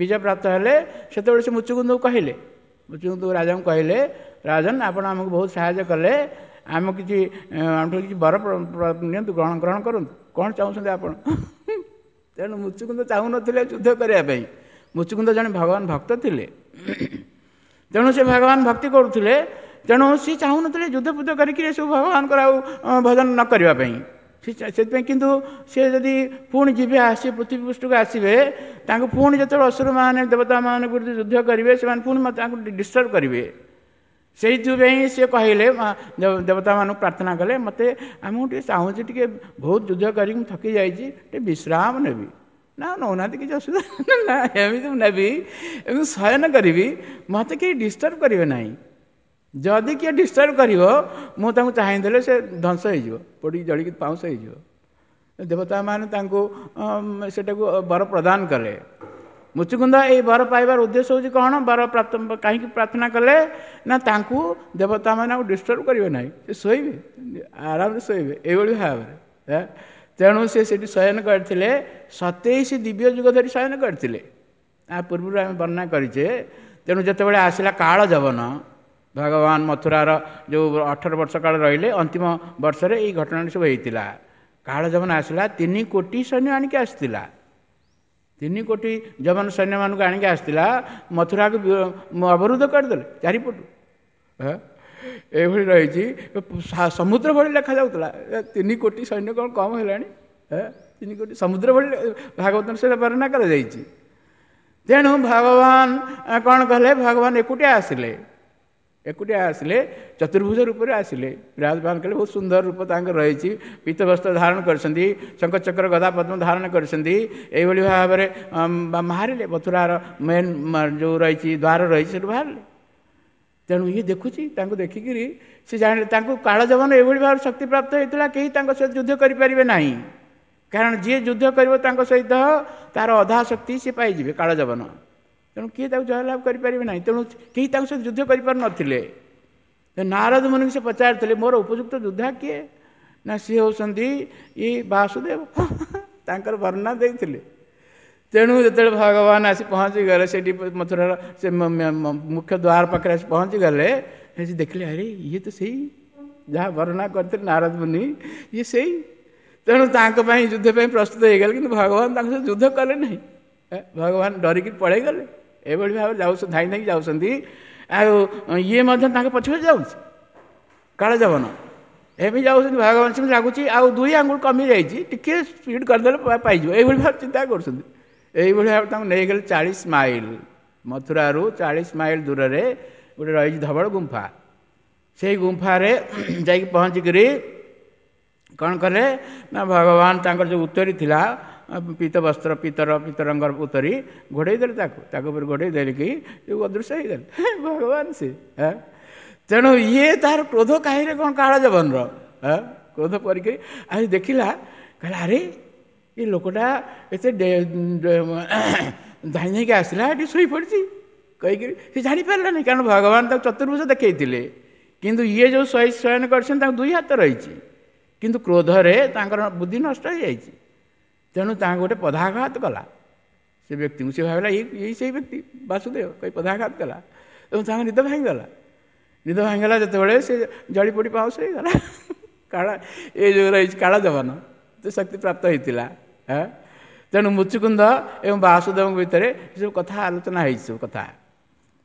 ବିଜୟ ପ୍ରାପ୍ତ ହେଲେ, ସେତେବେଳେ ସେ ମୁଚୁକୁନ୍ଦକୁ କହିଲେ, ମୁଚୁକୁନ୍ଦ ରାଜାଙ୍କୁ କହିଲେ, ରାଜନ ଆପଣ ଆମକୁ ବହୁତ ସାହାଯ୍ୟ କଲେ, ଆମେ କିଛି ଆମଠୁ କିଛି ବର ନିଅନ୍ତୁ, ଗ୍ରହଣ ଗ୍ରହଣ କରନ୍ତୁ, କ'ଣ ଚାହୁଁଛନ୍ତି ଆପଣ? ତେଣୁ ମୁଚୁକୁନ୍ଦ ଚାହୁଁନଥିଲେ ଯୁଦ୍ଧ କରିବା ପାଇଁ। ମୁଚୁକୁନ୍ଦ ଜଣେ ଭଗବାନ ଭକ୍ତ ଥିଲେ, ତେଣୁ ସେ ଭଗବାନ ଭକ୍ତି କରୁଥିଲେ। ତେଣୁ ସିଏ ଚାହୁଁନଥିଲେ ଯୁଦ୍ଧ ଫୁଦ୍ଧ କରିକି ଏସବୁ ଭଗବାନଙ୍କର ଆଉ ଭଜନ ନ କରିବା ପାଇଁ। ସେଥିପାଇଁ କିନ୍ତୁ ସିଏ ଯଦି ପୁଣି ଯିବେ, ଆସିବେ ପୃଥିବୀ ପୃଷ୍ଠକୁ ଆସିବେ, ତାଙ୍କୁ ପୁଣି ଯେତେବେଳେ ଅସୁରମାନେ ଦେବତାମାନେ ଯୁଦ୍ଧ କରିବେ, ସେମାନେ ପୁଣି ତାଙ୍କୁ ଡିଷ୍ଟର୍ବ କରିବେ। ସେଇଥିପାଇଁ ସିଏ କହିଲେ, ଦେବତାମାନଙ୍କୁ ପ୍ରାର୍ଥନା କଲେ, ମୋତେ ଆମକୁ ଟିକେ ଚାହୁଁଛି ଟିକେ ବହୁତ ଯୁଦ୍ଧ କରିକି ମୁଁ ଥକି ଯାଇଛି, ଟିକେ ବିଶ୍ରାମ ନେବି। ନା ନେଉନାହାନ୍ତି କିଛି ଅସୁବିଧା ନା, ଏମିତି ମୁଁ ନେବି, ଏମିତି ଶୟନ କରିବି, ମୋତେ କେହି ଡିଷ୍ଟର୍ବ କରିବେ ନାହିଁ। ଯଦି କିଏ ଡିଷ୍ଟର୍ବ କରିବ, ମୁଁ ତାଙ୍କୁ ଚାହିଁଦେଲେ ସେ ଧ୍ୱଂସ ହେଇଯିବ, ପୋଡ଼ିକି ଜଳିକି ପାଉଁଶ ହେଇଯିବ। ଦେବତାମାନେ ତାଙ୍କୁ ସେଟାକୁ ବର ପ୍ରଦାନ କଲେ। ମୁଚୁକୁନ୍ଦ ଏଇ ବର ପାଇବାର ଉଦ୍ଦେଶ୍ୟ ହେଉଛି କ'ଣ? ବର ପ୍ରାପ୍ତ କାହିଁକି ପ୍ରାର୍ଥନା କଲେ ନା, ତାଙ୍କୁ ଦେବତାମାନେ ଆଉ ଡିଷ୍ଟର୍ବ କରିବେ ନାହିଁ, ସେ ଶୋଇବେ, ଆରାମରେ ଶୋଇବେ, ଏଇଭଳି ଭାବରେ। ତେଣୁ ସେ ସେଠି ଶୟନ କରିଥିଲେ, ସତେଇଶ ଦିବ୍ୟ ଯୁଗ ଧରି ଶୟନ କରିଥିଲେ। ତା ପୂର୍ବରୁ ଆମେ ବର୍ଣ୍ଣନା କରିଛେ। ତେଣୁ ଯେତେବେଳେ ଆସିଲା କାଳ ଯବନ, ଭଗବାନ ମଥୁରାର ଯେଉଁ ଅଠର ବର୍ଷ କାଳ ରହିଲେ, ଅନ୍ତିମ ବର୍ଷରେ ଏଇ ଘଟଣାଟି ସବୁ ହେଇଥିଲା। କାଳ ଯବନ ଆସିଲା, ତିନି କୋଟି ସୈନ୍ୟ ଆଣିକି ଆସିଥିଲା, ତିନି କୋଟି ଯବନ ସୈନ୍ୟମାନଙ୍କୁ ଆଣିକି ଆସିଥିଲା, ମଥୁରାକୁ ଅବରୋଧ କରିଦେଲେ ଚାରିପଟୁ। ଏଇଭଳି ରହିଛି, ସମୁଦ୍ର ଭଳି ଲେଖାଯାଉଥିଲା। ତିନି କୋଟି ସୈନ୍ୟ କ'ଣ କମ୍ ହେଲାଣି? ତିନି କୋଟି ସମୁଦ୍ର ଭଳି ଭାଗବତରେ ସେଇଟା ବର୍ଣ୍ଣନା କରାଯାଇଛି। ତେଣୁ ଭଗବାନ କ'ଣ କଲେ? ଭଗବାନ ଏକୁଟିଆ ଆସିଲେ। ଏକୁଟିଆ ଆସିଲେ, ଚତୁର୍ଭୁଜ ରୂପରେ ଆସିଲେ, ବିରାଜମାନ କଲେ। ବହୁତ ସୁନ୍ଦର ରୂପ ତାଙ୍କର ରହିଛି। ପୀତ ବସ୍ତ୍ର ଧାରଣ କରିଛନ୍ତି, ଶଙ୍ଖଚକ୍ର ଗଦା ପଦ୍ମ ଧାରଣ କରିଛନ୍ତି। ଏଇଭଳି ଭାବରେ ବାହାରିଲେ, ମଥୁରାର ମେନ୍ ଯେଉଁ ରହିଛି ଦ୍ୱାର ରହିଛି ସେଠୁ ବାହାରିଲେ। ତେଣୁ ଇଏ ଦେଖୁଛି, ତାଙ୍କୁ ଦେଖିକିରି ସେ ଜାଣିଲେ ତାଙ୍କୁ କାଳଯବନ ଏଭଳି ଭାବରେ ଶକ୍ତି ପ୍ରାପ୍ତ ହେଇଥିଲା, କେହି ତାଙ୍କ ସହିତ ଯୁଦ୍ଧ କରିପାରିବେ ନାହିଁ। କାରଣ ଯିଏ ଯୁଦ୍ଧ କରିବ ତାଙ୍କ ସହିତ ତାର ଅଧା ଶକ୍ତି ସେ ପାଇଯିବେ କାଳଯବନ। ତେଣୁ କିଏ ତାକୁ ଜୟଲାଭ କରିପାରିବେ ନାହିଁ। ତେଣୁ କେହି ତାଙ୍କ ସହିତ ଯୁଦ୍ଧ କରିପାରୁନଥିଲେ। ନାରଦ ମୁନିଙ୍କୁ ସେ ପଚାରିଥିଲେ, ମୋର ଉପଯୁକ୍ତ ଯୋଦ୍ଧା କିଏ? ନା ସିଏ ହେଉଛନ୍ତି ଇଏ ବାସୁଦେବ, ତାଙ୍କର ବର୍ଣ୍ଣନା ଦେଇଥିଲେ। ତେଣୁ ଯେତେବେଳେ ଭଗବାନ ଆସି ପହଞ୍ଚିଗଲେ ସେଠି ମଥୁରାର ସେ ମୁଖ୍ୟ ଦ୍ୱାର ପାଖରେ ଆସି ପହଞ୍ଚିଗଲେ, ସେ ଦେଖିଲେ ଆରେ ଇଏ ତ ସେଇ ଯାହା ବର୍ଣ୍ଣନା କରିଥିଲେ ନାରଦ ମୁନି, ଇଏ ସେଇ। ତେଣୁ ତାଙ୍କ ପାଇଁ ଯୁଦ୍ଧ ପାଇଁ ପ୍ରସ୍ତୁତ ହେଇଗଲେ, କିନ୍ତୁ ଭଗବାନ ତାଙ୍କ ସହିତ ଯୁଦ୍ଧ କଲେ ନାହିଁ। ଭଗବାନ ଡରିକି ପଳେଇଗଲେ। ଏଭଳି ଭାବରେ ଯାଉଛନ୍ତି, ଧାଇଁ ଧାଇଁ ଯାଉଛନ୍ତି। ଆଉ ଇଏ ମଧ୍ୟ ତାଙ୍କ ପଛେ ପଛେ ଯାଉଛି କାଳଯବନ। ଏମିତି ଯାଉଛନ୍ତି, ଭଗବାନ ସେମିତି ଲାଗୁଛି ଆଉ ଦୁଇ ଆଙ୍ଗୁଳ କମି ଯାଇଛି, ଟିକିଏ ସ୍ପିଡ଼ କରିଦେଲେ ପାଇଯିବ, ଏଇଭଳି ଭାବେ ଚିନ୍ତା କରୁଛନ୍ତି। ଏଇଭଳି ଭାବେ ତାଙ୍କୁ ନେଇଗଲେ ଚାଳିଶ ମାଇଲ, ମଥୁରାରୁ ଚାଳିଶ ମାଇଲ ଦୂରରେ ଗୋଟେ ରହିଛି ଧବଳ ଗୁମ୍ଫା। ସେଇ ଗୁମ୍ଫାରେ ଯାଇକି ପହଞ୍ଚିକରି କ'ଣ କଲେ ନା ଭଗବାନ ତାଙ୍କର ଯେଉଁ ଉତ୍ତରୀ ଥିଲା ପୀତ ବସ୍ତ୍ର, ପିତର ପିତ ରଙ୍ଗର ଉତ୍ତରୀ ଘୋଡ଼େଇ ଦେଲେ ତାକୁ, ତାକୁ ଉପରେ ଘୋଡ଼େଇ ଦେଲିକି ଅଦୃଶ୍ୟ ହେଇଗଲେ ଭଗବାନ ସେ। ତେଣୁ ଇଏ ତାର କ୍ରୋଧ କାହିଁରେ କ'ଣ କାଳଯବନର କ୍ରୋଧ କରିକି ଆଜି ଦେଖିଲା, କହିଲା ଆରେ ଏ ଲୋକଟା ଏତେ ଧାଇଁ ଧାଇଁକି ଆସିଲା, ଏଠି ଶୋଇପଡ଼ିଛି କହିକିରି ସେ ଜାଣିପାରିଲାନି। କାରଣ ଭଗବାନ ତାକୁ ଚତୁର୍ଭୁଜ ଦେଖେଇଥିଲେ, କିନ୍ତୁ ଇଏ ଯେଉଁ ଶୟନ କରିଛନ୍ତି ତାଙ୍କୁ ଦୁଇ ହାତ ରହିଛି, କିନ୍ତୁ କ୍ରୋଧରେ ତାଙ୍କର ବୁଦ୍ଧି ନଷ୍ଟ ହେଇଯାଇଛି। ତେଣୁ ତାଙ୍କୁ ଗୋଟେ ପଦାଘାତ କଲା ସେ ବ୍ୟକ୍ତିଙ୍କୁ। ସେ ଭାବିଲା ଏଇ ସେଇ ବ୍ୟକ୍ତି ବାସୁଦେବ କହି ପଦାଘାତ କଲା ଏବଂ ତାଙ୍କ ନିଦ ଭାଙ୍ଗିଗଲା। ନିଦ ଭାଙ୍ଗିଗଲା ଯେତେବେଳେ ସେ ଜଳି ପୋଡ଼ି ପାଉଁଶ ହେଇଗଲା। କାଳ ଏ ଯେଉଁ ରହିଛି କାଳଯବନ ଶକ୍ତି ପ୍ରାପ୍ତ ହେଇଥିଲା। ତେଣୁ ମୁଚୁକୁନ୍ଦ ଏବଂ ବାସୁଦେବଙ୍କ ଭିତରେ ଏସବୁ କଥା ଆଲୋଚନା ହେଇଛି ସବୁ କଥା।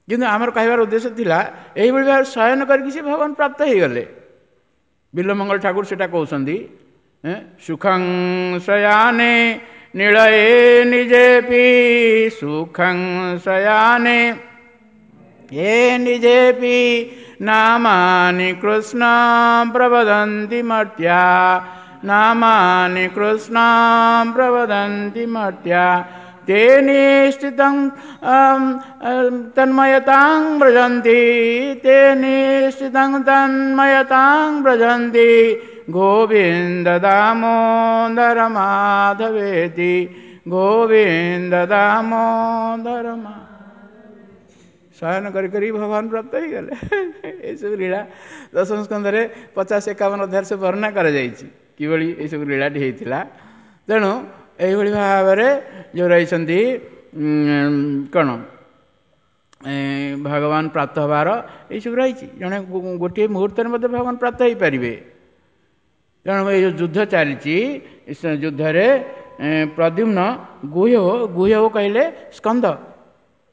କିନ୍ତୁ ଆମର କହିବାର ଉଦ୍ଦେଶ୍ୟ ଥିଲା ଏଇଭଳି ଭାବରେ ଶୟନ କରିକି ସେ ଭଗବାନ ପ୍ରାପ୍ତ ହେଇଗଲେ। ବିଲ୍ୱମଙ୍ଗଳ ଠାକୁର ସେଇଟା କହୁଛନ୍ତି, ସୁଖଂ ଶୟାନେ ନିଳୟେ ନିଜେପି, ସୁଖଂ ଶୟାନେ ଏ ନିଜେପି ନାମାନି କୃଷ୍ଣ ପ୍ରବଦନ୍ତି ମର୍ତ୍ତ୍ୟା, ନାମାନି କୃଷ୍ଣ ପ୍ରବଦନ୍ତି ମର୍ତ୍ତ୍ୟା, ते निश्चितं तन्मयतां व्रजन्ति, ते निश्चितं तन्मयतां व्रजन्ति, गोविन्द दामोदर माधवेति, ଗୋବିନ୍ଦ ଦାମୋଦର। ଶୟନ କରି କରି ଭଗବାନ ପ୍ରାପ୍ତ ହେଇଗଲେ। ଏସବୁ ଲୀଳା ଦଶମ ସ୍କନ୍ଧରେ ପଚାଶ ଏକାବନ ଅଧ୍ୟାୟରେ ସବୁ ବର୍ଣ୍ଣନା କରାଯାଇଛି କିଭଳି ଏସବୁ ଲୀଳାଟି ହେଇଥିଲା। ତେଣୁ ଏଇଭଳି ଭାବରେ ଯେଉଁ ରହିଛନ୍ତି କ'ଣ ଭଗବାନ ପ୍ରାପ୍ତ ହେବାର ଏଇସବୁ ରହିଛି। ଜଣେ ଗୋଟିଏ ମୁହୂର୍ତ୍ତରେ ମଧ୍ୟ ଭଗବାନ ପ୍ରାପ୍ତ ହେଇପାରିବେ। ତେଣୁ ଏଇ ଯେଉଁ ଯୁଦ୍ଧ ଚାଲିଛି, ଯୁଦ୍ଧରେ ପ୍ରଦ୍ୟୁମ୍ନ ଗୁହ୍ୟ, ଗୁହ୍ୟ କହିଲେ ସ୍କନ୍ଦ,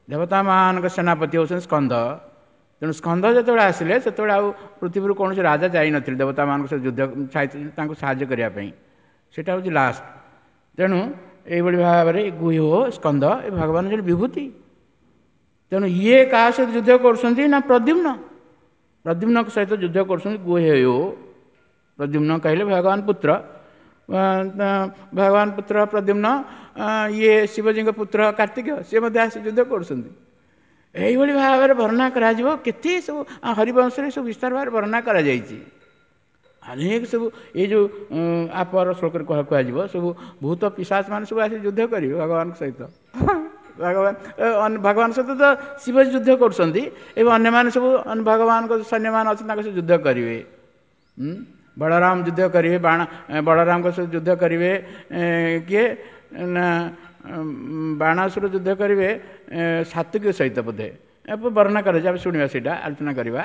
ଦେବତାମାନଙ୍କ ସେନାପତି ହେଉଛନ୍ତି ସ୍କନ୍ଦ। ତେଣୁ ସ୍କନ୍ଦ ଯେତେବେଳେ ଆସିଲେ ସେତେବେଳେ ଆଉ ପୃଥିବୀରୁ କୌଣସି ରାଜା ଯାଇନଥିଲେ ଦେବତାମାନଙ୍କ ସହିତ ଯୁଦ୍ଧ ତାଙ୍କୁ ସାହାଯ୍ୟ କରିବା ପାଇଁ। ସେଇଟା ହେଉଛି ଲାଷ୍ଟ। ତେଣୁ ଏଇଭଳି ଭାବରେ ଗୁହ୍ୟ ସ୍କନ୍ଦ ଏ ଭଗବାନ ଜଣେ ବିଭୂତି। ତେଣୁ ଇଏ କାହା ସହିତ ଯୁଦ୍ଧ କରୁଛନ୍ତି ନା ପ୍ରଦ୍ୟୁମ୍ନ, ପ୍ରଦ୍ୟୁମ୍ନଙ୍କ ସହିତ ଯୁଦ୍ଧ କରୁଛନ୍ତି ଗୁହ୍ୟ। ପ୍ରଦ୍ୟୁମ୍ନ କହିଲେ ଭଗବାନ ପୁତ୍ର, ଭଗବାନ ପୁତ୍ର ପ୍ରଦ୍ୟୁମ୍ନ, ଇଏ ଶିବଜୀଙ୍କ ପୁତ୍ର କାର୍ତ୍ତିକ, ସିଏ ମଧ୍ୟ ଆସି ଯୁଦ୍ଧ କରୁଛନ୍ତି। ଏଇଭଳି ଭାବରେ ବର୍ଣ୍ଣନା କରାଯିବ କେତେ ସବୁ ହରିବଂଶରେ ସବୁ ବିସ୍ତାର ଭାବରେ ବର୍ଣ୍ଣନା କରାଯାଇଛି। ଅନେକ ସବୁ ଏଇ ଯେଉଁ ଆପର ଶ୍ଲୋକରେ କୁହାଯିବ ସବୁ ଭୂତ ପିଶାଚ ମାନେ ସବୁ ଆସି ଯୁଦ୍ଧ କରିବେ ଭଗବାନଙ୍କ ସହିତ। ଭଗବାନ ଭଗବାନ ସହିତ ତ ଶିବଜୀ ଯୁଦ୍ଧ କରୁଛନ୍ତି ଏବଂ ଅନ୍ୟମାନେ ସବୁ ଭଗବାନଙ୍କ ସୈନ୍ୟମାନେ ଅଛନ୍ତି ତାଙ୍କ ସହିତ ଯୁଦ୍ଧ କରିବେ। ବଳରାମ ଯୁଦ୍ଧ କରିବେ, ବାଣ ବଳରାମଙ୍କ ସହିତ ଯୁଦ୍ଧ କରିବେ କିଏ ନା ବାଣାସୁର ଯୁଦ୍ଧ କରିବେ ସାତ୍ୱିକ ସହିତ ବୋଧେ ବର୍ଣ୍ଣନା କରାଯାଏ। ଆମେ ଶୁଣିବା ସେଇଟା ଆଲୋଚନା କରିବା।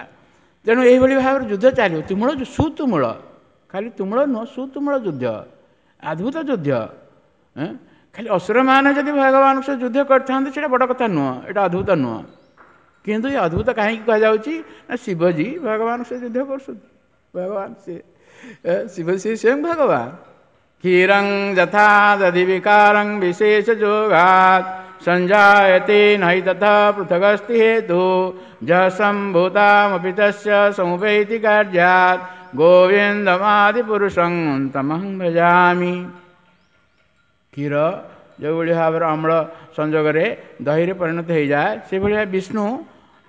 ତେଣୁ ଏଇଭଳି ଭାବରେ ଯୁଦ୍ଧ ଚାଲିବ। ତୁମୁଳ ସୁତୁମୁଳ, ଖାଲି ତୁମୁଳ ନୁହଁ, ସୁତୁମୁଳ ଯୁଦ୍ଧ, ଅଦ୍ଭୁତ ଯୁଦ୍ଧ। ଖାଲି ଅସୁରମାନେ ଯଦି ଭଗବାନଙ୍କ ସହିତ ଯୁଦ୍ଧ କରିଥାନ୍ତେ ସେଇଟା ବଡ଼ କଥା ନୁହଁ, ଏଇଟା ଅଦ୍ଭୁତ ନୁହଁ। କିନ୍ତୁ ଏ ଅଦ୍ଭୁତ କାହିଁକି କୁହାଯାଉଛି ନା ଶିବଜୀ ଭଗବାନଙ୍କ ସହିତ ଯୁଦ୍ଧ କରୁଛନ୍ତି। ଭଗବାନ ସେ ଶିବ ସେ ସ୍ୱୟଂ ଭଗବାନ। କ୍ଷୀରଂ ଯଥା ଦଧି ବିକାରଂ ବିଶେଷ ଯୋଗାତ୍ ସଞ୍ଜାୟତେ नहि ତଥା ପୃଥଗସ୍ତି ହେତୁ ଯସମ୍ଭୂତାମପି ତସ୍ୟ ସമുପୈତି କାର୍ଯ୍ୟାତ୍ ଗୋବିନ୍ଦମାଦିପୁରୁଷଂ ତମହଂ ଭଜାମି। କ୍ଷୀର ଯେଉଁଭଳି ଭାବରେ ଅମ୍ଳ ସଂଯୋଗରେ ଦହିରେ ପରିଣତ ହୋଇଯାଏ, ସେଭଳି ବିଷ୍ଣୁ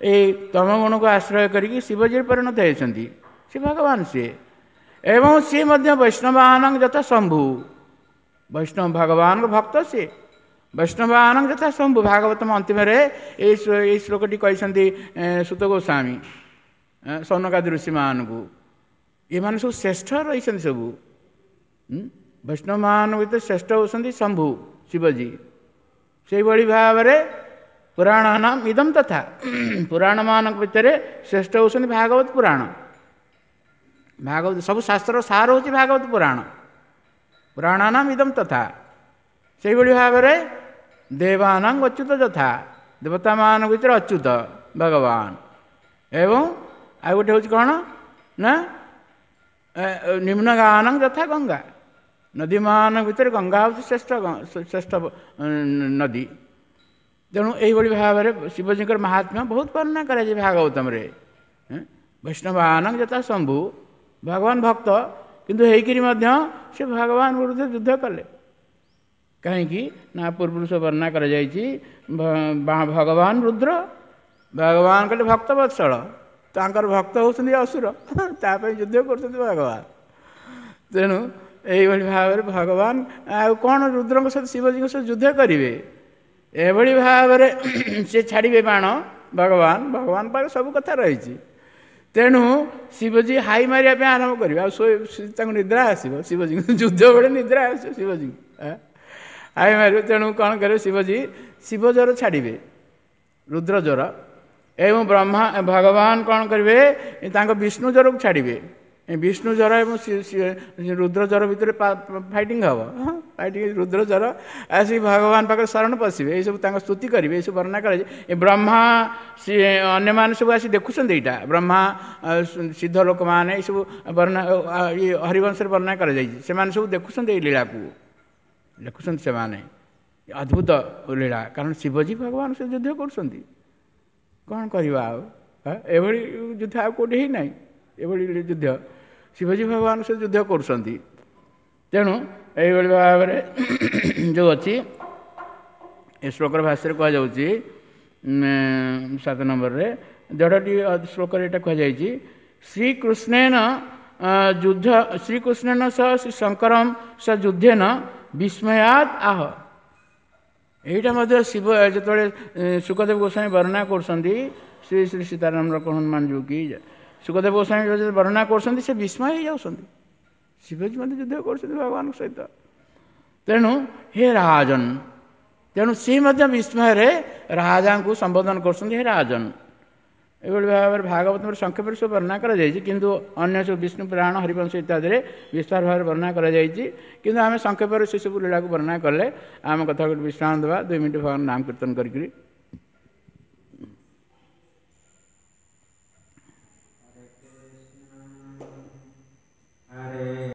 ଏଇ ତମଗୁଣକୁ ଆଶ୍ରୟ କରିକି ଶିବଜୀରେ ପରିଣତ ହେଇଛନ୍ତି। ସେ ଭଗବାନ ସିଏ, ଏବଂ ସିଏ ମଧ୍ୟ ବୈଷ୍ଣବାନଙ୍କ ଯଥା ଶମ୍ଭୁ। ବୈଷ୍ଣବ ଭଗବାନଙ୍କ ଭକ୍ତ ସିଏ, ବୈଷ୍ଣବାନଙ୍କ ଯଥା ଶମ୍ଭୁ। ଭାଗବତମ ଅନ୍ତିମରେ ଏଇ ଏଇ ଶ୍ଲୋକଟି କହିଛନ୍ତି ସୁତ ଗୋସ୍ୱାମୀ ସୌନକାଦି ଋଷିମାନଙ୍କୁ। ଏମାନେ ସବୁ ଶ୍ରେଷ୍ଠ ରହିଛନ୍ତି ସବୁ ବୈଷ୍ଣବମାନଙ୍କ ଭିତରେ ଶ୍ରେଷ୍ଠ ହେଉଛନ୍ତି ଶମ୍ଭୁ ଶିବଜୀ। ସେଇଭଳି ଭାବରେ ପୁରାଣ ନାମ ଇଦମ ତଥା, ପୁରାଣମାନଙ୍କ ଭିତରେ ଶ୍ରେଷ୍ଠ ହେଉଛନ୍ତି ଭାଗବତ ପୁରାଣ। ଭାଗବତ ସବୁ ଶାସ୍ତ୍ରର ସାର ହେଉଛି ଭାଗବତ ପୁରାଣ। ପୁରାଣ ନାମ ଇଦମ ତଥା। ସେଇଭଳି ଭାବରେ ଦେବାନାଂ ଅଚ୍ୟୁତ ଯଥା, ଦେବତାମାନଙ୍କ ଭିତରେ ଅଚ୍ୟୁତ ଭଗବାନ। ଏବଂ ଆଉ ଗୋଟେ ହେଉଛି କ'ଣ ନା ନିମ୍ନଗାନଂ ଯଥା ଗଙ୍ଗା, ନଦୀମାନଙ୍କ ଭିତରେ ଗଙ୍ଗା ହେଉଛି ଶ୍ରେଷ୍ଠ ଶ୍ରେଷ୍ଠ ନଦୀ। ତେଣୁ ଏଇଭଳି ଭାବରେ ଶିବଜୀଙ୍କର ମହାତ୍ମ୍ୟ ବହୁତ ବର୍ଣ୍ଣନା କରାଯାଏ ଭାଗବତମରେ। ବୈଷ୍ଣବାନଂ ଯଥା ଶମ୍ଭୁ, ଭଗବାନ ଭକ୍ତ କିନ୍ତୁ ହେଇକିରି ମଧ୍ୟ ସେ ଭଗବାନ ବିରୁଦ୍ଧରେ ଯୁଦ୍ଧ କଲେ। କାହିଁକି ନା ପୂର୍ବରୁ ସବୁ ବର୍ଣ୍ଣନା କରାଯାଇଛି, ଭଗବାନ ରୁଦ୍ର, ଭଗବାନ କହିଲେ ଭକ୍ତ ବତ୍ସଳ, ତାଙ୍କର ଭକ୍ତ ହେଉଛନ୍ତି ଅସୁର, ତା ପାଇଁ ଯୁଦ୍ଧ କରୁଛନ୍ତି ଭଗବାନ। ତେଣୁ ଏଇଭଳି ଭାବରେ ଭଗବାନ ଆଉ କ'ଣ ରୁଦ୍ରଙ୍କ ସହିତ ଶିବଜୀଙ୍କ ସହିତ ଯୁଦ୍ଧ କରିବେ? ଏଭଳି ଭାବରେ ସେ ଛାଡ଼ିବେ ବାଣ ଭଗବାନ, ଭଗବାନ ପାଖରେ ସବୁ କଥା ରହିଛି। ତେଣୁ ଶିବଜୀ ହାଇ ମାରିବା ପାଇଁ ଆରମ୍ଭ କରିବେ, ଆଉ ତାଙ୍କୁ ନିଦ୍ରା ଆସିବ। ଶିବଜୀଙ୍କୁ ଯୁଦ୍ଧ ବେଳେ ନିଦ୍ରା ଆସିବ ଶିବଜୀଙ୍କୁ, ହାଇ ମାରିବେ। ତେଣୁ କ'ଣ କରିବେ ଶିବଜୀ? ଶିବ ଜ୍ୱର ଛାଡ଼ିବେ, ରୁଦ୍ର ଜ୍ୱର। ଏବଂ ବ୍ରହ୍ମା ଭଗବାନ କ'ଣ କରିବେ? ତାଙ୍କ ବିଷ୍ଣୁ ଜ୍ୱରକୁ ଛାଡ଼ିବେ। ବିଷ୍ଣୁ ଜ୍ୱର ଏବଂ ରୁଦ୍ର ଜ୍ୱର ଭିତରେ ଫାଇଟିଂ ହେବ। ଫାଇଟିଂ, ରୁଦ୍ର ଜ୍ୱର ଆସିକି ଭଗବାନ ପାଖରେ ଶରଣ ପଶିବେ, ଏଇସବୁ ତାଙ୍କ ସ୍ତୁତି କରିବେ, ଏଇସବୁ ବର୍ଣ୍ଣନା କରାଯାଏ। ଏ ବ୍ରହ୍ମା ଅନ୍ୟମାନେ ସବୁ ଆସି ଦେଖୁଛନ୍ତି ଏଇଟା, ବ୍ରହ୍ମା ସିଦ୍ଧ ଲୋକମାନେ ଏଇସବୁ ବର୍ଣ୍ଣନା ହରିବଂଶରେ ବର୍ଣ୍ଣନା କରାଯାଇଛି। ସେମାନେ ସବୁ ଦେଖୁଛନ୍ତି ଏଇ ଲୀଳାକୁ, ଲେଖୁଛନ୍ତି ସେମାନେ, ଅଦ୍ଭୁତ ଲୀଳା। କାରଣ ଶିବଜୀ ଭଗବାନ ସେ ଯୁଦ୍ଧ କରୁଛନ୍ତି, କ'ଣ କରିବା ଆଉ? ଏଭଳି ଯୁଦ୍ଧ ଆଉ କେଉଁଠି ହେଇନାହିଁ, ଏଭଳି ଯୁଦ୍ଧ ଶିବଜୀ ଭଗବାନ ସେ ଯୁଦ୍ଧ କରୁଛନ୍ତି। ତେଣୁ ଏଇଭଳି ଭାବରେ ଯେଉଁ ଅଛି ଏ ଶ୍ଲୋକର ଭାଷ୍ୟରେ କୁହାଯାଉଛି ସାତ ନମ୍ବରରେ ଦେଢ଼ଟି ଶ୍ଲୋକରେ ଏଇଟା କୁହାଯାଇଛି। ଶ୍ରୀକୃଷ୍ଣେନ ଯୁଦ୍ଧ, ଶ୍ରୀକୃଷ୍ଣେନ ସହ ଶ୍ରୀ ଶଙ୍କରମ ସହ ଯୁଦ୍ଧେନ ବିସ୍ମୟାତ୍ ଆହ। ଏଇଟା ମଧ୍ୟ ଶିବ ଯେତେବେଳେ ଶୁକଦେବ ଗୋସ୍ୱାମୀ ବର୍ଣ୍ଣନା କରୁଛନ୍ତି, ଶ୍ରୀ ଶ୍ରୀ ସୀତାରାମ ହନୁମାନ ଯୋଗୀ ଶୁକଦେବ ଗୋସ୍ୱାମୀ ଯେତେବେଳେ ବର୍ଣ୍ଣନା କରୁଛନ୍ତି, ସେ ବିସ୍ମୟ ହେଇଯାଉଛନ୍ତି। ଶିବଜୀ ମଧ୍ୟ ଯୁଦ୍ଧ କରୁଛନ୍ତି ଭଗବାନଙ୍କ ସହିତ। ତେଣୁ ହେ ରାଜନ, ତେଣୁ ସେ ମଧ୍ୟ ବିସ୍ମୟରେ ରାଜାଙ୍କୁ ସମ୍ବୋଧନ କରୁଛନ୍ତି, ହେ ରାଜନ। ଏଭଳି ଭାବରେ ଭାଗବତର ସଂକ୍ଷେପରେ ସବୁ ବର୍ଣ୍ଣନା କରାଯାଇଛି, କିନ୍ତୁ ଅନ୍ୟ ସବୁ ବିଷ୍ଣୁ ପୁରାଣ ହରିବଂଶ ଇତ୍ୟାଦିରେ ବିସ୍ତାର ଭାବରେ ବର୍ଣ୍ଣନା କରାଯାଇଛି। କିନ୍ତୁ ଆମେ ସଂକ୍ଷେପରେ ସେସବୁ ଲୀଳାକୁ ବର୍ଣ୍ଣନା କଲେ ଆମ କଥା ଗୋଟେ ବିଶ୍ରାମ ଦେବା, ଦୁଇ ମିନିଟ୍ ଭଗବାନ ନାମ କୀର୍ତ୍ତନ କରିକିରି